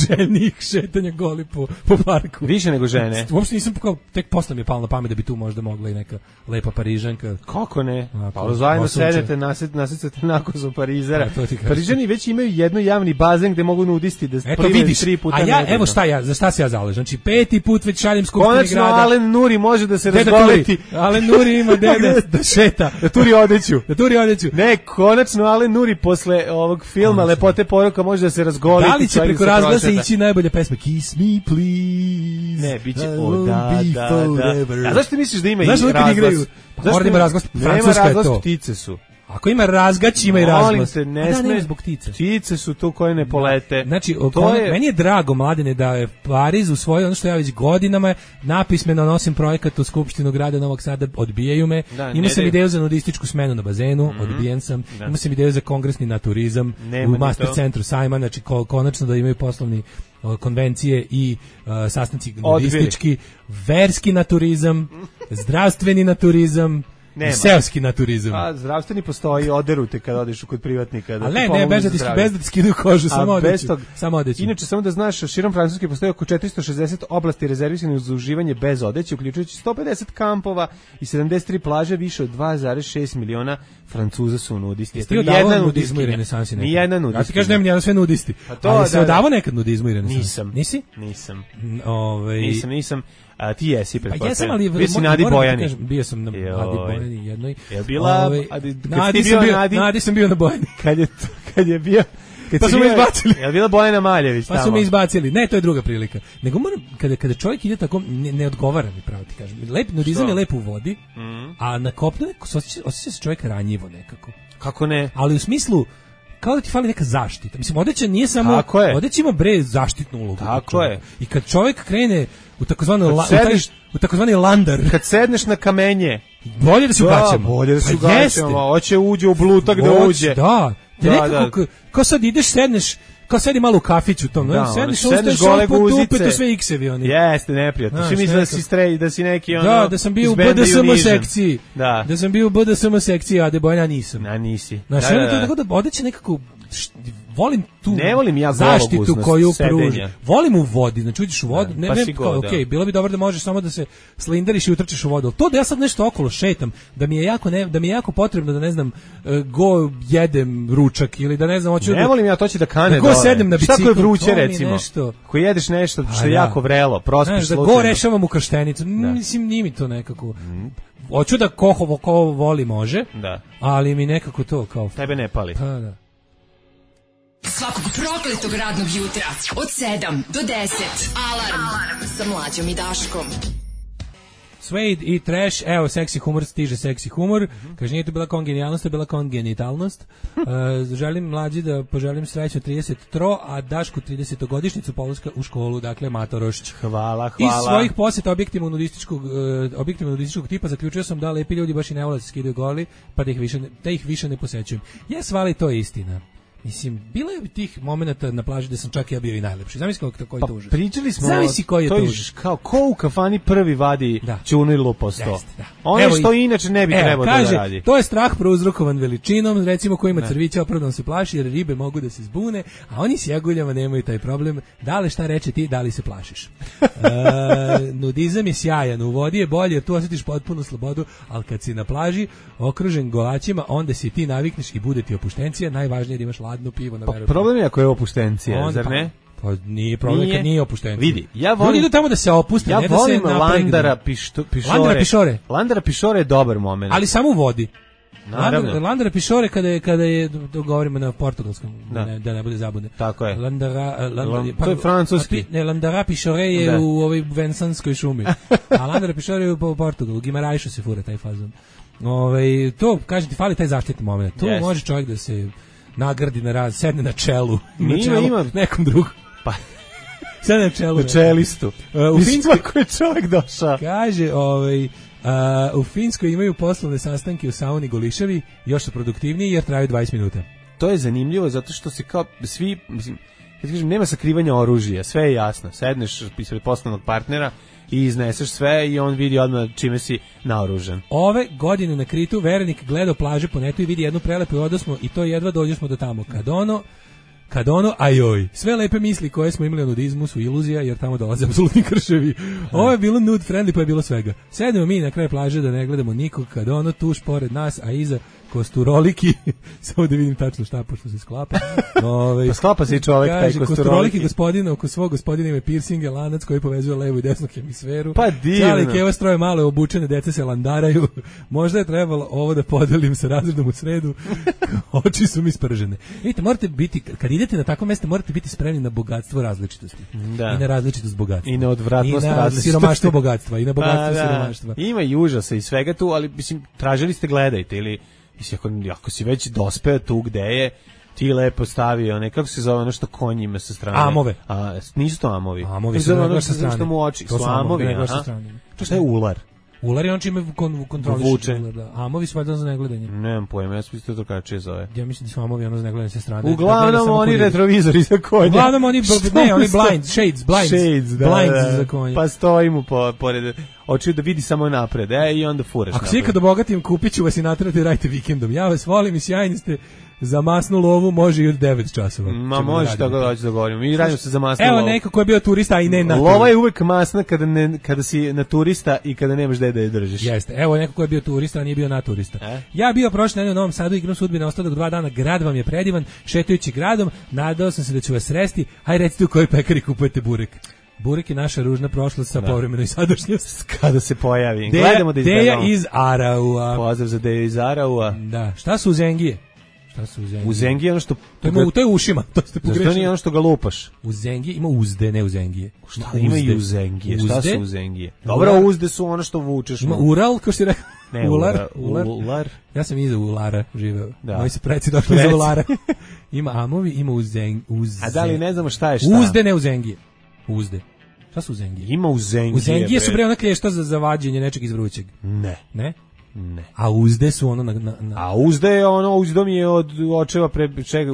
željnih šetanja goli po parku. Više nego žene. Uopšte nisam tek posle mi je palo na pamet da bi tu možda mogla i neka lepa Parižanka. Kako ne? Pa zajedno sedete, nasicate nakozu Parizera. Parižani već imaju jedno javni bazen gde mogu nudisti da prime 3 puta nedeljno. A ja, evo za šta se ja zalažem. Znači, 5. put već šaljem Skupštini grada. Konačno Alen Nuri može da se razgoleti. Alen Nuri ima da šeta. Da turi odeću. Ne, konačno Alen Nuri posle ovog filma Lepote poroka može da se razgoleti. Da li će preko razglasa ići najbolje pesme? Kiss me please. Ne, biće da. A zašto misliš da ima i razglas? Mora da ima razglas, Francuska je to. Ptice su. Ako ima razgać, ima i razglas. Molim se, ne sme zbog ptice. Ptice su tu koje ne polete. Znači, meni je drago, Mladene, da je Pariz usvojio ono što ja već godinama napismeno nosim projekat u Skupštinu grada Novog Sada, odbijaju me. Imao sam ideju za nudističku smenu na bazenu, odbijen sam. Imao sam ideju za kongresni naturizam u Master centru Sajma, znači konačno da imaju poslovni konvencije i sastanci nudistički, verski naturizam, zdravstveni naturizam, seoski naturizam. A zdravstveni postoji, oderute kad odeš kod privatnika. Ali ne, bez da ti skidaju kožu, samo odeću. Inače, samo da znaš, širom Francuske postoji oko 460 oblasti rezervisanih za uživanje bez odeće, uključujući 150 kampova i 73 plaže, više od 2,6 miliona Francuza su nudisti. Ti odavao nudizmu i renesansi nekad? Nijedna nudistka. Ja ti kažem, nema sve nudisti. Ali se odavao nekad nudizmu i renesansi? Nisam. Nisi? Nisam. A ti jesi, pretpostavljam. Pa jesam, ali... Bio si Nadi Bojani. Bio sam na Nadi Bojani jednoj. Je bila... Nadi sam bio na Bojani. Kad je bio... Pa su me izbacili. Je bila Bojana Maljević tamo? Pa su me izbacili. Ne, to je druga prilika. Nego moram, kada čovjek ide tako, ne odgovara mi, pravo ti kažem. Nudizam je lep u vodi, a na kopnu osjeća se čovjek ranjivo nekako. Kako ne? Ali u smislu, kao da ti fali neka zaštita. Mislim, odeća nije samo... Odeća ima zaštitnu ulogu. Tako je. I kad čovjek krene u takozvani landar... Kad sedneš na kamenje... Bolje da se ugaćamo. Bolje da se ugaćamo. Hoće uđe u blutak da uđe. Da. Nekako, kao sad ideš, sedneš, kao sedi malo u kafiću tom, sedneš gole guzice, to sve iksevi oni. Jeste, neprijatno. Svi misle da si neki ono... Da sam bio u BDSM sekciji. Da sam bio u BDSM sekciji, a Debojna nisam. A nisi. Znaš, tako da odeće nekako volim tu ne volim ja zaštitu koju sedenja. pruži. Volim u vodi, znači uđeš u vodu, pa okej, bilo bi dobro da možeš samo da se slinderiš i utrčeš u vodu. To da ja sad nešto okolo šetam, da mi je jako potrebno da ne znam go jedem ručak ili da ne znam hoću. Ne volim ja to će da kane da go sednem na bicikl. Šta ko je vruće recimo? Ko jedeš nešto što je jako vrelo, prospiš slučajno. Da go rešavam u krštenicu. Mislim nije mi to nekako. Hoću da ko voli može, ali mi nekako to kao... Tebe ne pali. Pa da. Svakog prokletog radnog jutra od 7 do 10. Alarm sa Mlađom i Daškom. Suede i Trash, evo, seksi humor, stiže seksi humor. Kaže, nije to bila kongenijalnost, to je bila kongenitalnost. Želim Mlađi da poželim srećno 33, a Dašku 30-godišnjicu polaska u školu, dakle, Matorošć. Hvala. Iz svojih posjeta objektivno nudističkog tipa zaključio sam da lepi ljudi baš i ne vole da se skidaju goli, pa da ih više ne posećujem. Svali, to je istina. Mislim, bilo je tih momenata na plaži da sam čak ja bio i najlepši. Zamisli koji je to užas. Pričali smo, zamisli koji je to užas. Kao ko u kafani prvi vadi ćunu i lupo 100. Ono što inače ne bi trebalo da radi. To je strah prouzrokovan veličinom, recimo ko ima crvića opravdano se plaši jer ribe mogu da se zbune, a oni s jaguljama nemaju taj problem. Da li šta reče ti, da li se plašiš? Nudizam je sjajan, u vodi je bolje jer tu osjetiš potpunu slobodu, ali kad si na plaži okružen golaćima, onda si ti navikneš i bude ti opuštencija, najvažnije je da imaš ladno pivo na veru. Problem je ako je opuštencija, zar ne? Pa nije problem kad nije opuštencija. Vidi, ja volim... Ljudi idu tamo da se opuste, ne da se napregnu. Ja volim Landara Pišore je dobar moment. Ali samo u vodi. Naravno. Landara Pišore kada je govorimo na portugalskom, da ne bude zabune. Tako je. To je francuski. Landara Pišore je u ovoj Vensanskoj šumi. A Landara Pišore je u Portugalu. Gimarajšu se fura taj fazon. To, kažem ti, fali taj zaštitni moment. Tu može čovjek da se nagradi sedne na čelu. Ima nekom drugom. Pa sedne na čelu. Na čelistu. U Finskoj koji je čovjek došao. Kaže, u Finskoj imaju poslovne sastanke u sauni Goliševi, još su produktivniji jer traju 20 minuta. To je zanimljivo zato što se kao svi, mislim, kad kažem, nema sakrivanja oružja, sve je jasno. Sedneš ispred poslovnog partnera i izneseš sve i on vidi odmah čime si naoružan. Ove godine na Kritu verenik gledao plaže po netu i vidi jednu prelepu i odosmo i to jedva dođemo do tamo. Kad ono, ajoj, sve lepe misli koje smo imali o nudizmu su iluzija, jer tamo dolaze apsolutni krševi. Ovo je bilo nude friendly, pa je bilo svega. Sedemo mi na kraju plaže da ne gledamo nikog, kad ono tuš pored nas, a iza kosturoliki, samo da vidim tačno šta, pošto se sklapa. Pa sklapa se i čovek, taj kosturoliki gospodina, oko svog gospodina ima piercinge, lanac koji povezuje levu i desnu hemisferu. Pa divno. Cijeli keva stroje malo obučene, deca se landaraju. Možda je trebalo ovo da podelim sa razredom u sredu. Oči su mi spržene. Vidite, morate biti, kad idete na takvo mesto, morate biti spremni na bogatstvo različitosti. Da. I na različitost bogatstva. I na odvratnost različitosti. I na siromaštvo bogatstva. I na bogatstvo siromaštva. Ima i užasa i svega tu, ali mislim, tražili ste, gledajte, ili ako si već dospeo tu gde je, ti lepo stavio, nekako se zove ono što konj ima sa strane. Amove. Nisu to amovi. Amovi su ono sa strane. Što mu oči. To su amovi. Šta je ular? Ular je on čime kontroliš. Amovi su valjda za negledanje. Nemam pojma, ja sam mislio to drugačije zove. Ja mislim da su amovi ono za negledanje sa strane. Uglavnom oni retrovizori za konja. Uglavnom oni blinds za konja. Pa stoji mu pored, hoću da vidi samo napred, i onda furaš napred. Ako si ikad obogatim, kupit ću vas i natrati radite vikendom. Ja vas volim i sjajni ste. Za masnu lovu može i od 9 časova. Ma može tako da hoću da govorim. Mi radimo se za masnu lovu. Evo neko ko je bio turista, a i ne na turista. Lova je uvek masna kada si na turista i kada nemaš gde da je držiš. Jeste. Evo neko ko je bio turista, a nije bio na turista. Ja bio prošle nedelje u Novom Sadu, igram sudbine ostatak 2 dana. Grad vam je predivan, šetajući gradom. Nadao sam se da ću vas sresti. Hajde recite u kojoj pekari kupujete burek. Burek je naša ružna prošlost sa povremenoj sadašnjost. Kada se pojavi. Gledamo da izgledamo. Deja iz Araua. Pozdrav za Deja iz Araua. Da. Šta su uzengije? Uzengije je ono što... To je ušima, to ste pogrešili. Zašto nije ono što ga lupaš? Uzengije ima uzde, ne uzengije. Šta ima i uzengije? Šta su uzengije? Dobro, uzde su ono što vučeš. Ima ural, kao što je rekao. Ne, ular. Ja sam iza ulara živeo. Moji su preci došli iza ulara. Ima amovi, ima uzengije. A da li ne znamo šta je šta? Uzde, ne uzengije. Uzde. Šta su uzengije? Ima uzengije. Uzengije su bre ona klješta za vađenje nečeg iz vrućeg. Ne. Ne? Ne. A uzde su ono A uzde je ono, uzdom je od očeva čega,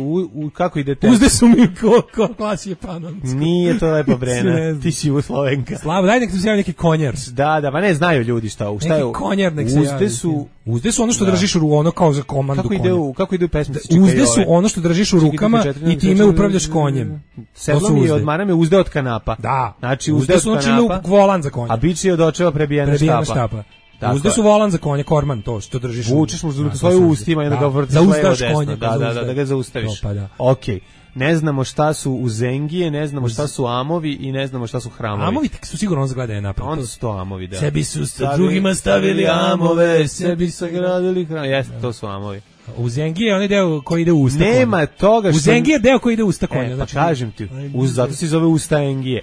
kako idete? Uzde su mi ko klasi je panovic. Nije to lepa Brena, ti si Jugoslovenka. Slavo, daj nek se javi neki konjer. Da, pa ne znaju ljudi šta je. Neki konjer nek se javi. Uzde su ono što držiš u ono kao za komandu konja. Kako ide u pesmi? Uzde su ono što držiš u rukama i time upravljaš konjem. Sedlom je od marame uzde od kanapa. Da. Znači uzde su volan za konja. A bič je od očeva prebijena štapa. Uzde su volan za konja, korman, to što držiš. Vučeš mu svoje ustima i onda ga vrtiš levo desno. Da ga zaustaviš. Okej. Ne znamo šta su uzengije, ne znamo šta su amovi i ne znamo šta su hramovi. Amovi su sigurno on zagledaju napred. Onda su to amovi, da. Sebi su drugima stavili amove, sebi sagradili hramove. Jeste, to su amovi. Uzengije je onaj deo koji ide u usta konja. Nema toga što... Uzengije je deo koji ide u usta konja. Pa kažem ti, zato se zove usta engije.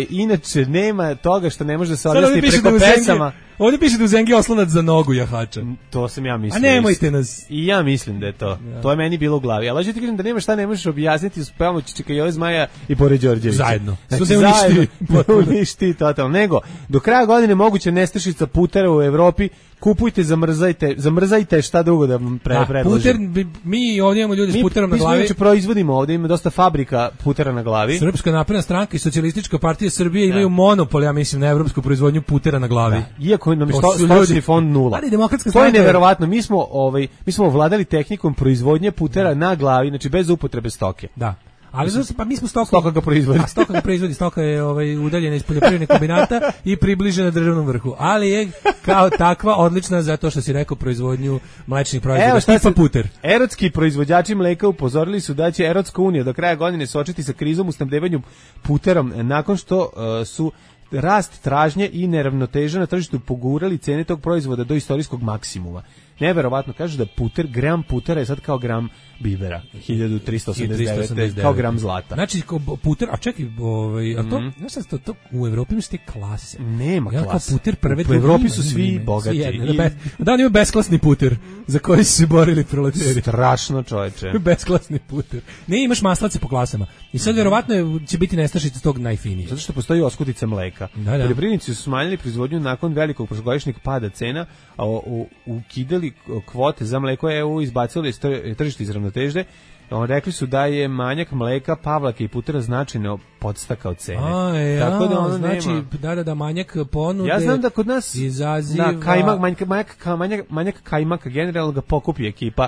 Inače, nema toga što ne može da se odjasni preko pesama. Ovdje piše da Uzengije oslonac za nogu jahača. To sam ja mislio. A nemojte nas. I ja mislim da je to. Ja. To je meni bilo u glavi. Ali hoću ti kažem da nema šta ne možeš objasniti s pomoću Čika Zmaja i Pored Đorđevića. Zajedno. Znači, uništi totalno. Nego, do kraja godine moguće nestašica putera u Evropi. Kupujte, zamrzajte šta drugo da vam predložim. Puter, mi ovdje imamo ljudi s puterom na glavi. Mi proizvodimo ovdje, ima dosta fabrika putera na glavi. Srpska napredna stranka i Socijalistička partija Srbije imaju monopol, ja mislim, na evropsku proizvodnju putera na glavi. Da. Iako nam je stočni fond nula. Ali demokratska stranka... To je neverovatno. Mi smo ovladali tehnikom proizvodnje putera na glavi, znači bez upotrebe stoke. Da. Ali pa mi smo stoka ga proizvodi. Stoka ga proizvodi, stoka je udaljena iz poljoprivrednih kombinata i približena državnom vrhu. Ali je kao takva odlična zato što si rekao proizvodnju mlečnih proizvoda. Tipa puter. Erotski proizvođači mleka upozorili su da će Erotska unija do kraja godine suočiti sa krizom u snabdevanju puterom nakon što su rast tražnje i neravnoteža na tržištu pogurali cene tog proizvoda do istorijskog maksimuma. Neverovatno, kažu da gram putera je sad kao gram bibera, 1389, kao gram zlata. Znači, puter, a čekaj, a to, znaš to u Evropi imaš te klase. Nema klase. Puter prve, u Evropi su svi bogati. Da, on ima besklasni puter, za koji su se borili proleteri. Strašno, čoveče. Besklasni puter. Ne, imaš maslace po klasama. I sad verovatno će biti nestašica tog najfinijeg. Zato što postoji oskudica mleka. Poljoprivrednici su smanjili proizvodnju nakon velikog prošlogodišnjeg pada cena, a ukidali kvote za mleko, EU izbacili tržište iz ravnoteže. Rekli su da je manjak mleka, pavlaka i putera značajno podstakao cene. Tako da ono znači, nema. Da, manjak ponude. Ja znam da kod nas izaziva... manjak kajmaka generalno ga pokupi ekipa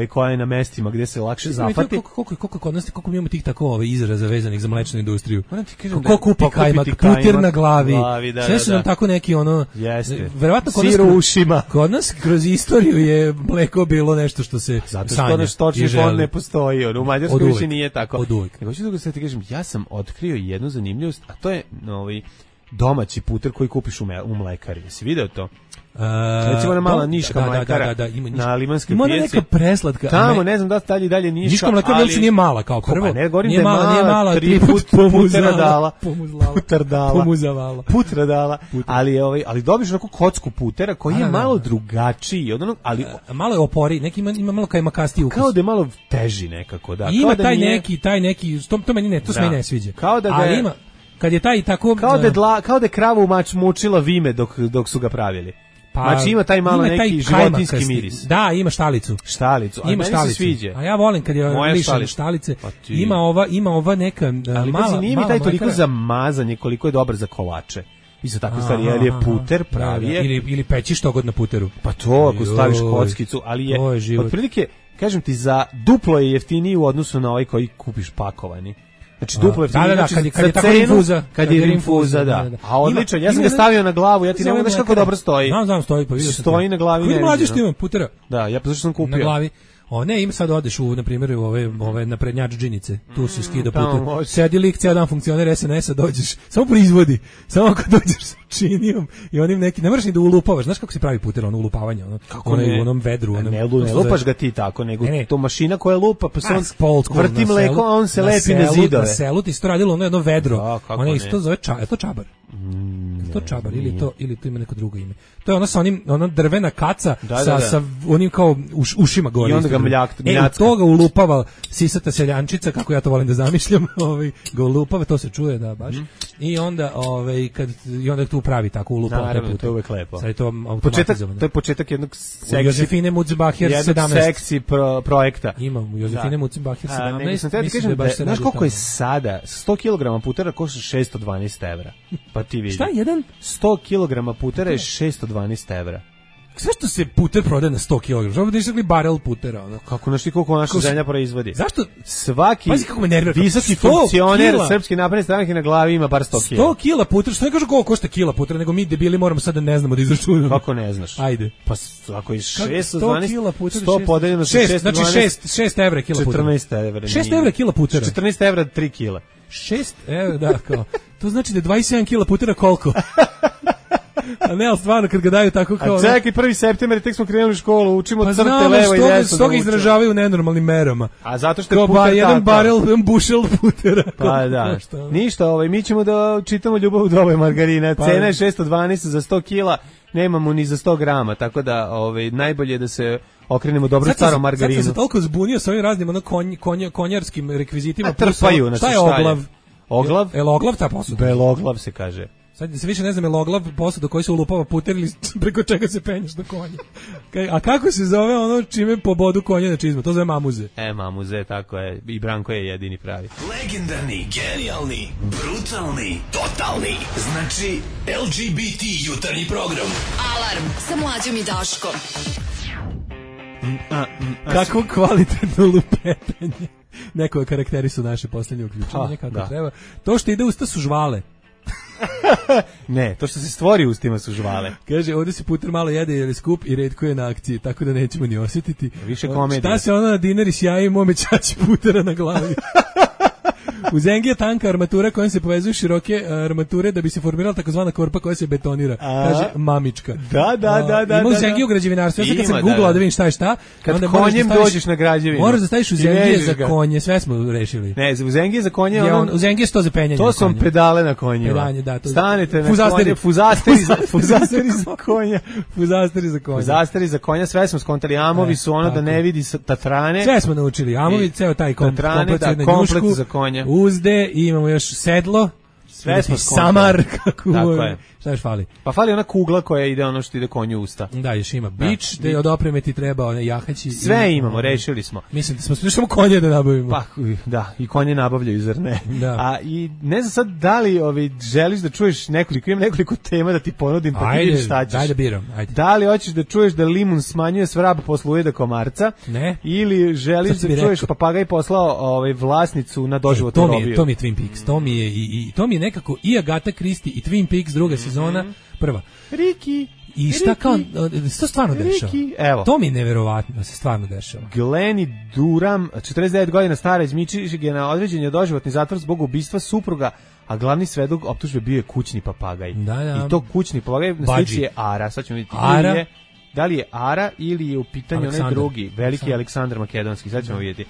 koja je na mestima gde se lakše zapati. Koliko kod nas, koliko mi imamo tih tako izraza vezanih za mlečnu industriju. Ko kupi kajmak? Puter na glavi. Sve su nam tako neki ono... Jeste. Verovatno sir u ušima. Kod nas kroz istoriju je mleko bilo nešto što se zato što naš stočni fond ne postoji. U Mađarskoj više nije tako. Od uvek. Nego ću da ti kažem, ja sam otkrio jednu zanimljivost, a to je domaći puter koji kupiš u mlekari. Jesi video to? Recimo ona mala niška mlekara na Limanskoj pijaci. Ima neka preslatka. Tamo, ne znam da dalje dalje niška. Niška mlekara uopće nije mala kao prvo. Pa ne, govorim da je mala, 3 put putera dala. Putra dala. Ali dobiš onako kocku putera koji je malo drugačiji. Ali malo je opori, neki ima malo kajmakasti ukus. Kao da je malo teži nekako. Ima taj neki, to meni se meni ne sviđa. Kao da ga ima kad je taj tako kao da je kravu mučila vime dok su ga pravili. Znači ima taj malo neki životinjski miris. Da, ima štalicu. Ima štalicu. Sviđa. A ja volim kad je lišan štalice. Ima ova neka mala. Nije mi taj toliko za mazanje koliko je dobar za kolače. Isto tako stvari, jer je puter pravi je. Ili peći što god na puteru. Pa to ako staviš kockicu, ali je otprilike, kažem ti, za duplo je jeftiniji u odnosu na ovaj koji kupiš pakovani. Znači duplo jeftiniji, kad je rinfuza, da. A odličan, ja sam ga stavio na glavu, ja ti ne mogu znaš kako dobro stoji. Znam, stoji, pa vidio sam. Stoji na glavi. Koji mlađi što ima putera? Da, ja pa zašto sam kupio. Na glavi. Ne, ima sad odeš na primjer u ove naprednjač džinice, tu si skida puter. Sedi lik, cijel dan funkcioner SNS-a, dođeš, samo proizvodi, samo kad dođeš sa činijom i onim neki, ne moraš ni da ulupavaš, znaš kako se pravi puter, ulupavanje, u onom vedru. Ne lupaš ga ti tako, nego to mašina koja lupa, pa se on vrti mleko, a on se lepi na zidove. Na selu ti se to radilo jedno vedro, ono isto zove je to čabar? To čabar ili to ima neko drugo ime. To je ono sa ona drvena kaca sa onim kao ušima gore. I onda ga mljacka. Toga ulupava sisata seljančica, kako ja to volim da zamišljam, ga ulupava, to se čuje, da baš. I onda kad tu pravi tako ulupa. Naravno, to je uvek lepo. Sad je to automatizovano. To je početak jednog Josefine Mutzenbacher 17. seksi projekta. Imam Josefine Mutzenbacher 17. Nego sam te kažem, znaš koliko je sada 100 kg putera košta 612 evra. Pa ti vidi. Šta jedan? 100 kg putera je 612 evra. Zašto se puter prodaje na 100 kg? Zašto bi išli barel putera? Ono? Kako našli koliko naša zemlja proizvodi? Zašto? Svaki visoki funkcioner Srpske napredne stranke na glavi ima bar 100 kg. 100 kg putera, što ne kažu koliko košta kila putera, nego mi debili moramo sad da ne znamo da izračunamo. Kako ne znaš? Ajde. Pa ako je 612, 100 podeljeno sa 612, znači 6 evra kila putera. 14 evra. 6 evra kila putera. 14 evra 3 kila. 6 evra, da, kao. To znači da je 27 kila putera koliko? A ne, ali stvarno, kad ga daju tako kao... A čekaj, 1. september, tek smo krenuli u školu, učimo crte levo i desno. Pa znamo, izražavaju u nenormalnim merama. A zato što je puter tako. Jedan barel, jedan bušel putera. Pa da, ništa, mi ćemo da čitamo Ljubav u doba margarina. Cena je 612 za 100 kila, nemamo ni za 100 grama, tako da najbolje je da se okrenemo dobro starom margarinu. Sad sam se toliko zbunio sa ovim raznim konjarskim rekvizitima. Trpaju, šta je oglav? Oglav? El oglav ta posuda? Beloglav se kaže. Sad se više ne znam, je oglav posuda koji se ulupava puter ili preko čega se penješ do konja. A kako se zove ono čime pobodu konja na čizmu? To zove mamuze. Mamuze, tako je. I Branko je jedini pravi. Legendarni, genijalni, brutalni, totalni. Znači, LGBT jutarnji program. Alarm sa Mlađom i Daškom. Kako kvalitetno lupetenje. Neko je karakterisu naše poslednje uključenje, kako treba. To što ide usta su žvale. Ne, to što se stvori ustima su žvale. Kaže, ovdje se puter malo jede jer je skup i retko je na akciji, tako da nećemo ni osjetiti. Više komedije. Šta se ono na dinari sjaji mome čači putera na glavi? U Zengi je tanka armatura kojom se povezuju široke armature da bi se formirala takozvana korpa koja se betonira. Kaže mamička. Da. Ima u Zengi u građevinarstvu. Ja kad sam googlao da vidim šta je šta. Kad konjem dođeš na građevinu. Moraš da staviš u Zengi za konje. Sve smo rešili. Ne, u Zengi za konje. U Zengi je 100 za penjanje. To su pedale na konjima. Pedanje, da. Stanete na konje. Fuzasteri za konja. Fuzasteri za konja. Sve smo skontali. Amovi su ono da ne vidi tatrane. Sve smo naučili. Amovi, ceo taj komplet za konja. Uzde i imamo još sedlo. Sve smo samar, tako je. Šta još fali? Pa fali ona kugla koja ide ono što ide konju usta. Da, još ima bič, da od opreme ti treba one jahaći. Sve imamo, rešili smo. Mislim da smo samo konje da nabavimo. Pa, da, i konje nabavljaju, zar ne? Da. A i ne znam sad da li želiš da čuješ nekoliko tema da ti ponudim, pa ti vidiš šta ćeš. Ajde, biram, ajde. Da li hoćeš da čuješ da limun smanjuje svrab posle ujeda komarca? Ne. Ili želiš da čuješ papagaj poslao vlasnicu na doživotnu robiju? To mi je Twin Peaks, to mi je nekako i Agatha Christie i Twin Peaks druga sezona, prva. Ricky. I šta kao, to stvarno dešava. Evo. To mi je neverovatno da se stvarno dešava. Glenny Duram, 49 godina stara iz Michigana, određen je doživotni zatvor zbog ubistva supruga, a glavni svedok optužbe bio je kućni papagaj. Da. I to kućni papagaj na sliči je Ara. Sad ćemo vidjeti. Ara? Da li je Ara ili je u pitanju onaj drugi, veliki Aleksandar Makedonski. Sad ćemo vidjeti.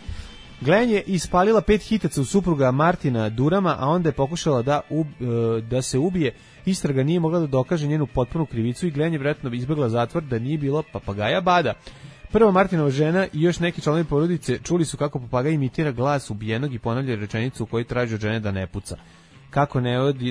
Glenn je ispalila 5 hitaca u supruga Martina Durama, a onda je pokušala da se ubije. Istraga nije mogla da dokaže njenu potpunu krivicu i Glenn je vjerojatno izbjegla zatvor da nije bilo papagaja Bada. Prva Martinova žena i još neki članovi porodice čuli su kako papagaj imitira glas ubijenog i ponavlja rečenicu u kojoj traži od žene da ne puca. Kako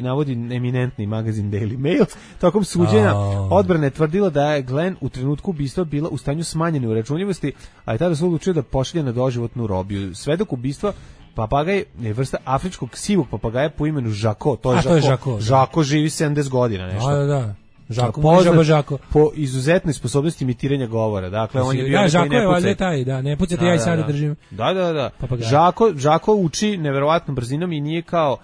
navodi eminentni magazin Daily Mail, tokom suđenja odbrana je tvrdila da je Glenn u trenutku ubistva bila u stanju smanjene uračunljivosti, a je tada se odlučio da pošalje na doživotnu robiju. Svedok ubistva papagaj je vrsta afričkog sivog papagaja po imenu Žako. To je Žako. Žako živi 70 godina nešto. Da. Žako. Po izuzetnoj sposobnosti imitiranja govora. Dakle, on je bio Žako je valjda taj, ne pucate, ja i sada držim. Da. Žako uči neverovatnom brzinom i nije kao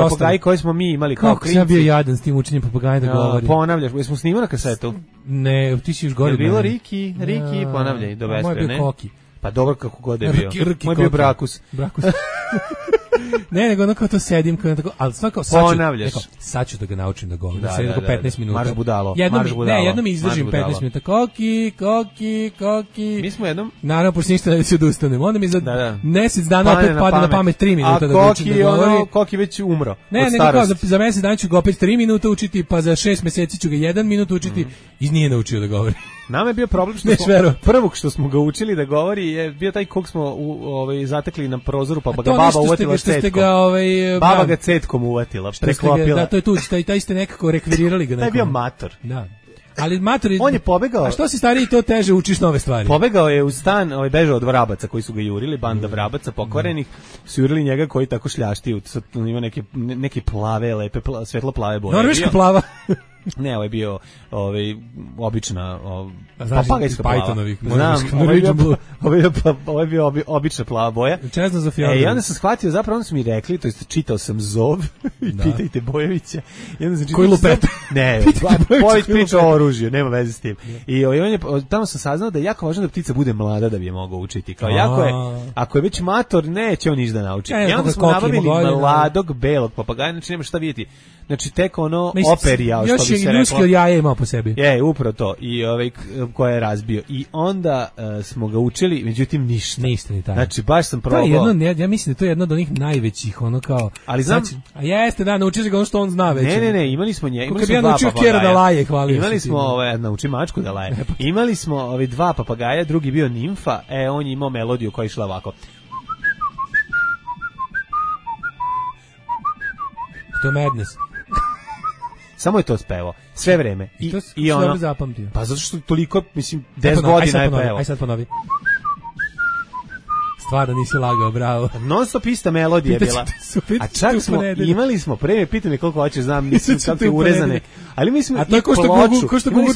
papagaji koji smo mi imali kao klinci. Kako sam bio jadan s tim učenjem papagaja da govori. Ponavljaš, jesmo snimali na kasetu? Ne, ti si još gore. Je bilo Riki, ponavljaj, do bestre, ne? Moj bio Koki. Pa dobro kako god je bio. Moj bio Brakus. Ne, nego ono kao to sedim, kao tako, ali svako sad ću da ga naučim da govorim. Sedim oko 15 minuta. Marš budalo. Jednom izdržim 15 minuta. Koki. Mi smo jednom. Naravno, pošto ništa ne da se odustanem. Onda mi za mjesec dana opet pada na pamet 3 minuta da učim da govorim. Koki već umro. Ne, kao za mjesec dana ću ga opet 3 minuta učiti, pa za 6 mjeseci ću ga 1 minut učiti i nije naučio da govori. Nama je bio problem što prvog što smo ga učili da govori je bio taj kog smo zatekli na prozoru, pa ga baba uvatila cetkom. Baba ga cetkom uvatila, preklopila. Da, to je tu, taj ste nekako rekvirirali ga. Taj je bio mator. Da. Ali mator on je pobegao. A što si stariji, to teže učiš nove stvari. Pobegao je u stan, bežao od vrabaca koji su ga jurili, banda vrabaca pokvarenih, su jurili njega koji tako šljašti, ima neke plave, lepe, svetlo plave boje. Norveška plava. Ne, ovo je bio obična papagajska plava. Znam, ovo je bio obična plava boja. Čezno za fjordom. I onda sam shvatio, zapravo onda su mi rekli, to jest čitao sam Zov, pitajte Bojevića. Koji lupeta? Ne, Bojević priča o oružju, nema veze s tim. I tamo sam saznao da je jako važno da ptica bude mlada da bi je mogao učiti. Kao jako je, ako je već mator, neće on ništa da nauči. I onda smo nabavili mladog belog papagaja, znači nema šta vidjeti. Znači tek ono operijao, što bi se reklo. Još ljudski od jaja imao po sebi. Upravo to. I koje je razbio. I onda smo ga učili, međutim ništa. Ništa ni taj. Znači baš sam probao. Ja mislim da to je jedno od onih najvećih, ono kao. Ali znam. A jeste, da, naučiš ga ono što on zna već. Ne, imali smo njega. Kako bi ja naučio Kjera da laje, hvalio. Imali smo, nauči mačku da laje. Imali smo dva papagaja, drugi bio nimfa, on je imao melodiju koja je išla ovako. To je madness. Samo je to spevao, sve vreme. I ono dobro zapamtio. Pa zato što toliko, mislim, 10 godina je pevao. Aj sad ponovi. Stvarno nisi lagao, bravo. Non stop ista melodija je bila. A čak smo, imali smo, preme, pitam me koliko hoćeš, znam, nisam kako je urezane. Ali mi smo i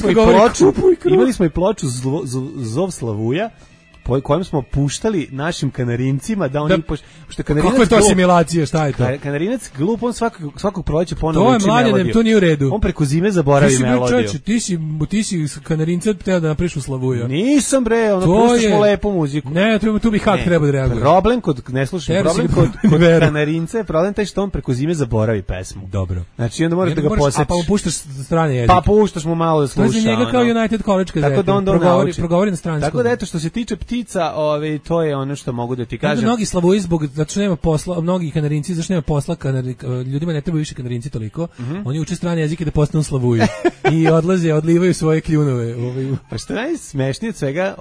ploču, imali smo i ploču Zov Slavuja, po kojem smo puštali našim kanarincima da oni što kanarinac. Kako je to asimilacija, šta je to? Kanarinac glup, on svakog proleća ponovo uči melodiju. To je mlade, to nije u redu. On preko zime zaboravi melodiju. Ti si kanarinca teo da napriš u Slavuja. Nisam bre, puštaš mu lepu muziku. Ne, tu bi hak treba da reaguje. Problem kod kod kanarinca je problem taj što on preko zime zaboravi pesmu. Dobro. Znači onda moraš da ga posetiš. Pa mu puštaš strane jezik. Pa puštaš mu malo da sluša. To je za njega kao United College kazeta. Tako da on progovori na stranskom. Tako da eto što se tiče ptica, to je ono što mogu da ti kažem. Mnogi Slavuji zbog zato što nema posla, mnogi kanarinci zašto nema posla, ljudima ne treba više kanarinci toliko. Oni uče strane jezike da postanu Slavuji i odlivaju svoje kljunove. Pa što najsmešnije od svega,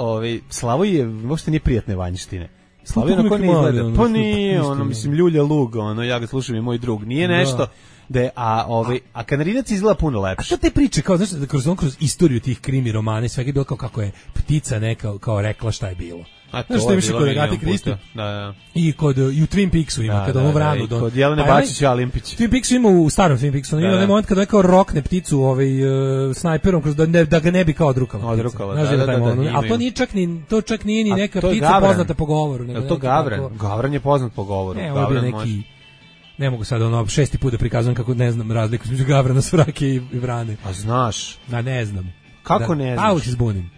Slavoj uopšte nije prijatne vanjštine. Slavoj onako ne izgleda. Pa nije, mislim, ljulja lug, ja ga slušam i moj drug. Nije nešto da je, a kanarinac izgleda puno lepše. A što te priče, kao, znaš, kroz istoriju tih krimi romana, svega je bilo kako je ptica neka, kao rekla šta je bilo. Znaš što je više kod Agate Kristi? I u Twin Peaksu ima, kada ono vranu. Kod Jelene Bačić i Alimpić. Twin Peaksu ima u starom Twin Peaksu, ima onaj moment kada je kao rokne pticu snajperom, da ga ne bi kao odrukala. Ali to čak nije ni neka ptica poznata po govoru. Je to Gavran? Gavran je poznat po govoru. Ne, ovo je neki... Ne mogu sad šesti put da prikazujem kako ne znam razliku između Gavrana, Svrake i Vrane. A znaš? Da, ne znam. Kako ne znaš? Uvijek se zbunim.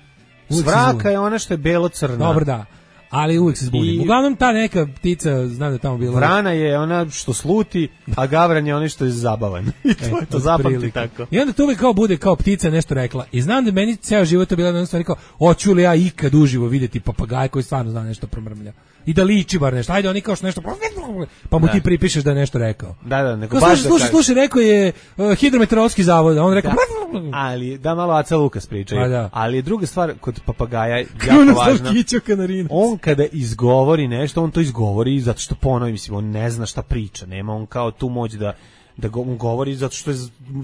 Svraka je ona što je belo-crna. Dobro, da. Ali uvijek se zbunim. Uglavnom ta neka ptica, znam da je tamo bila... Vrana je ona što sluti, a Gavran je ona što je zabavan. I to je to, zapamti tako. I onda to uvijek kao bude kao ptica nešto rekla. I znam da meni ceo život je bila jedna stvar kao, hoću li ja ikad uživo vidjeti papagaj koji stvarno zna nešto promrmlja. I da liči bar nešto. Ajde, oni kao što nešto... Pa mu ti pripišeš da je nešto rekao. Da, nego baš da kažeš. Slušaj, rekao je hidrometeorološki zavod, a on rekao... Ali, da malo Aca Lukas pričaju. Ali je druga stvar kod papagaja jako važna. On kada izgovori nešto, on to izgovori zato što ponovi, mislim, on ne zna šta priča. Nema on kao tu moć da on govori zato što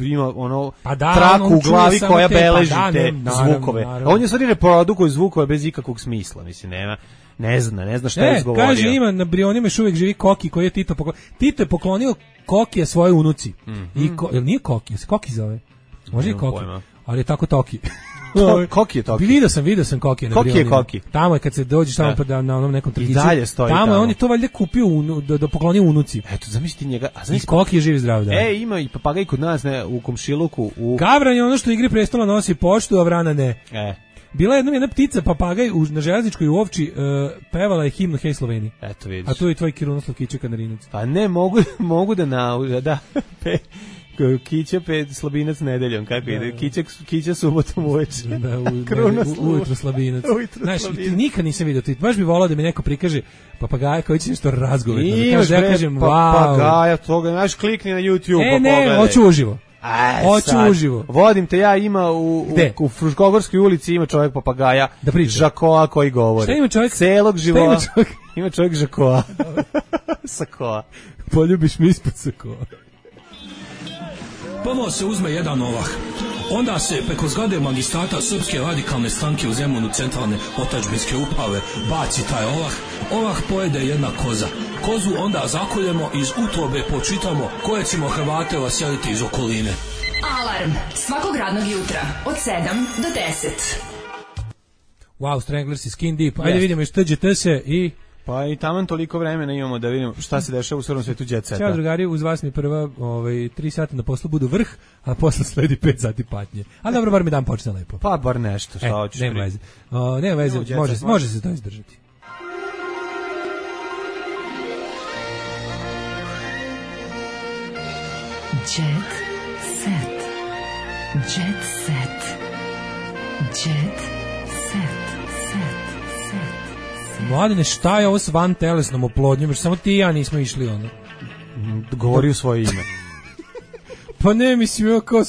ima ono traku u glavi koja beleži te zvukove. On je stvari reprodukuje zvukove bez ikakvog smisla, mislim, nema. Ne zna šta je izgovorio. Kaže, ima na Brionima još uvijek živi Koki koji je Tito poklonio. Tito je poklonio Kokija svoje unuci. Jel nije Koki? Se Koki zove? Može i Koki. Ali je tako Toki. Koki je Toki. Vidio sam Koki na Koki Brionima. je Koki. Tamo je kad se dođeš tamo na onom nekom trgiću. I dalje stoji tamo. On je to valjda kupio da poklonio unuci. Eto, zamisli njega. I Koki je živ zdrav, da. Ima i papagaj kod nas u komšiluku. Gavran je ono što Igri prestola nosi poštu, a Vrana ne. Bila je jedna ptica, papagaj na železničkoj u Ovči, pevala je himnu Hej Sloveniji. Eto vidiš. A tu je tvoj Kirunoslav Kića Kanarinac. Pa ne, mogu da Kića Slabinac nedeljom, kako ide? Kića subotom uveče. Ujutro Slabinac. Znaš, nikad nisam vidio, baš bi volao da mi neko prikaže papagaja koji će nešto razgovetno. Da kažem, wow. Papagaja, toga, znaš, klikni na YouTube, pogledaj. Hoću uživo. Hoću uživo. Vodim te ja, ima u Fruškogorskoj ulici ima čovjek papagaja, da priča. Žakoa koji govori. Šta ima čovjek? Celog života. Ima čovjek Žakoa. Sakoa. Poljubiš mi ispod sakoa. Prvo se uzme jedan ovah. Onda se preko zgrade magistrata Srpske radikalne stranke u Zemunu centralne otadžbinske uprave baci taj ovah. Ovah pojede jedna koza. Kozu onda zakoljemo, iz utrobe počitamo koje ćemo Hrvate vaseliti iz okoline. Alarm svakog radnog jutra od 7 do 10. Wow, Stranglers i Skin Deep. Ajde vidimo još TGT se i... Pa i taman toliko vremena imamo da vidimo šta se dešava u srpskom svetu jet seta. Ćao drugari, uz vas mi prva 3 sata na poslu budu vrh, a posle sledi 5 sati patnje. Ali dobro, bar mi dan počne lepo. Pa bar nešto, šta hoćeš. Nema veze. Nema veze, može se to izdržati. Jet set. Jet set. Jet set. Mladine, šta je ovo s van telesnom oplodnjom? Samo ti i ja nismo išli ono. Govori u svoje ime. Pa ne, mislim, evo kao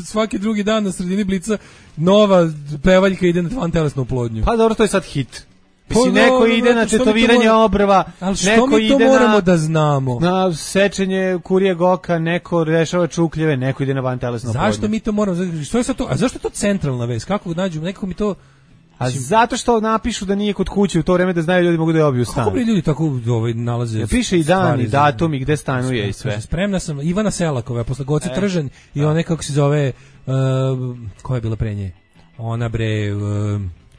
svaki drugi dan na sredini Blica nova pevaljka ide na van telesnu oplodnju. Pa dobro, to je sad hit. Mislim, neko ide na tetoviranje obrva, neko mi to moramo da znamo? Na sečenje kurijeg oka, neko rešava čukljeve, neko ide na van telesnu oplodnju. Zašto mi to moramo? Što je sad to? A zašto je to centralna vest? Kako nađu? Nekako mi to... A zato što napišu da nije kod kuće u to vreme da znaju ljudi mogu da je obiju stan. Kako bi ljudi tako nalaze? Piše i dan i datum i gde stanuje i sve. Spremna sam, Ivana Selakova, posle Goce Tržan i one kako se zove, koja je bila pre nje? Ona bre...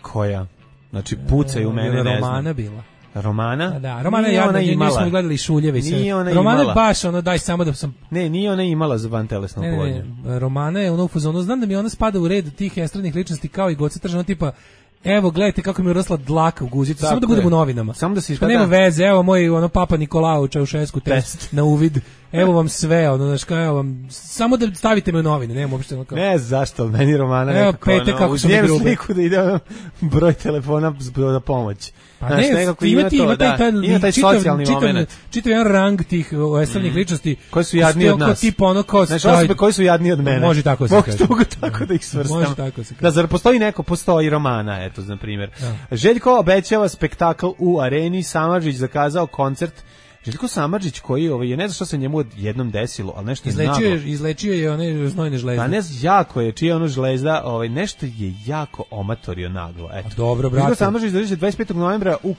koja? Znači pucaju u mene, ne znam. Romana bila. Romana? Da, Romana je jadna, nju smo gledali Šuljeve i sve. Romana je baš ono, daj samo da sam... Ne, nije ona imala za vantelesnu oplodnju. Romana je ono u fazonu, znam da mi ona spada u red tih estradnih ličnosti kao i Goce Tržan, tipa evo, gledajte kako mi je rasla dlaka u guzicu, samo da budemo u novinama. Samo da se pa nema veze, evo moj ono Papa Nikolao Čaušesku test na uvid. Evo vam sve, ono, znaš, evo vam, samo da stavite me u novine, nema uopšte ono kao... Ne, zašto, meni Romana evo, nekako, pete, kako su mi grube. Sliku da ide broj telefona za pomoć. Pa znaš, ne, nekako ima taj socijalni moment. Čitav jedan rang tih estradnih ličnosti. Koji su jadniji od nas. Tipa ono kao... Znaš, osobe koji su jadniji od mene. Može tako se kaže. Mogu tako da ih svrstam. Može tako se kaže. Da, zar postoji neko? Postoji Romana, eto, na primjer. Željko obećava spektakl u areni, Samardžić zakazao koncert. Željko Samardžić koji je, ne znam što se njemu jednom desilo, ali nešto je naglo. Izlečio je one znojne žlezde. Pa ne znam, jako je, čija ono žlezda, nešto je jako omatorio naglo. Eto. Dobro, brate. Željko Samardžić dođe 25. novembra u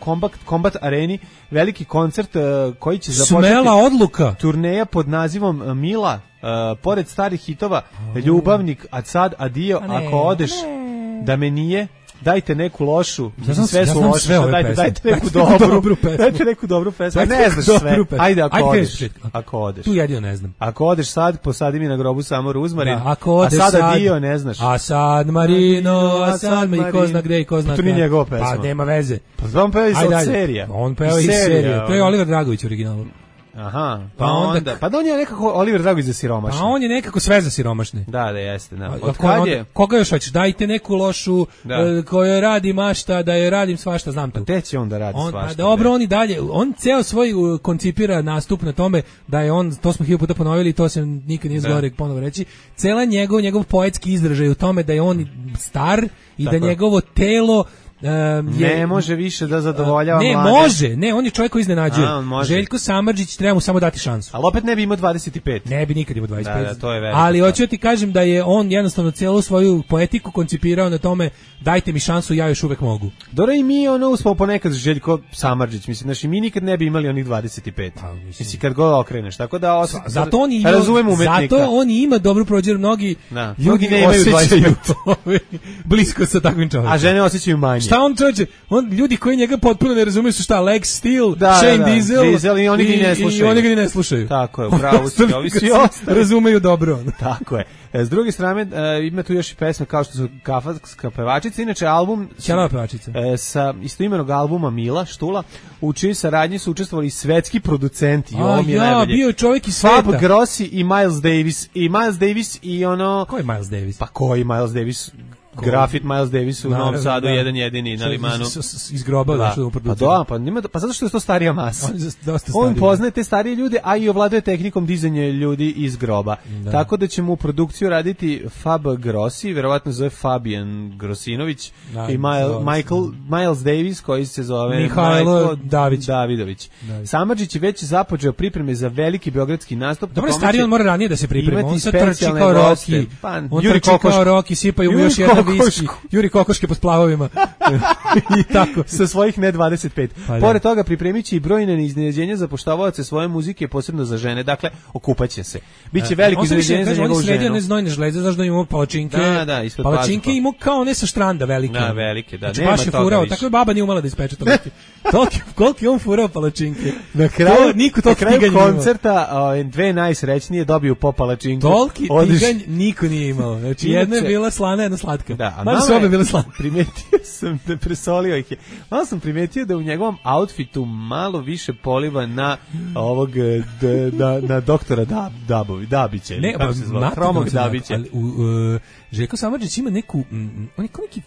Combat areni, veliki koncert koji će započeti... Smela odluka! Turneja pod nazivom Mila, pored starih hitova, Ljubavnik, a sad adio, ako odeš da me nije... Dajte neku lošu, sve su loše, dajte neku dobru pesmu. Dajte neku dobru pesmu. Ne znaš sve. Ajde ako odeš. Tu jedino ne znam. Ako odeš sad, posadi mi na grobu samo ruzmarin. A sad dio ne znaš. A sad Marino, a sad i ko zna gde i ko zna. To nije njegova pesma. Pa nema veze. Pa on peva iz serija. On peva iz serije. To je Oliver Dragović u originalu. Aha, pa onda pa on je nekako Oliver Dragović za siromašne. Pa on je nekako sve za siromašne. Da, jeste, da. Koga još hoćeš? Dajte neku lošu koju radi mašta, da je radim svašta, znam to. Te će on da radi svašta. Dobro, on i dalje, on ceo svoj koncipira nastup na tome da je on, to smo 1000 puta ponovili i to se nikad nije zgore ponovo reći, cela njegov poetski izražaj u tome da je on star i da njegovo telo ne može više da zadovoljava mlade. Ne, može, ne, on je čovjek koji iznenađuje. Željko Samardžić, treba mu samo dati šansu. Ali opet ne bi imao 25. Ne bi nikad imao 25. Da, to je veliko. Ali hoću ti kažem da je on jednostavno celu svoju poetiku koncipirao na tome dajte mi šansu, ja još uvek mogu. Dobro, i mi uspao ponekad Željko Samardžić, mislim, znači mi nikad ne bi imali onih 25. Mislim, kad god okreneš, tako da razumem umetnika. Zato on ima dobru prođer, mnogi ljudi ne imaju 25. Blisko sa takvim čovjekom. A žene osjećaju manje. Šta on čovječe? Ljudi koji njega potpuno ne razumiju su šta? Lex Steel, Shane Diesel i oni ga ni ne slušaju. Tako je, bravo si, ovi svi ostali razumeju dobro. Tako je. S druge strane, ima tu još i pesme kao što su Kafanska pevačica, inače album Ćelava pevačica. Sa istoimenog albuma Mila Štula, u čijoj saradnji su učestvovali svetski producenti. Bio je čovjek iz sveta. Fab Grossi i Miles Davis. I Miles Davis i ono... Ko je Miles Davis? Pa ko je Miles Davis? grafit Miles Davis u Novom Sadu, jedan jedini na Limanu. Iz groba došao u produkciju. Pa zato što je to starija masa. On poznaje te starije ljude, a i ovladuje tehnikom dizanja ljudi iz groba. Tako da ćemo u produkciju raditi Fab Grossi, verovatno zove Fabian Grosinović, i Miles Davis, koji se zove Mihajlo Davidović. Samardžić je već započeo pripreme za veliki beogradski nastup. Dobro, stariji on mora ranije da se priprema. On sad trči kao Rocky. On trči kao Rocky, sipaju mu još jedan viski. Juri kokoške po splavovima. I tako. Sa svojih ne 25. Pored toga pripremit će i brojne iznenađenja za poštovaoce svoje muzike, posebno za žene. Dakle, okupaće se. Biće veliko iznenađenje za njegovu ženu. On se ne znojne žleze, znaš da imamo palačinke. Palačinke imamo kao ne sa štranda velike. Da, velike, da. Znači, baš je furao. Tako je baba nije umela da ispeče toliki. Koliko je on furao palačinke. Na kraju koncerta dve najsrećnije dobiju po palačinku. Toliki tiganj niko nije imao. Znači, jedna je bila slana, jedna slatka. Mada su obe bile slane. Primetio sam da presolio ih je. Malo sam primetio da u njegovom outfitu malo više poliva na ovog na doktora Dabića. Ne, kako se zove? Hromog Dabića. Željko Samardžić ima neku, on je kao neki,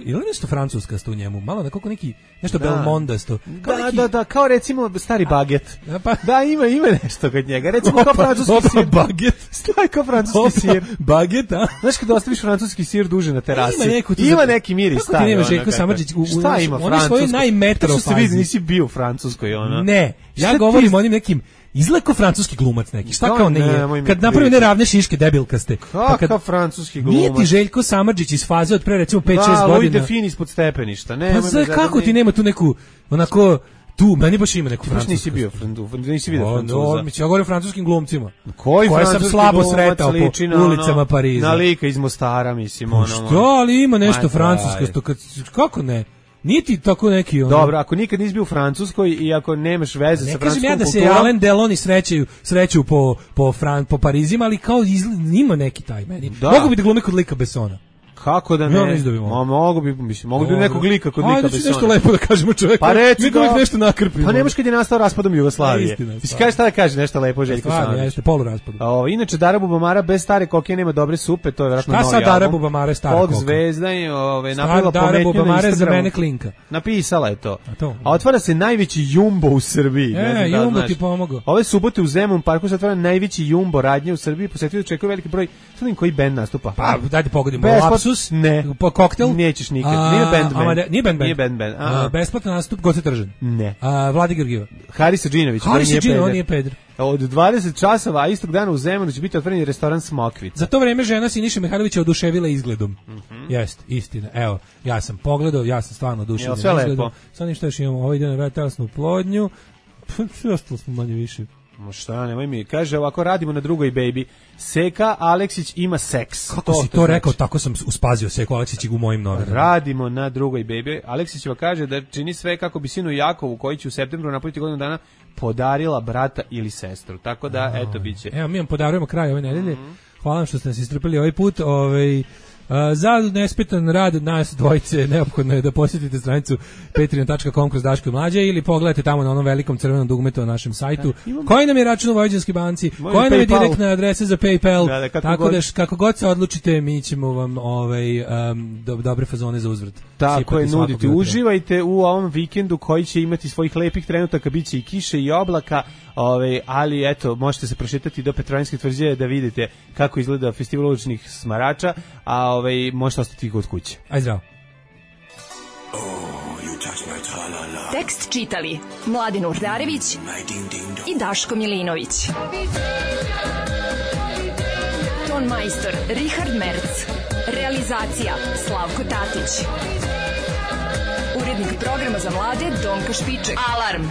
je li nešto francuskasto u njemu? Malo nekako neki, nešto belmondasto. Da, kao recimo stari baget. Da, ima nešto kod njega. Recimo kao francuski sir. Baget. Stari kao francuski sir. Baget, a? Znaš kada ostaviš francuski sir duže na terasi? Ima neki miris. Kako ti nema Željko Samardžić? Šta ima francusko? On je svoje najmetro fazi. Što se vidi, nisi bio u Francuskoj, ono. Ne, ja govorim o onim nekim izlako francuski glumac neki. Šta kao nije? Kad napravi neravne šiške debilkaste. Kakav francuski glumac? Nije ti Željko Samardžić iz faze od pre recimo 5-6 godina. Da, Louis Define ispod stepeništa. Pa kako ti nema tu neku, onako, tu, meni baš ima neku francusku. Nisi bio nisi vidio Francuza. Ja govorim o francuskim glumcima. Koji sam slabo sretao po ulicama Pariza. Na lika iz Mostara, mislim. Što, ali ima nešto francusko. Kako ne? Niti tako neki ono. Dobro, ako nikad nisi bio u Francuskoj i ako nemaš veze sa francuskom kulturom. Ne kažem ja da se Alain Delon sreću po Parizima, ali kao ima neki taj meni. Mogu bi da glume kod lika Bessona. Kako da ne? Mogu bi nekog lika kod lika Bessona. Ajde, nešto lepo da kažemo čoveku. Pa reci da nešto nakrpimo. Pa nemaš kad je nastao raspadom Jugoslavije. Mislim, kaže šta da kaže nešto lepo Željko Samardžić. Jeste, poluraspad. Inače, Dara Bubamara bez stare koke nema dobre supe, to je vjerojatno novi album. Šta sad Dara Bubamara stara koka? Folk zvezda je napravila Dara pometnju na Bubamara za Instagramu. mene klinka. Napisala je to. A otvara se najveći jumbo u Srbiji. Jumbo ti pomogao. Ove subote u Zemun parku se otvara najveći jumbo radnje u Srbiji. Posetio čekaju veliki broj. Sad koji bend nastupa? Pa dajte pogodimo. Lapsus? Ne. Koktel? Nećeš nikad. Nije band. Besplatan nastup, Goce Tržan? Ne. Vladi Grgiva? Haris Adžinović. On nije peder. Od 20 časova, a istog dana u Zemunu će biti otvoren restoran Smokvica. Za to vreme žena Siniše Mihajlovića oduševila izgledom. Jeste, istina. Evo, ja sam pogledao, ja sam stvarno oduševljen izgledom. Sad ništa još imamo, ovaj ide na telesnu plodnju. Ostalo smo manje više. Šta, nemoj mi. Kaže, ovako radimo na drugoj baby. Seka Aleksić ima seks. Kako si to rekao, tako sam uspazio Seku Aleksić u mojim novinama. Radimo na drugoj baby. Aleksićeva kaže da čini sve kako bi sinu Jakovu, koji će u septembru napuniti godinu dana, podarila brata ili sestru. Tako da, eto, bit će. Evo, mi vam podarujemo kraj ove nedelje. Hvala vam što ste nas istrpili ovaj put. Za nespetan rad nas dvojice neophodno je da posjetite stranicu patreon.com kroz Daško i Mlađa ili pogledajte tamo na onom velikom crvenom dugmetu na našem sajtu. Koji nam je račun u Vojvođanskoj banci, koja nam je direktna adresa za PayPal, tako da kako god se odlučite, mi ćemo vam dobre fazone za uzvrat. Tako je, nudite. Uživajte u ovom vikendu koji će imati svojih lepih trenutaka, bit će i kiše i oblaka, ali eto, možete se prošetati do Petrovaradinske tvrđave da vidite kako izgleda festival uličnih smarača, a možete ostati kod kuće. Aj zdravo. Tekst čitali Mladen Urdarević i Daško Milinović. Ton majstor Richard Merc. Realizacija Slavko Tatić. Urednik programa za mlade Donka Špiček. Alarm!